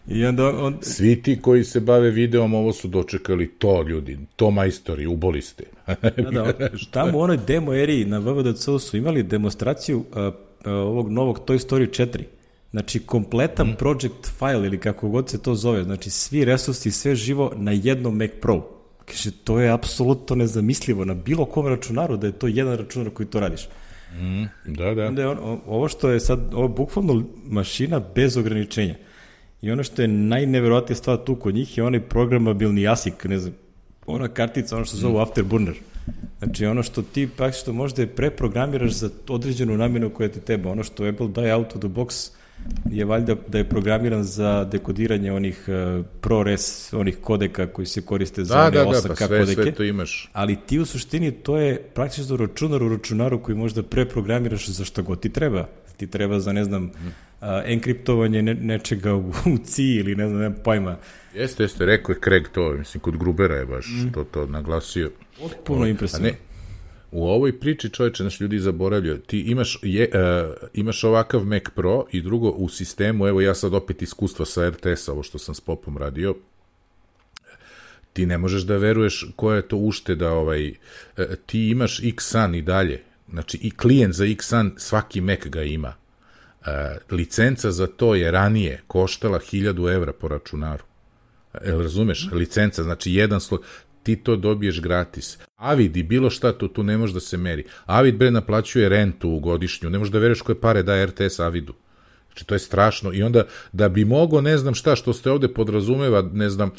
Speaker 2: i onda svi ti koji se bave videom, ovo su dočekali to, ljudi, to majstori, uboli ste.
Speaker 1: Tamo u onoj demo eri na WWDC su imali demonstraciju ovog novog Toy Story 4. Znači, kompletan project file, ili kako god se to zove, znači svi resursi, sve živo na jednom Mac Pro. Kaže, to je apsolutno nezamislivo na bilo kom računaru, da je to jedan računar koji to radiš.
Speaker 2: Da.
Speaker 1: Onda je ovo što je sad, ovo je bukvalno mašina bez ograničenja. I ono što je najneverovatnija stvar tu kod njih je onaj programabilni ASIC, ne znam, ona kartica, ono što zove Afterburner. Znači, ono što ti praktično možda preprogramiraš za određenu namenu koja ti treba. Ono što Apple daje out of the box je valjda da je programiran za dekodiranje onih ProRes, onih kodeka koji se koriste za one 8K kodeke.
Speaker 2: Sve to imaš.
Speaker 1: Ali ti u suštini to je praktično računar u računaru koji možda preprogramiraš za što god ti treba. Ti treba za, ne znam, enkriptovanje nečega u CI ili ne znam pojma.
Speaker 2: Jeste, rekao je Craig to, mislim, kod Grubera je baš to naglasio.
Speaker 1: Puno impresivno.
Speaker 2: U ovoj priči, čoveče, naš ljudi zaboravljaju, ti imaš ovakav Mac Pro i drugo u sistemu, evo ja sad opet iskustva sa RTS-a, ovo što sam s Popom radio, ti ne možeš da veruješ koja je to ušteda, ti imaš Xsun i dalje, znači i klijent za Xsun, svaki Mac ga ima. Licenca za to je ranije koštala 1000 evra po računaru. Razumeš? Licenca, znači jedan sloj, ti to dobiješ gratis. Avid i bilo šta, tu ne može da se meri. Avid, naplaćuje rentu godišnju, ne možeš da veruješ koje pare daje RTS Avidu. Znači, to je strašno. I onda, da bi mogo, ne znam šta, što ste ovde podrazumeva, ne znam,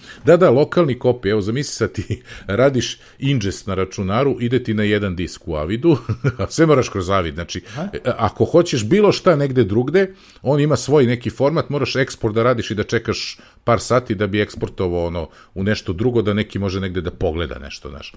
Speaker 2: lokalni kopij, evo, zamisli sad ti radiš ingest na računaru, ide ti na jedan disk u Avidu, a sve moraš kroz Avid, znači, ako hoćeš bilo šta negde drugde, on ima svoj neki format, moraš eksport da radiš i da čekaš par sati da bi eksportovao u nešto drugo, da neki može negde da pogleda nešto, znaš.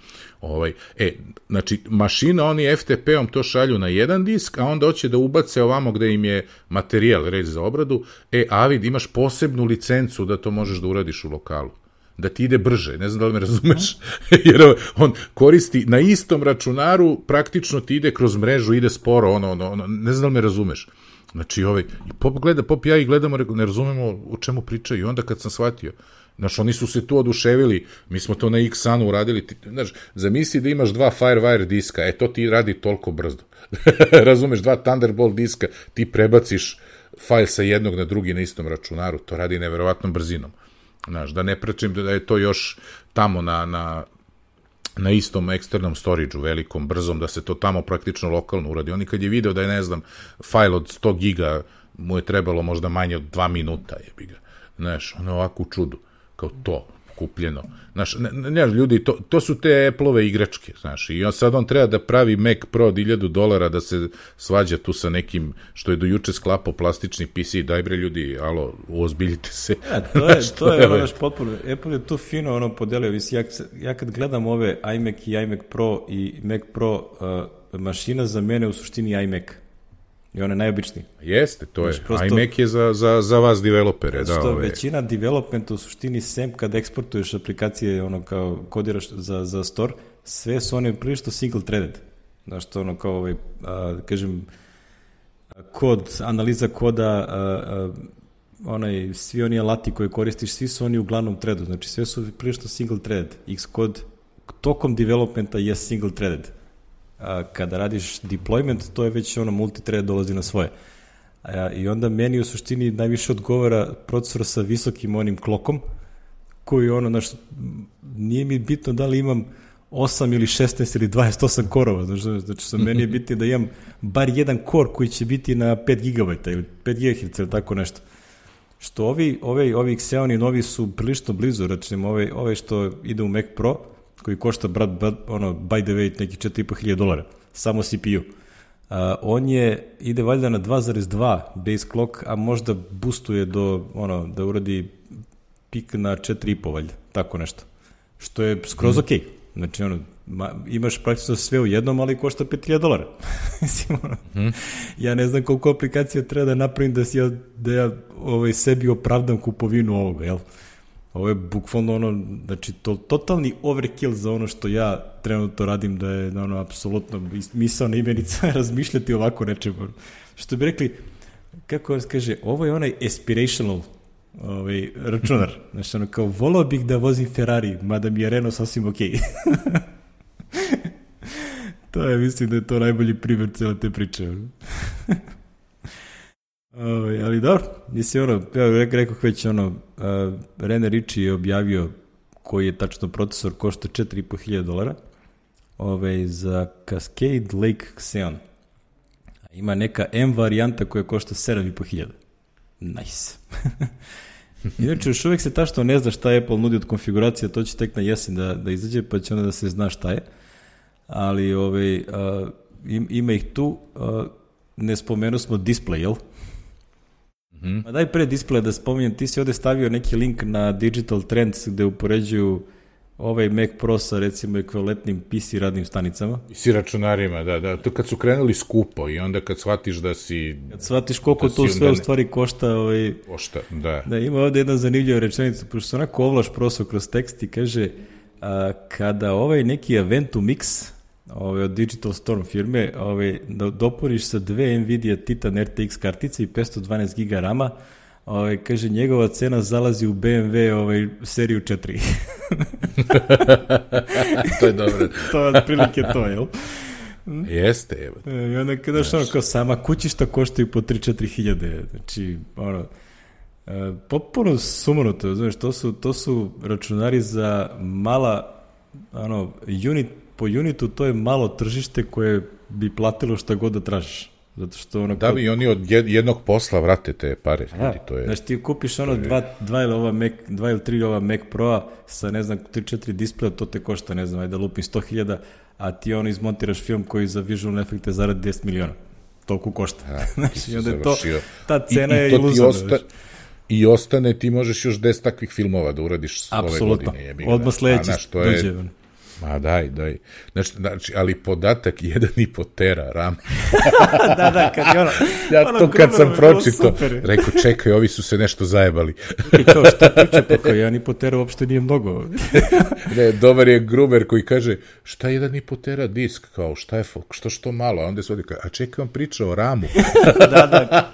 Speaker 2: Znači, mašina, oni FTP-om to šalju na jedan disk, a onda hoće da ubace ovamo gde im je materijal, reč za obradu, Avid, imaš posebnu licencu da to možeš da uradiš u lokalu. Da ti ide brže, ne znam da li me razumeš, jer on koristi na istom računaru, praktično ti ide kroz mrežu, ide sporo, ne znam da li me razumeš. Znači, Pop ja i gledamo, ne razumemo o čemu pričaju, i onda kad sam shvatio, znaš, oni su se tu oduševili, mi smo to na Xunu uradili, znaš, zamisli da imaš 2 Firewire diska, to ti radi toliko brzo. Razumeš, 2 Thunderbolt diska, ti prebaciš fajl sa jednog na drugi na istom računaru, to radi neverovatnom brzinom. Znaš, da ne pričam da je to još tamo na istom eksternom storage-u, velikom, brzom, da se to tamo praktično lokalno uradi. Oni kad je video da je, ne znam, fajl od 100 giga mu je trebalo možda manje od 2 minuta, jebi ga. Znaš, ono ovako u čudu, kao to, kupljeno. Znaš, ljudi, to su te Apple-ove igračke, znaš, i sad on treba da pravi Mac Pro od $1000 da se svađa tu sa nekim, što je do juče sklapao plastični PC, daj bre ljudi, alo, uozbiljite se.
Speaker 1: To je ono potpuno, Apple je tu fino podelio, ja kad gledam ove iMac i iMac Pro i Mac Pro, mašina za mene u suštini iMac. I on je najobičniji.
Speaker 2: Jeste, to je. iMac je za vas developere.
Speaker 1: Većina developmenta u suštini, sem kad eksportuješ aplikacije, kao kodiraš za store, sve su one prilično single-threaded. Znaš, to kao, kažem, kod, analiza koda, svi oni alati koje koristiš, svi su oni u glavnom threadu. Znači, sve su prilično single-threaded. Xcode tokom developmenta je single-threaded. Kada radiš deployment, to je već multithread dolazi na svoje. I onda meni u suštini najviše odgovara procesor sa visokim onim klokom, koji nije mi bitno da li imam 8 ili 16 ili 28 korova, znači sa meni je bitno da imam bar jedan core koji će biti na 5 GB ili 5 GHz ili tako nešto. Što ovi Xeoni novi su prilično blizu, računim, ovaj što ide u Mac Pro, koji košta, by the way, neki $4500, samo CPU. On ide valjda na 2.2 base clock, a možda boostuje da uradi pik na 4.5 valjda, tako nešto. Što je skroz okej. Znači, imaš praktično sve u jednom, ali košta $5000. Mislim, ja ne znam koliko aplikacija treba da napravim da ja sebi opravdam kupovinu ovoga, jel? Ovo je bukvalno znači, totalni overkill za ono što ja trenutno radim, da je apsolutno misaona imenica razmišljati ovako nečem. Što bi rekli, kako se kaže, ovo je onaj aspirational računar. Znači, kao, volao bih da vozim Ferrari, mada mi je Renault sasvim okej. To je, mislim da je to najbolji primjer cijela te priče. Ali dobro, mislim, rekao već, René Ritchie je objavio koji je tačno procesor, košta $4500 za Cascade Lake Xeon. Ima neka M varijanta koja košta $7500. Nice. Inače, još uvijek se tačno ne zna šta Apple nudi od konfiguracije, to će tek na jesen da izađe, pa će onda da se zna šta je. Ali ima ih tu, ne spomenu smo display, jel? Ma daj pre displeja da spominjem, ti si ovde stavio neki link na Digital Trends gde upoređuju ovaj Mac Pro sa recimo ekvivalentnim PC radnim stanicama.
Speaker 2: I si računarima, da. To kad su krenuli skupo i onda kad shvatiš da si...
Speaker 1: Kad shvatiš koliko to sve u stvari košta...
Speaker 2: Košta, da.
Speaker 1: Da, ima ovde jedna zanimljiva rečenica, pošto se onako ovlaš prosto kroz tekst i kaže kada neki Aventu Mix od Digital Storm firme dopuniš sa 2 Nvidia Titan RTX kartice i 512 GB RAM-a, kaže, njegova cena zalazi u BMW seriju 4.
Speaker 2: To je dobro.
Speaker 1: To je otprilike to, jel?
Speaker 2: Jeste, evo.
Speaker 1: I onda kada kao sama kućišta koštaju po 3-4 hiljade. Znači, popuno sumanuto, znaš, to su računari za mala, po unitu to je malo tržište koje bi platilo šta god da tražiš. Zato što
Speaker 2: da bi oni od jednog posla vrate te pare. To je...
Speaker 1: Znači ti kupiš dva ili 3 ova Mac Pro-a sa, ne znam, 3-4 displeja, to te košta, ne znam, ajde lupim 100.000, a ti izmontiraš film koji za visualne efekte zaradi 10 miliona. Toliko košta. Znači, onda je to, ta cena je iluzorna.
Speaker 2: I ostane, ti možeš još 10 takvih filmova da uradiš ove godine.
Speaker 1: Apsolutno. Odmah sledeći dođe.
Speaker 2: Ma daj. Znači, ali podatak 1,5 tera RAM.
Speaker 1: da, kad je
Speaker 2: ja to kad sam pročito, rekao, čekaj, ovi su se nešto zajebali.
Speaker 1: I kao, šta priče, pa kao 1,5 tera uopšte nije mnogo.
Speaker 2: Ne, dobar je Gruber koji kaže, šta 1,5 tera disk, kao, šta je, što malo, a onda se ovdje kaže, a čekaj, on priča o RAM-u.
Speaker 1: Da.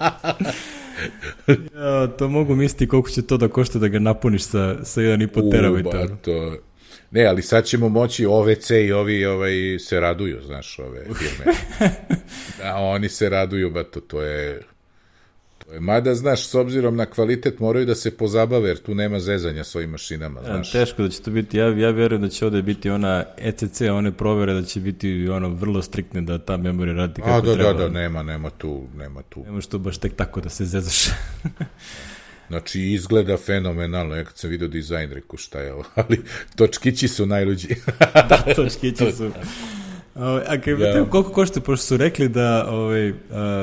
Speaker 1: Ja, to mogu misliti koliko će to da košta da ga napuniš sa 1,5 teravajta.
Speaker 2: Ne, ali sad ćemo moći, OVC i ovi se raduju, znaš, ove firme. Da, oni se raduju, to je... Mada, znaš, s obzirom na kvalitet moraju da se pozabave, jer tu nema zezanja s ovim mašinama, znaš.
Speaker 1: Teško da će to biti, ja verujem da će ovde biti ona ECC, one provere da će biti vrlo striktne da ta memorija radi kako treba.
Speaker 2: Da, nema tu.
Speaker 1: Nemaš to baš tek tako da se zezaš.
Speaker 2: Znači, izgleda fenomenalno, ja kad sam vidio dizajn, rekao šta je ovo, ali točkići su najluđi.
Speaker 1: Da, točkići su. A koliko košta, pošto su rekli da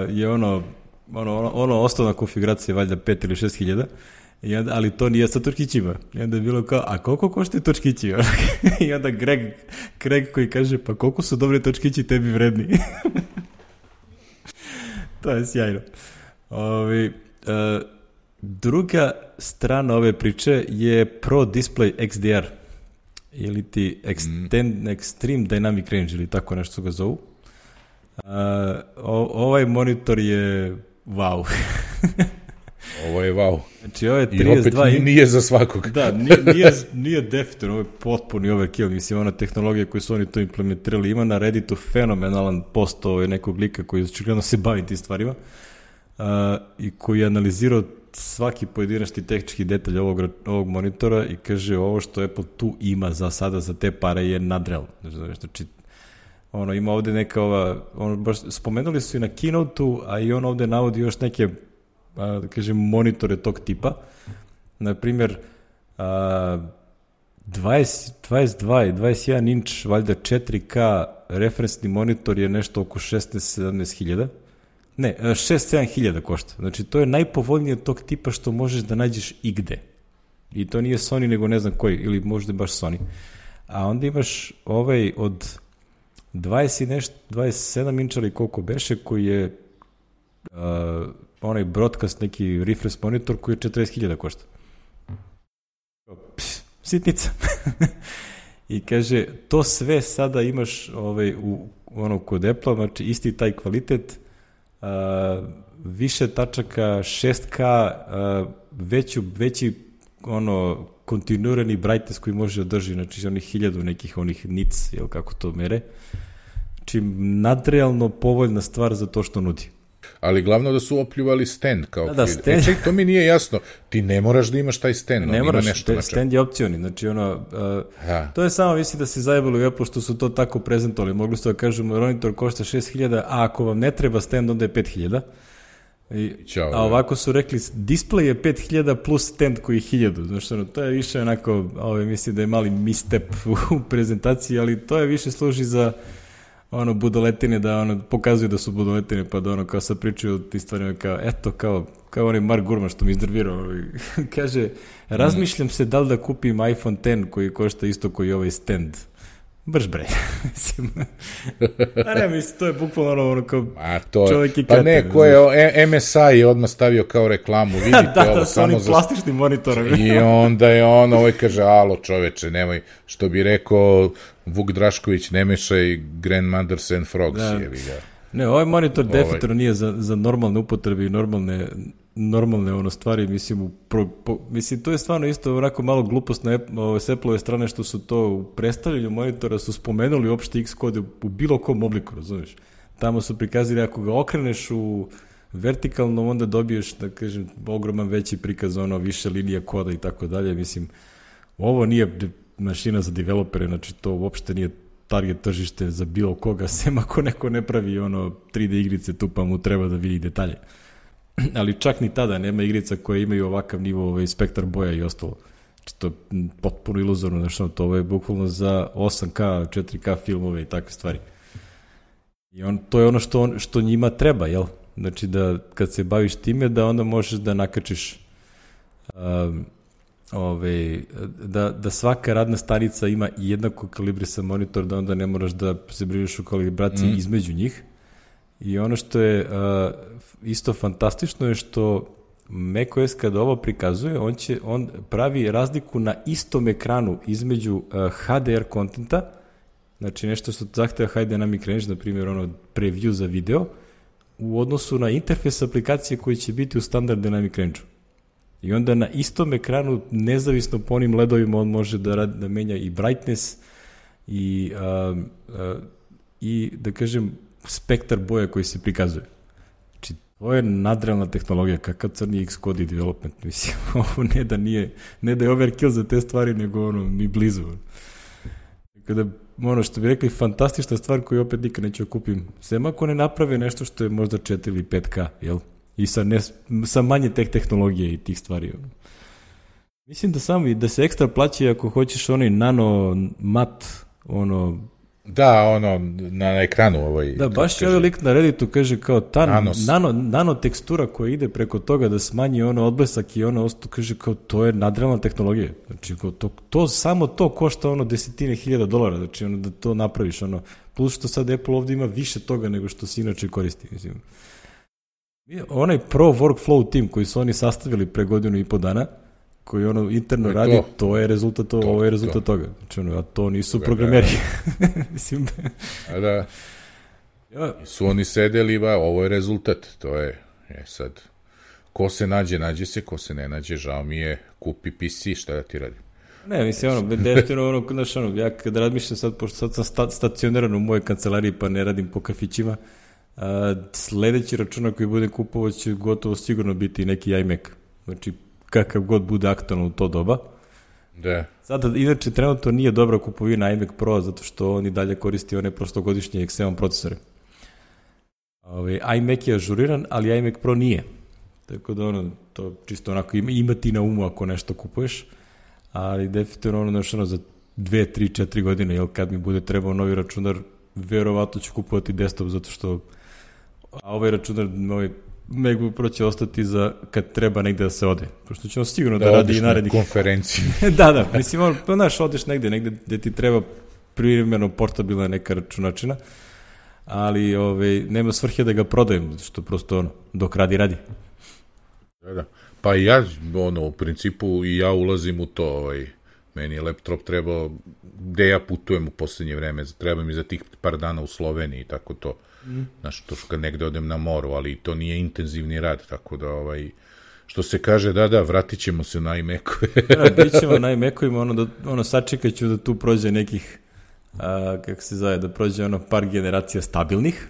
Speaker 1: je osnovna konfiguracija valjda 5 ili 6 hiljada, ali to nije sa točkićima. I onda je bilo kao, a koliko koštaju točkići? I onda Greg koji kaže, pa koliko su dobri točkići tebi vredni? To je sjajno. Druga strana ove priče je Pro Display XDR ili ti Extreme Dynamic Range ili tako nešto ga zovu. Ovaj monitor je wow.
Speaker 2: Ovo je wow.
Speaker 1: Znači ovo je 32
Speaker 2: i opet nije za svakog.
Speaker 1: Da, nije definitivno, ovo je potpuni overkill, mislim, ona tehnologija koju su oni to implementirali. Ima na Redditu fenomenalan post nekog lika koji očigledno se bavi tim stvarima i koji je analizirao svaki pojedinačni tehnički detalj ovog monitora i kaže ovo što Apple tu ima za sada za te pare je nadrealno. Znači, ima ovde neka baš spomenuli su i na Keynote-u, a i on ovde navodi još neke, da kažem, monitore tog tipa. Naprimjer, 22 i 21 inč, valjda 4K referensni monitor je nešto oko 16-17 hiljada. Ne, 6-7 hiljada košta. Znači, to je najpovoljnije tog tipa što možeš da nađeš igde. I to nije Sony, nego ne znam koji, ili možda baš Sony. A onda imaš od 27 inča ili koliko beše, koji je onaj broadcast, neki refresh monitor koji je 40.000 košta. Sitnica. I kaže, to sve sada imaš kod Apple, znači isti taj kvalitet, više tačaka, 6K, veći kontinuirani brightness koji može održi, znači onih 1000 nekih nits, jel kako to mere. Znači, nadrealno povoljna stvar za to što nudi.
Speaker 2: Ali glavno da su opljuvali stand kao stand. To mi nije jasno. Ti ne moraš da imaš taj stand.
Speaker 1: Ne moraš, stand je opcioni. Znači, to je samo, mislim da se zajebalo u Apple što su to tako prezentovali. Mogli su da kažu, monitor košta 6.000, a ako vam ne treba stand, onda je 5.000. A ovako su rekli, display je 5.000 plus stand koji je 1.000. Znači, to je više onako, mislim da je mali misstep u prezentaciji, ali to je više služi za budoletine, da pokazuju da su budoletine, pa da kao sad pričaju o ti stvarima kao, eto, kao kao onaj Mark Gurman što mi iznervirao, kaže, razmišljam se da li da kupim iPhone X koji košta isto koji ovaj stand. Brž bre. A ne, mislim, to je bukvalno ono kao čovjek i kreten.
Speaker 2: Pa ne, ko je MSI je odmah stavio kao reklamu, vidite ovo
Speaker 1: da,
Speaker 2: samo
Speaker 1: za... plastičnim monitorom.
Speaker 2: I onda je ono, ovaj kaže, alo čoveče, nemoj, što bi rekao Vuk Drašković, ne mešaj Grandmothers and Frogs, jevi ga.
Speaker 1: Ne, ovaj monitor definitivno nije za normalne upotrebe i normalne ono stvari, mislim, mislim, to je stvarno isto onako malo glupost s Apple-ove strane što su to u predstavljanju monitora su spomenuli uopšte Xcode u bilo kom obliku, razumiješ? Tamo su prikazali, ako ga okreneš u vertikalno, onda dobiješ, da kažem, ogroman veći prikaz, ono, više linija koda i tako dalje, mislim, ovo nije mašina za developere, znači to uopšte nije target tržište za bilo koga, sem ako neko ne pravi ono 3D igrice tu pa mu treba da vidi detalje. Ali čak ni tada nema igrica koje imaju ovakav nivo spektar boja i ostalo. Znači to je potpuno iluzorno, znači to je bukvalno za 8K, 4K filmove i takve stvari. I to je ono što njima treba, jel? Znači da kad se baviš time da onda možeš da nakačiš da svaka radna stanica ima jednako kalibrisan monitor, da onda ne moraš da se brineš u kalibraciji između njih. I ono što je isto fantastično je što macOS kada ovo prikazuje, on pravi razliku na istom ekranu između HDR kontenta, znači nešto što zahteva High Dynamic Range, na primjer ono preview za video, u odnosu na interfejs aplikacije koji će biti u standard Dynamic Range-u. I onda na istom ekranu, nezavisno po onim ledovima, on može da menja i brightness i da kažem spektar boja koji se prikazuje. Znači, to je nadrealna tehnologija, kakav crni Xcode i development. Mislim, ovo ne da je overkill za te stvari, nego ono, ni blizu. Kada, ono što bi rekli, fantastična stvar koju opet nikad neću kupim. Sem ako ne naprave nešto što je možda 4 ili 5K, jel? I sa manje tehnologije i tih stvari. Mislim da se ekstra plaća ako hoćeš onaj nano mat, ono...
Speaker 2: Da, ono, na ekranu
Speaker 1: Da, baš je ovaj lik na Redditu kaže kao ta nano tekstura koja ide preko toga da smanji ono odblesak i ono osto, kaže kao to je nadrealna tehnologija. Znači, samo to košta ono $10,000, znači ono da to napraviš, ono, plus što sad Apple ovdje ima više toga nego što se inače koristi, mislim. Onaj Pro Workflow tim koji su oni sastavili pre 1.5 godina, koji ono interno radi, to je rezultat toga. Znači ono, a to nisu programeri. Mislim.
Speaker 2: A da. Su oni sedeli, ovo je rezultat. To je, sad, ko se nađe se, ko se ne nađe, žao mi je, kupi PC, šta da ti radi?
Speaker 1: Ne, mislim, definitivno, znaš, ja kad razmišljam sad, pošto sad sam stacioniran u mojoj kancelariji, pa ne radim po kafićima, sledeći računar koji bude kupovao će gotovo sigurno biti neki iMac. Znači, kakav god bude aktualno u to doba.
Speaker 2: Da.
Speaker 1: Sada, inače, trenutno nije dobra kupovina iMac Pro, zato što on i dalje koristi one prostogodišnje X7 procesore. iMac je ažuriran, ali iMac Pro nije. Tako da, ono, to čisto onako imati na umu ako nešto kupuješ, ali definitivno ono, za 2, 3, 4 godine, jel, kad mi bude trebao novi računar, verovatno ću kupovati desktop, zato što ovaj računar, MacBook Pro će ostati za kad treba negde da se ode. Pošto će on sigurno da radi i narednih...
Speaker 2: konferenciju.
Speaker 1: Da, mislim, znaš, odeš negde gde ti treba privremeno portabilna neka računačina, ali nema svrhe da ga prodajem, što prosto dok radi.
Speaker 2: Da. Pa ja, u principu, i ja ulazim u to, meni je laptop trebao, gde ja putujem u poslednje vreme, treba mi za tih par dana u Sloveniji i tako to. Znaš, to što kad negde odem na moru, ali to nije intenzivni rad, tako da, što se kaže, da, vratit ćemo se na iMac-ove.
Speaker 1: Bit ćemo na iMac-ovima, sačekat ću da tu prođe nekih, kako se zove, da prođe par generacija stabilnih,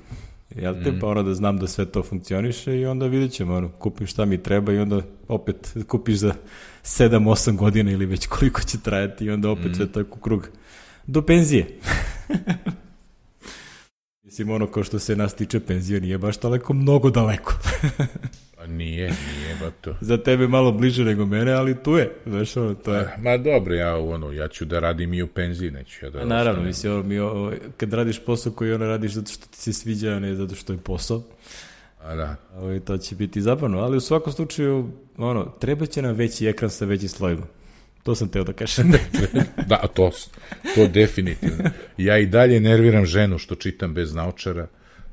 Speaker 1: jel te, pa da znam da sve to funkcioniše i onda vidjet ćemo, kupim šta mi treba i onda opet kupiš za 7-8 godina ili već koliko će trajati i onda opet sve tako krug. Do penzije. Mislim, kao što se nas tiče, penzija nije baš daleko, mnogo daleko.
Speaker 2: Nije ba to.
Speaker 1: Za tebe malo bliže nego mene, ali tu je. Znaš, to je.
Speaker 2: Ma dobro, ja ću da radim i u penziji, neću ja da...
Speaker 1: Naravno, mislim, kad radiš posao koji radiš zato što ti se sviđa, a ne zato što je posao.
Speaker 2: Da.
Speaker 1: To će biti zabavno, ali u svakom slučaju, treba će nam veći ekran sa većim slojima. To sam teo da kažem.
Speaker 2: Da, to definitivno. Ja i dalje nerviram ženu što čitam bez naočara.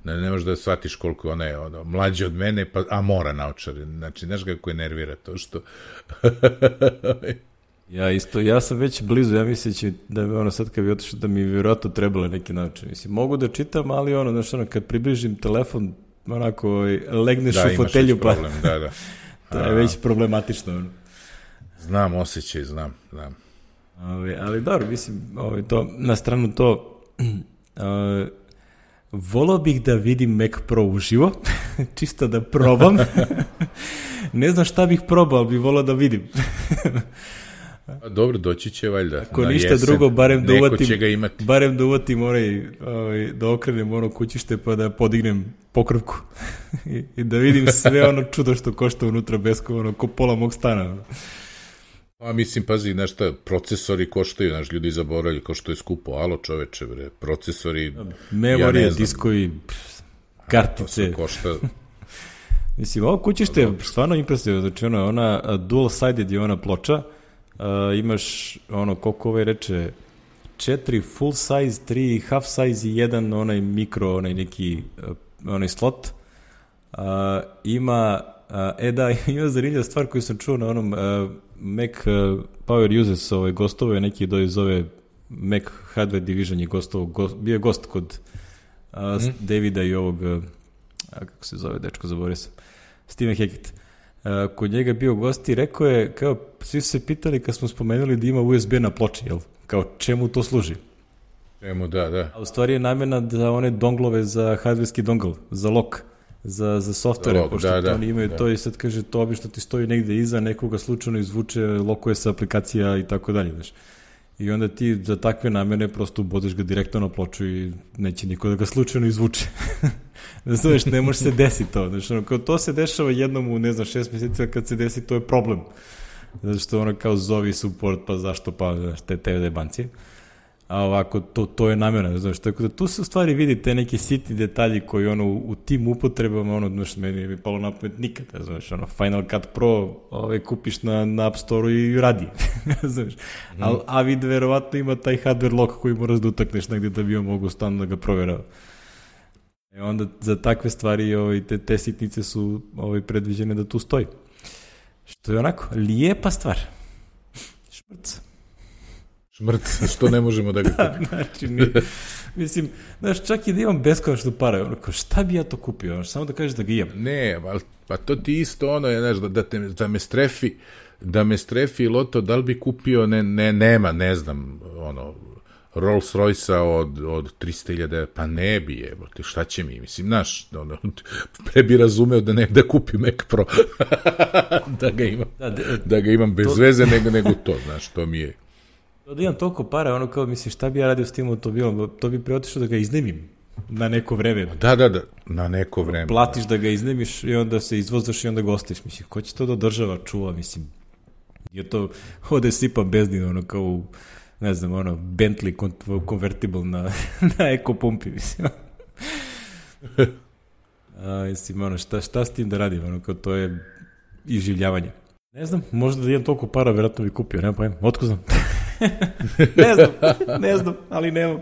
Speaker 2: Ne možeš da shvatiš koliko ona je mlađa od mene, a mora naočare. Znači, znaš kako je nervira to što...
Speaker 1: Ja sam već blizu, ja mislim da sad kad bi otišao da mi vjerojatno trebalo neki naočar. Mislim, mogu da čitam, ali kad približim telefon, legneš u fotelju,
Speaker 2: pa... Problem, da.
Speaker 1: To je već problematično.
Speaker 2: Znam, osjećaj, znam.
Speaker 1: Ali dobro, mislim, na stranu to, volao bih da vidim Mac Pro uživo, čisto da probam. Ne znam šta bih probao, ali bih volao da vidim.
Speaker 2: Dobro, doći će valjda.
Speaker 1: Ako ništa drugo, barem da uvatim da okrenem kućište pa da podignem pokrvku i da vidim sve čudo što košta unutra besko, ko pola mog stana.
Speaker 2: Mislim, pazi, znaš šta, procesori koštaju, znaš, ljudi zaboravljaju ko što je skupo, alo čoveče, procesori,
Speaker 1: memorije, diskovi, kartice.
Speaker 2: To košta.
Speaker 1: Mislim, ovo kućište je stvarno impresivno, znači ona dual-sided je ona ploča, imaš, koliko reče, 4 full size, 3 half size i jedan onaj mikro, onaj slot. Ima zanimljiva stvar koju sam čuo na onom Mac Power Uses, gostovao je neki iz ove Mac Hardware Division je gostovao, bio je gost kod Davida i ovog, kako se zove dečko, zaboravio sam, Steven Hackett. Kod njega bio gost i rekao je, kao, svi su se pitali kad smo spomenuli da ima USB na ploči, jel? Kao, čemu to služi?
Speaker 2: Čemu, da.
Speaker 1: A u stvari je namjena za one donglove za hardverski dongle, za lock, za softvere, pošto to oni imaju to i sad kaže, to obično ti stoji negde iza, nekoga slučajno izvuče, lokuje se aplikacija i tako dalje, znaš. I onda ti za takve namene prosto ubodeš ga direktno na ploču i neće niko da ga slučajno izvuče. Znaš, ne može se desiti to. Znaš, kao to se dešava jednom u, 6 mjeseca, kad se desi, to je problem. Zato što kao zovi support, pa zašto, pa znaš, te jebancije. A ovako, to je namjena, znaš, tako da tu se u stvari vidi te neki sitni detalji koji u tim upotrebama, znaš, meni je palo na pamet nikad, znaš, Final Cut Pro kupiš na App Store-u i radi, znaš, a vid verovatno ima taj hardware lock koji moraš da utakneš negdje da bi on mogu stalno da ga provjerava. I onda za takve stvari te sitnice su predviđene da tu stoji. Što je onako, lijepa stvar.
Speaker 2: Šmrc, što ne možemo da ga kupimo.
Speaker 1: Znači, mislim, znaš, čak i da imam beskonačno para, šta bi ja to kupio, samo da kažeš da ga imam.
Speaker 2: Ne, pa to ti isto znaš, da me strefi loto, da li bi kupio, nema, ne znam, Rolls Royce-a od 300.000, pa ne bi jebote, šta će mi, mislim, znaš, pre bi razumeo da kupim Mac Pro, da ga imam bez veze, nego to, znaš, to mi je.
Speaker 1: Da imam toliko para, kao, mislim, šta bi ja radio s tim automobilom, to bi preotišao da ga iznemim na neko vreme.
Speaker 2: Da, na neko vreme.
Speaker 1: Platiš da ga iznemiš i onda se izvozaš i onda ga ostaviš, mislim, ko će to da država čuva, mislim, je to, ode sipa bezdin, kao, ne znam, Bentley convertible na eko pumpi, mislim. Mislim, šta s tim da radim, kao to je iživljavanje. Ne znam, možda da imam toliko para, vjerojatno bi kupio, nema pojma, otko znam. Ne znam, ali nemam.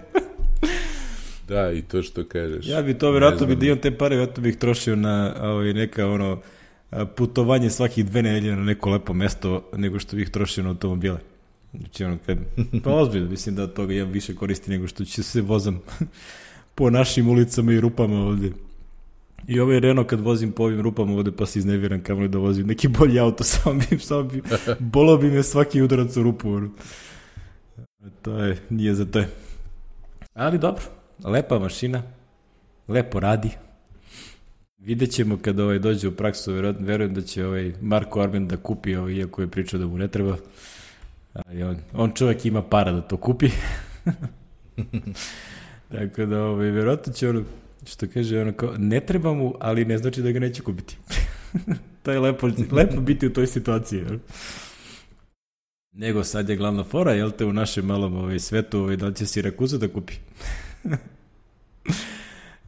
Speaker 2: Da, i to što kažeš.
Speaker 1: Ja bi to, vjerojatno bi da imam te pare, vjerojatno bih trošio na neka, putovanje svakih 2 nedelje na neko lepo mesto, nego što bih trošio na automobile. Znači, pa ozbiljno, mislim da od toga imam više koristi nego što će se vozam po našim ulicama i rupama ovdje. I Renault kad vozim po ovim rupama ovdje pa se izneviram kamoli da vozim neki bolji auto, samo bi bolo bi me svaki udarac u rupu. Nije za to. Ali dobro, lepa mašina, lepo radi. Vidjet ćemo kada dođe u praksu, verujem da će Marko Arben da kupi, iako je pričao da mu ne treba. On čovjek ima para da to kupi. Tako da, vjerojatno će što kaže, kao, ne treba mu, ali ne znači da ga neće kupiti. To je lepo biti u toj situaciji. Nego sad je glavna fora, jel te, u našem malom svetu, da li će Sirakuza da kupi?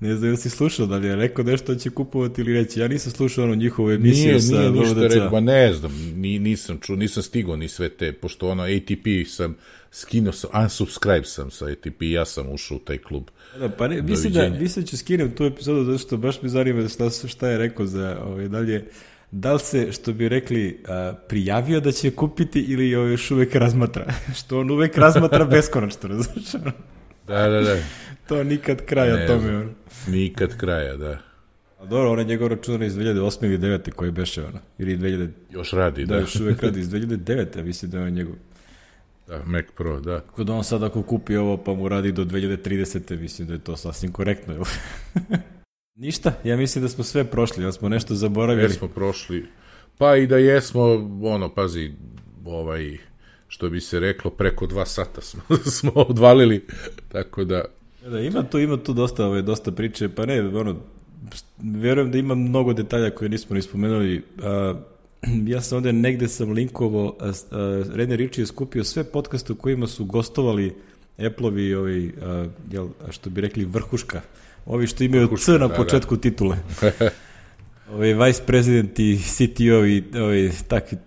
Speaker 1: Ne znam, si slušao da li je rekao nešto da će kupovati ili reći. Ja nisam slušao ono njihovu emisiju sa
Speaker 2: Nije ništa
Speaker 1: VVDC.
Speaker 2: rekao, ne znam, nisam čuo, nisam stigao ni sve te, pošto ono ATP sam skinuo, unsubscribe sam sa ATP, ja sam ušao u taj klub.
Speaker 1: Da, pa ne, mislim da ću skinem tu epizodu, zato što baš me zanima šta je rekao za dalje. Da li se, što bi rekli, prijavio da će kupiti ili još uvek razmatra? Što on uvek razmatra beskonačno, različno.
Speaker 2: Da.
Speaker 1: To nikad kraja tome. Ono.
Speaker 2: Nikad kraja, da.
Speaker 1: A dobro, on je njegov računar iz 2008. ili 2009. koji beše, ono. Ili 2000...
Speaker 2: Još radi, da.
Speaker 1: Da, još uvek radi iz 2009. Mislim da je on njegov.
Speaker 2: Da, Mac Pro, da.
Speaker 1: Kod on sad ako kupi ovo pa mu radi do 2030. Mislim da je to sasvim korektno, jel? Ništa, ja mislim da smo sve prošli, da smo nešto zaboravili.
Speaker 2: Jesmo prošli, pa i da jesmo, pazi, što bi se reklo, preko 2 sata smo odvalili, tako da...
Speaker 1: Da, ima tu dosta priče, pa ne, verujem da ima mnogo detalja koje nismo ni spomenuli. Ja sam ovde negde linkovo, René Ritchie je skupio sve podcaste u kojima su gostovali Apple-ovi, što bi rekli, vrhuška. Ovi što imaju C na početku titule. Vice President i CTO i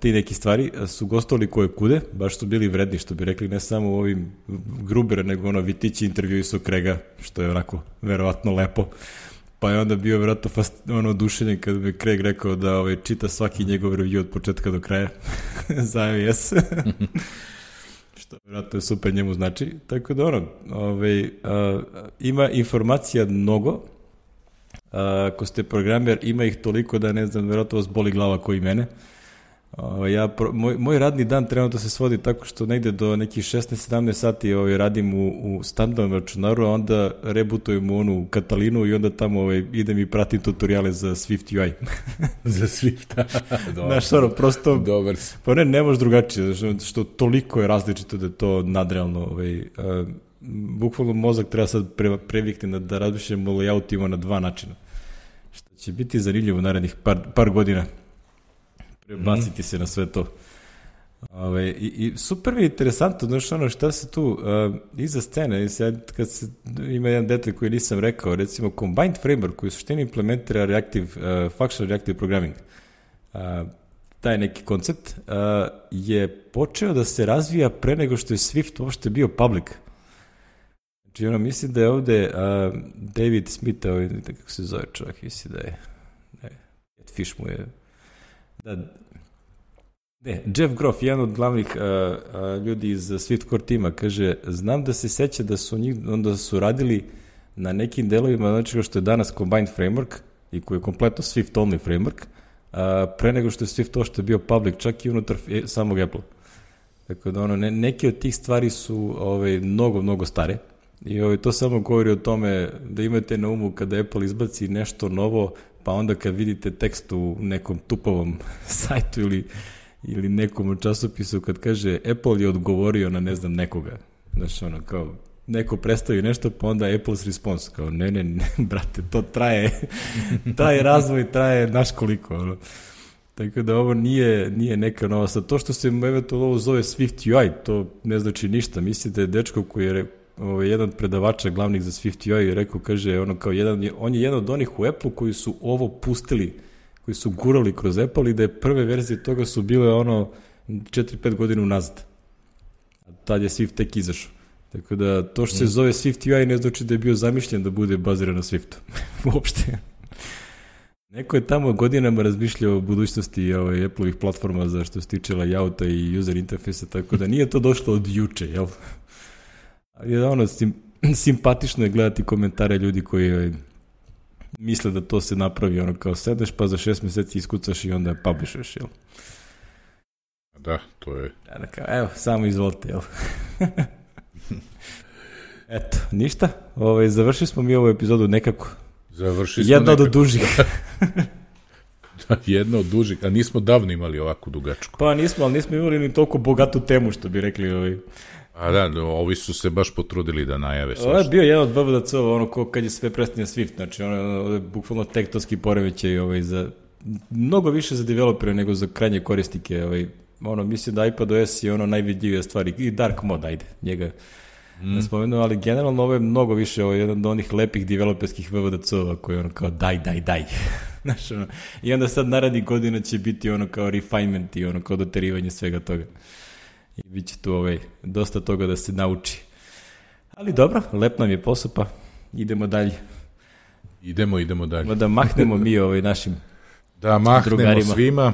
Speaker 1: ti neki stvari su gostovali koje kude, baš su bili vredni, što bi rekli, ne samo u ovim Gruber, nego vitići intervjui su Craiga, što je onako verovatno lepo. Pa je onda bio verovatno oduševljen kada bi Craig rekao da čita svaki njegov review od početka do kraja za iOS. Što vjerojatno je super njemu znači. Tako da ima informacija mnogo. Ako ste programer, ima ih toliko da ne znam, vjerojatno vas boli glava koji mene. Moj radni dan trenutno se svodi tako što negde do nekih 16-17 sati radim u standardnom računaru, a onda rebootujem u onu Katalinu i onda tamo idem i pratim tutoriale za Swift UI.
Speaker 2: Za Swift, dobro.
Speaker 1: Znaš, prosto,
Speaker 2: dobar si.
Speaker 1: Pa ne možeš drugačije, što toliko je različito da je to nadrealno. Bukvalno mozak treba sad previkne da razmišljamo o layoutima na 2 načina. Što će biti zanimljivo narednih par godina. Prebaciti se na sve to. I super mi je interesantno, znaš šta se tu iza scene, ima jedan detalj koji nisam rekao, recimo Combined Framework koji u suštini implementira Functional Reactive Programming, taj neki koncept je počeo da se razvija pre nego što je Swift uopšte bio public. Znači, mislim da je ovde David Smith, kako se zove čovjek, mislim da je Fish mu je Jeff Groff, jedan od glavnih ljudi iz Swift Core tima, kaže, znam da se seća da su onda su radili na nekim delovima, znači što je danas Combined Framework i koji je kompletno Swift only framework, pre nego što je Swift ovo što je bio public, čak i unutar samog Apple. Tako da neke od tih stvari su mnogo, mnogo stare i to samo govori o tome da imate na umu kada Apple izbaci nešto novo, pa onda kad vidite tekst u nekom tupovom sajtu ili nekom časopisu kad kaže Apple je odgovorio na ne znam nekoga. Znaš, kao neko predstavi nešto, pa onda Apple's response, kao ne, brate, to traje, taj razvoj traje naš koliko, Tako da ovo nije neka nova. Sad, to što se eventualno ovo zove Swift UI, to ne znači ništa. Mislite, je dečko koji je jedan od predavača glavnih za Swift UI rekao, kaže, on je jedan od onih u Apple koji su ovo pustili, koji su gurali kroz Apple i da je prve verzije toga su bile 4-5 godina unazad. A tad je Swift tek izašao. Tako da to što se zove Swift UI ne znači da je bio zamišljen da bude baziran na Swiftu. Uopšte. Neko je tamo godinama razmišljao o budućnosti Apple-ovih platforma za što se tiče layouta i user interfejsa, tako da nije to došlo od juče, jel? Ali simpatično je gledati komentare ljudi koji misle da to se napravi, kao sedeš pa za 6 meseci iskucaš i onda publishuješ, jel?
Speaker 2: Da, to je...
Speaker 1: Evo, samo izvolite, jel? Eto, ništa. Završili smo mi ovu epizodu nekako. Jedna od dužih.
Speaker 2: Jedna od dužih, a nismo davno imali ovakvu dugačku.
Speaker 1: Pa nismo, ali nismo imali ni toliko bogatu temu, što bi rekli.
Speaker 2: A da, ovi su se baš potrudili da najave sve.
Speaker 1: Ovo je bio jedan od VVDC-ova, kad je sve prestanje Swift, znači bukvalno tektonski poremećaj za mnogo više za developere nego za krajnje korisnike. Mislim da iPadOS je najvidljivija stvar i Dark Mode, ajde, njega ne spomenu, ali generalno ovo je mnogo više, ovo je jedan od onih lepih developerskih VVDC-ova koji je ono kao daj. Znaš, ono, i onda sad narednih godina će biti ono kao refinement i ono kao doterivanje svega toga. I bit će tu dosta toga da se nauči. Ali dobro, lep nam je posao, pa idemo dalje.
Speaker 2: Idemo dalje.
Speaker 1: Da mahnemo mi našim
Speaker 2: da mahnemo
Speaker 1: drugarima.
Speaker 2: Svima.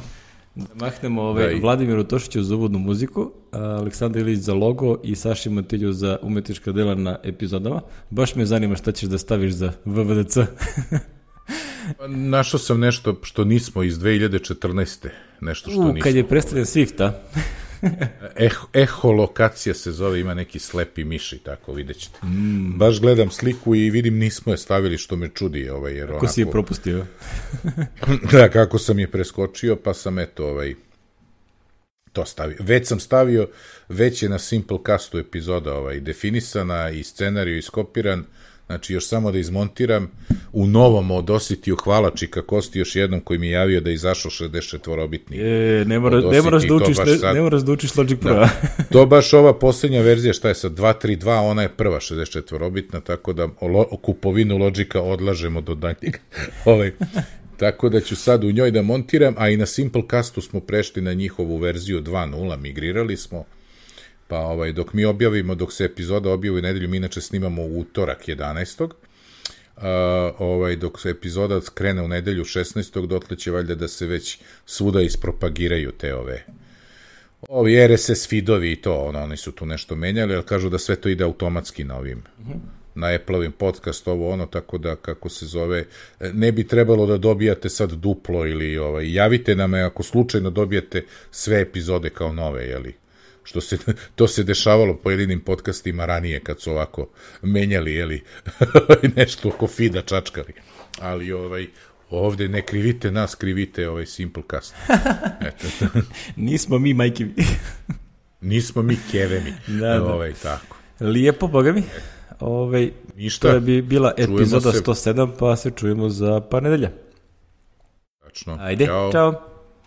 Speaker 1: Da mahnemo Vladimiru Tošiću za uvodnu muziku, Aleksandar Ilić za logo i Saši Matilju za umetnička dela na epizodama. Baš me zanima šta ćeš da staviš za VVDC.
Speaker 2: Našao sam nešto što nismo iz 2014. Nešto što nismo.
Speaker 1: Kad je predstavljen Swift, a?
Speaker 2: Eholokacija se zove, ima neki slepi miši, tako vidjet ćete. Baš gledam sliku i vidim nismo je stavili, što me čudi. Jer
Speaker 1: kako si je propustio?
Speaker 2: Da, kako sam je preskočio, pa sam to stavio. Već sam stavio, već je na Simplecastu epizoda definisana i scenariju iskopiran. Znači, još samo da izmontiram u novom od Ositiju hvala Čika Kosti još jednom koji mi je javio da je izašao 64-obitni.
Speaker 1: Ne moraš da učiš Logic Pro.
Speaker 2: To baš ova posljednja verzija, šta je sad, 2.3.2, ona je prva 64-obitna, tako da kupovinu Logica odlažemo do daljnjeg. Tako da ću sad u njoj da montiram, a i na Simplecastu smo prešli na njihovu verziju 2.0, migrirali smo. Pa dok mi objavimo, dok se epizoda objavi u nedelju, mi inače snimamo u utorak 11. Dok se epizoda krene u nedelju 16. dotle će valjda da se već svuda ispropagiraju te ovi RSS feedovi i to, oni su tu nešto menjali, ali kažu da sve to ide automatski na ovim, na Apple-ovim podcast, tako da, kako se zove, ne bi trebalo da dobijate sad duplo ili javite nam ako slučajno dobijete sve epizode kao nove, jeli? To se dešavalo pojedinim podcastima ranije kad su ovako menjali, jeli, nešto oko feeda čačkali. Ali ovde ne krivite nas, krivite Simplecast.
Speaker 1: Nismo mi majke.
Speaker 2: Nismo mi kevemi. Tako.
Speaker 1: Lijepo, boga mi.
Speaker 2: Ništa.
Speaker 1: To je bila epizoda 107, pa se čujemo za par nedelja.
Speaker 2: Tačno.
Speaker 1: Ajde, čao.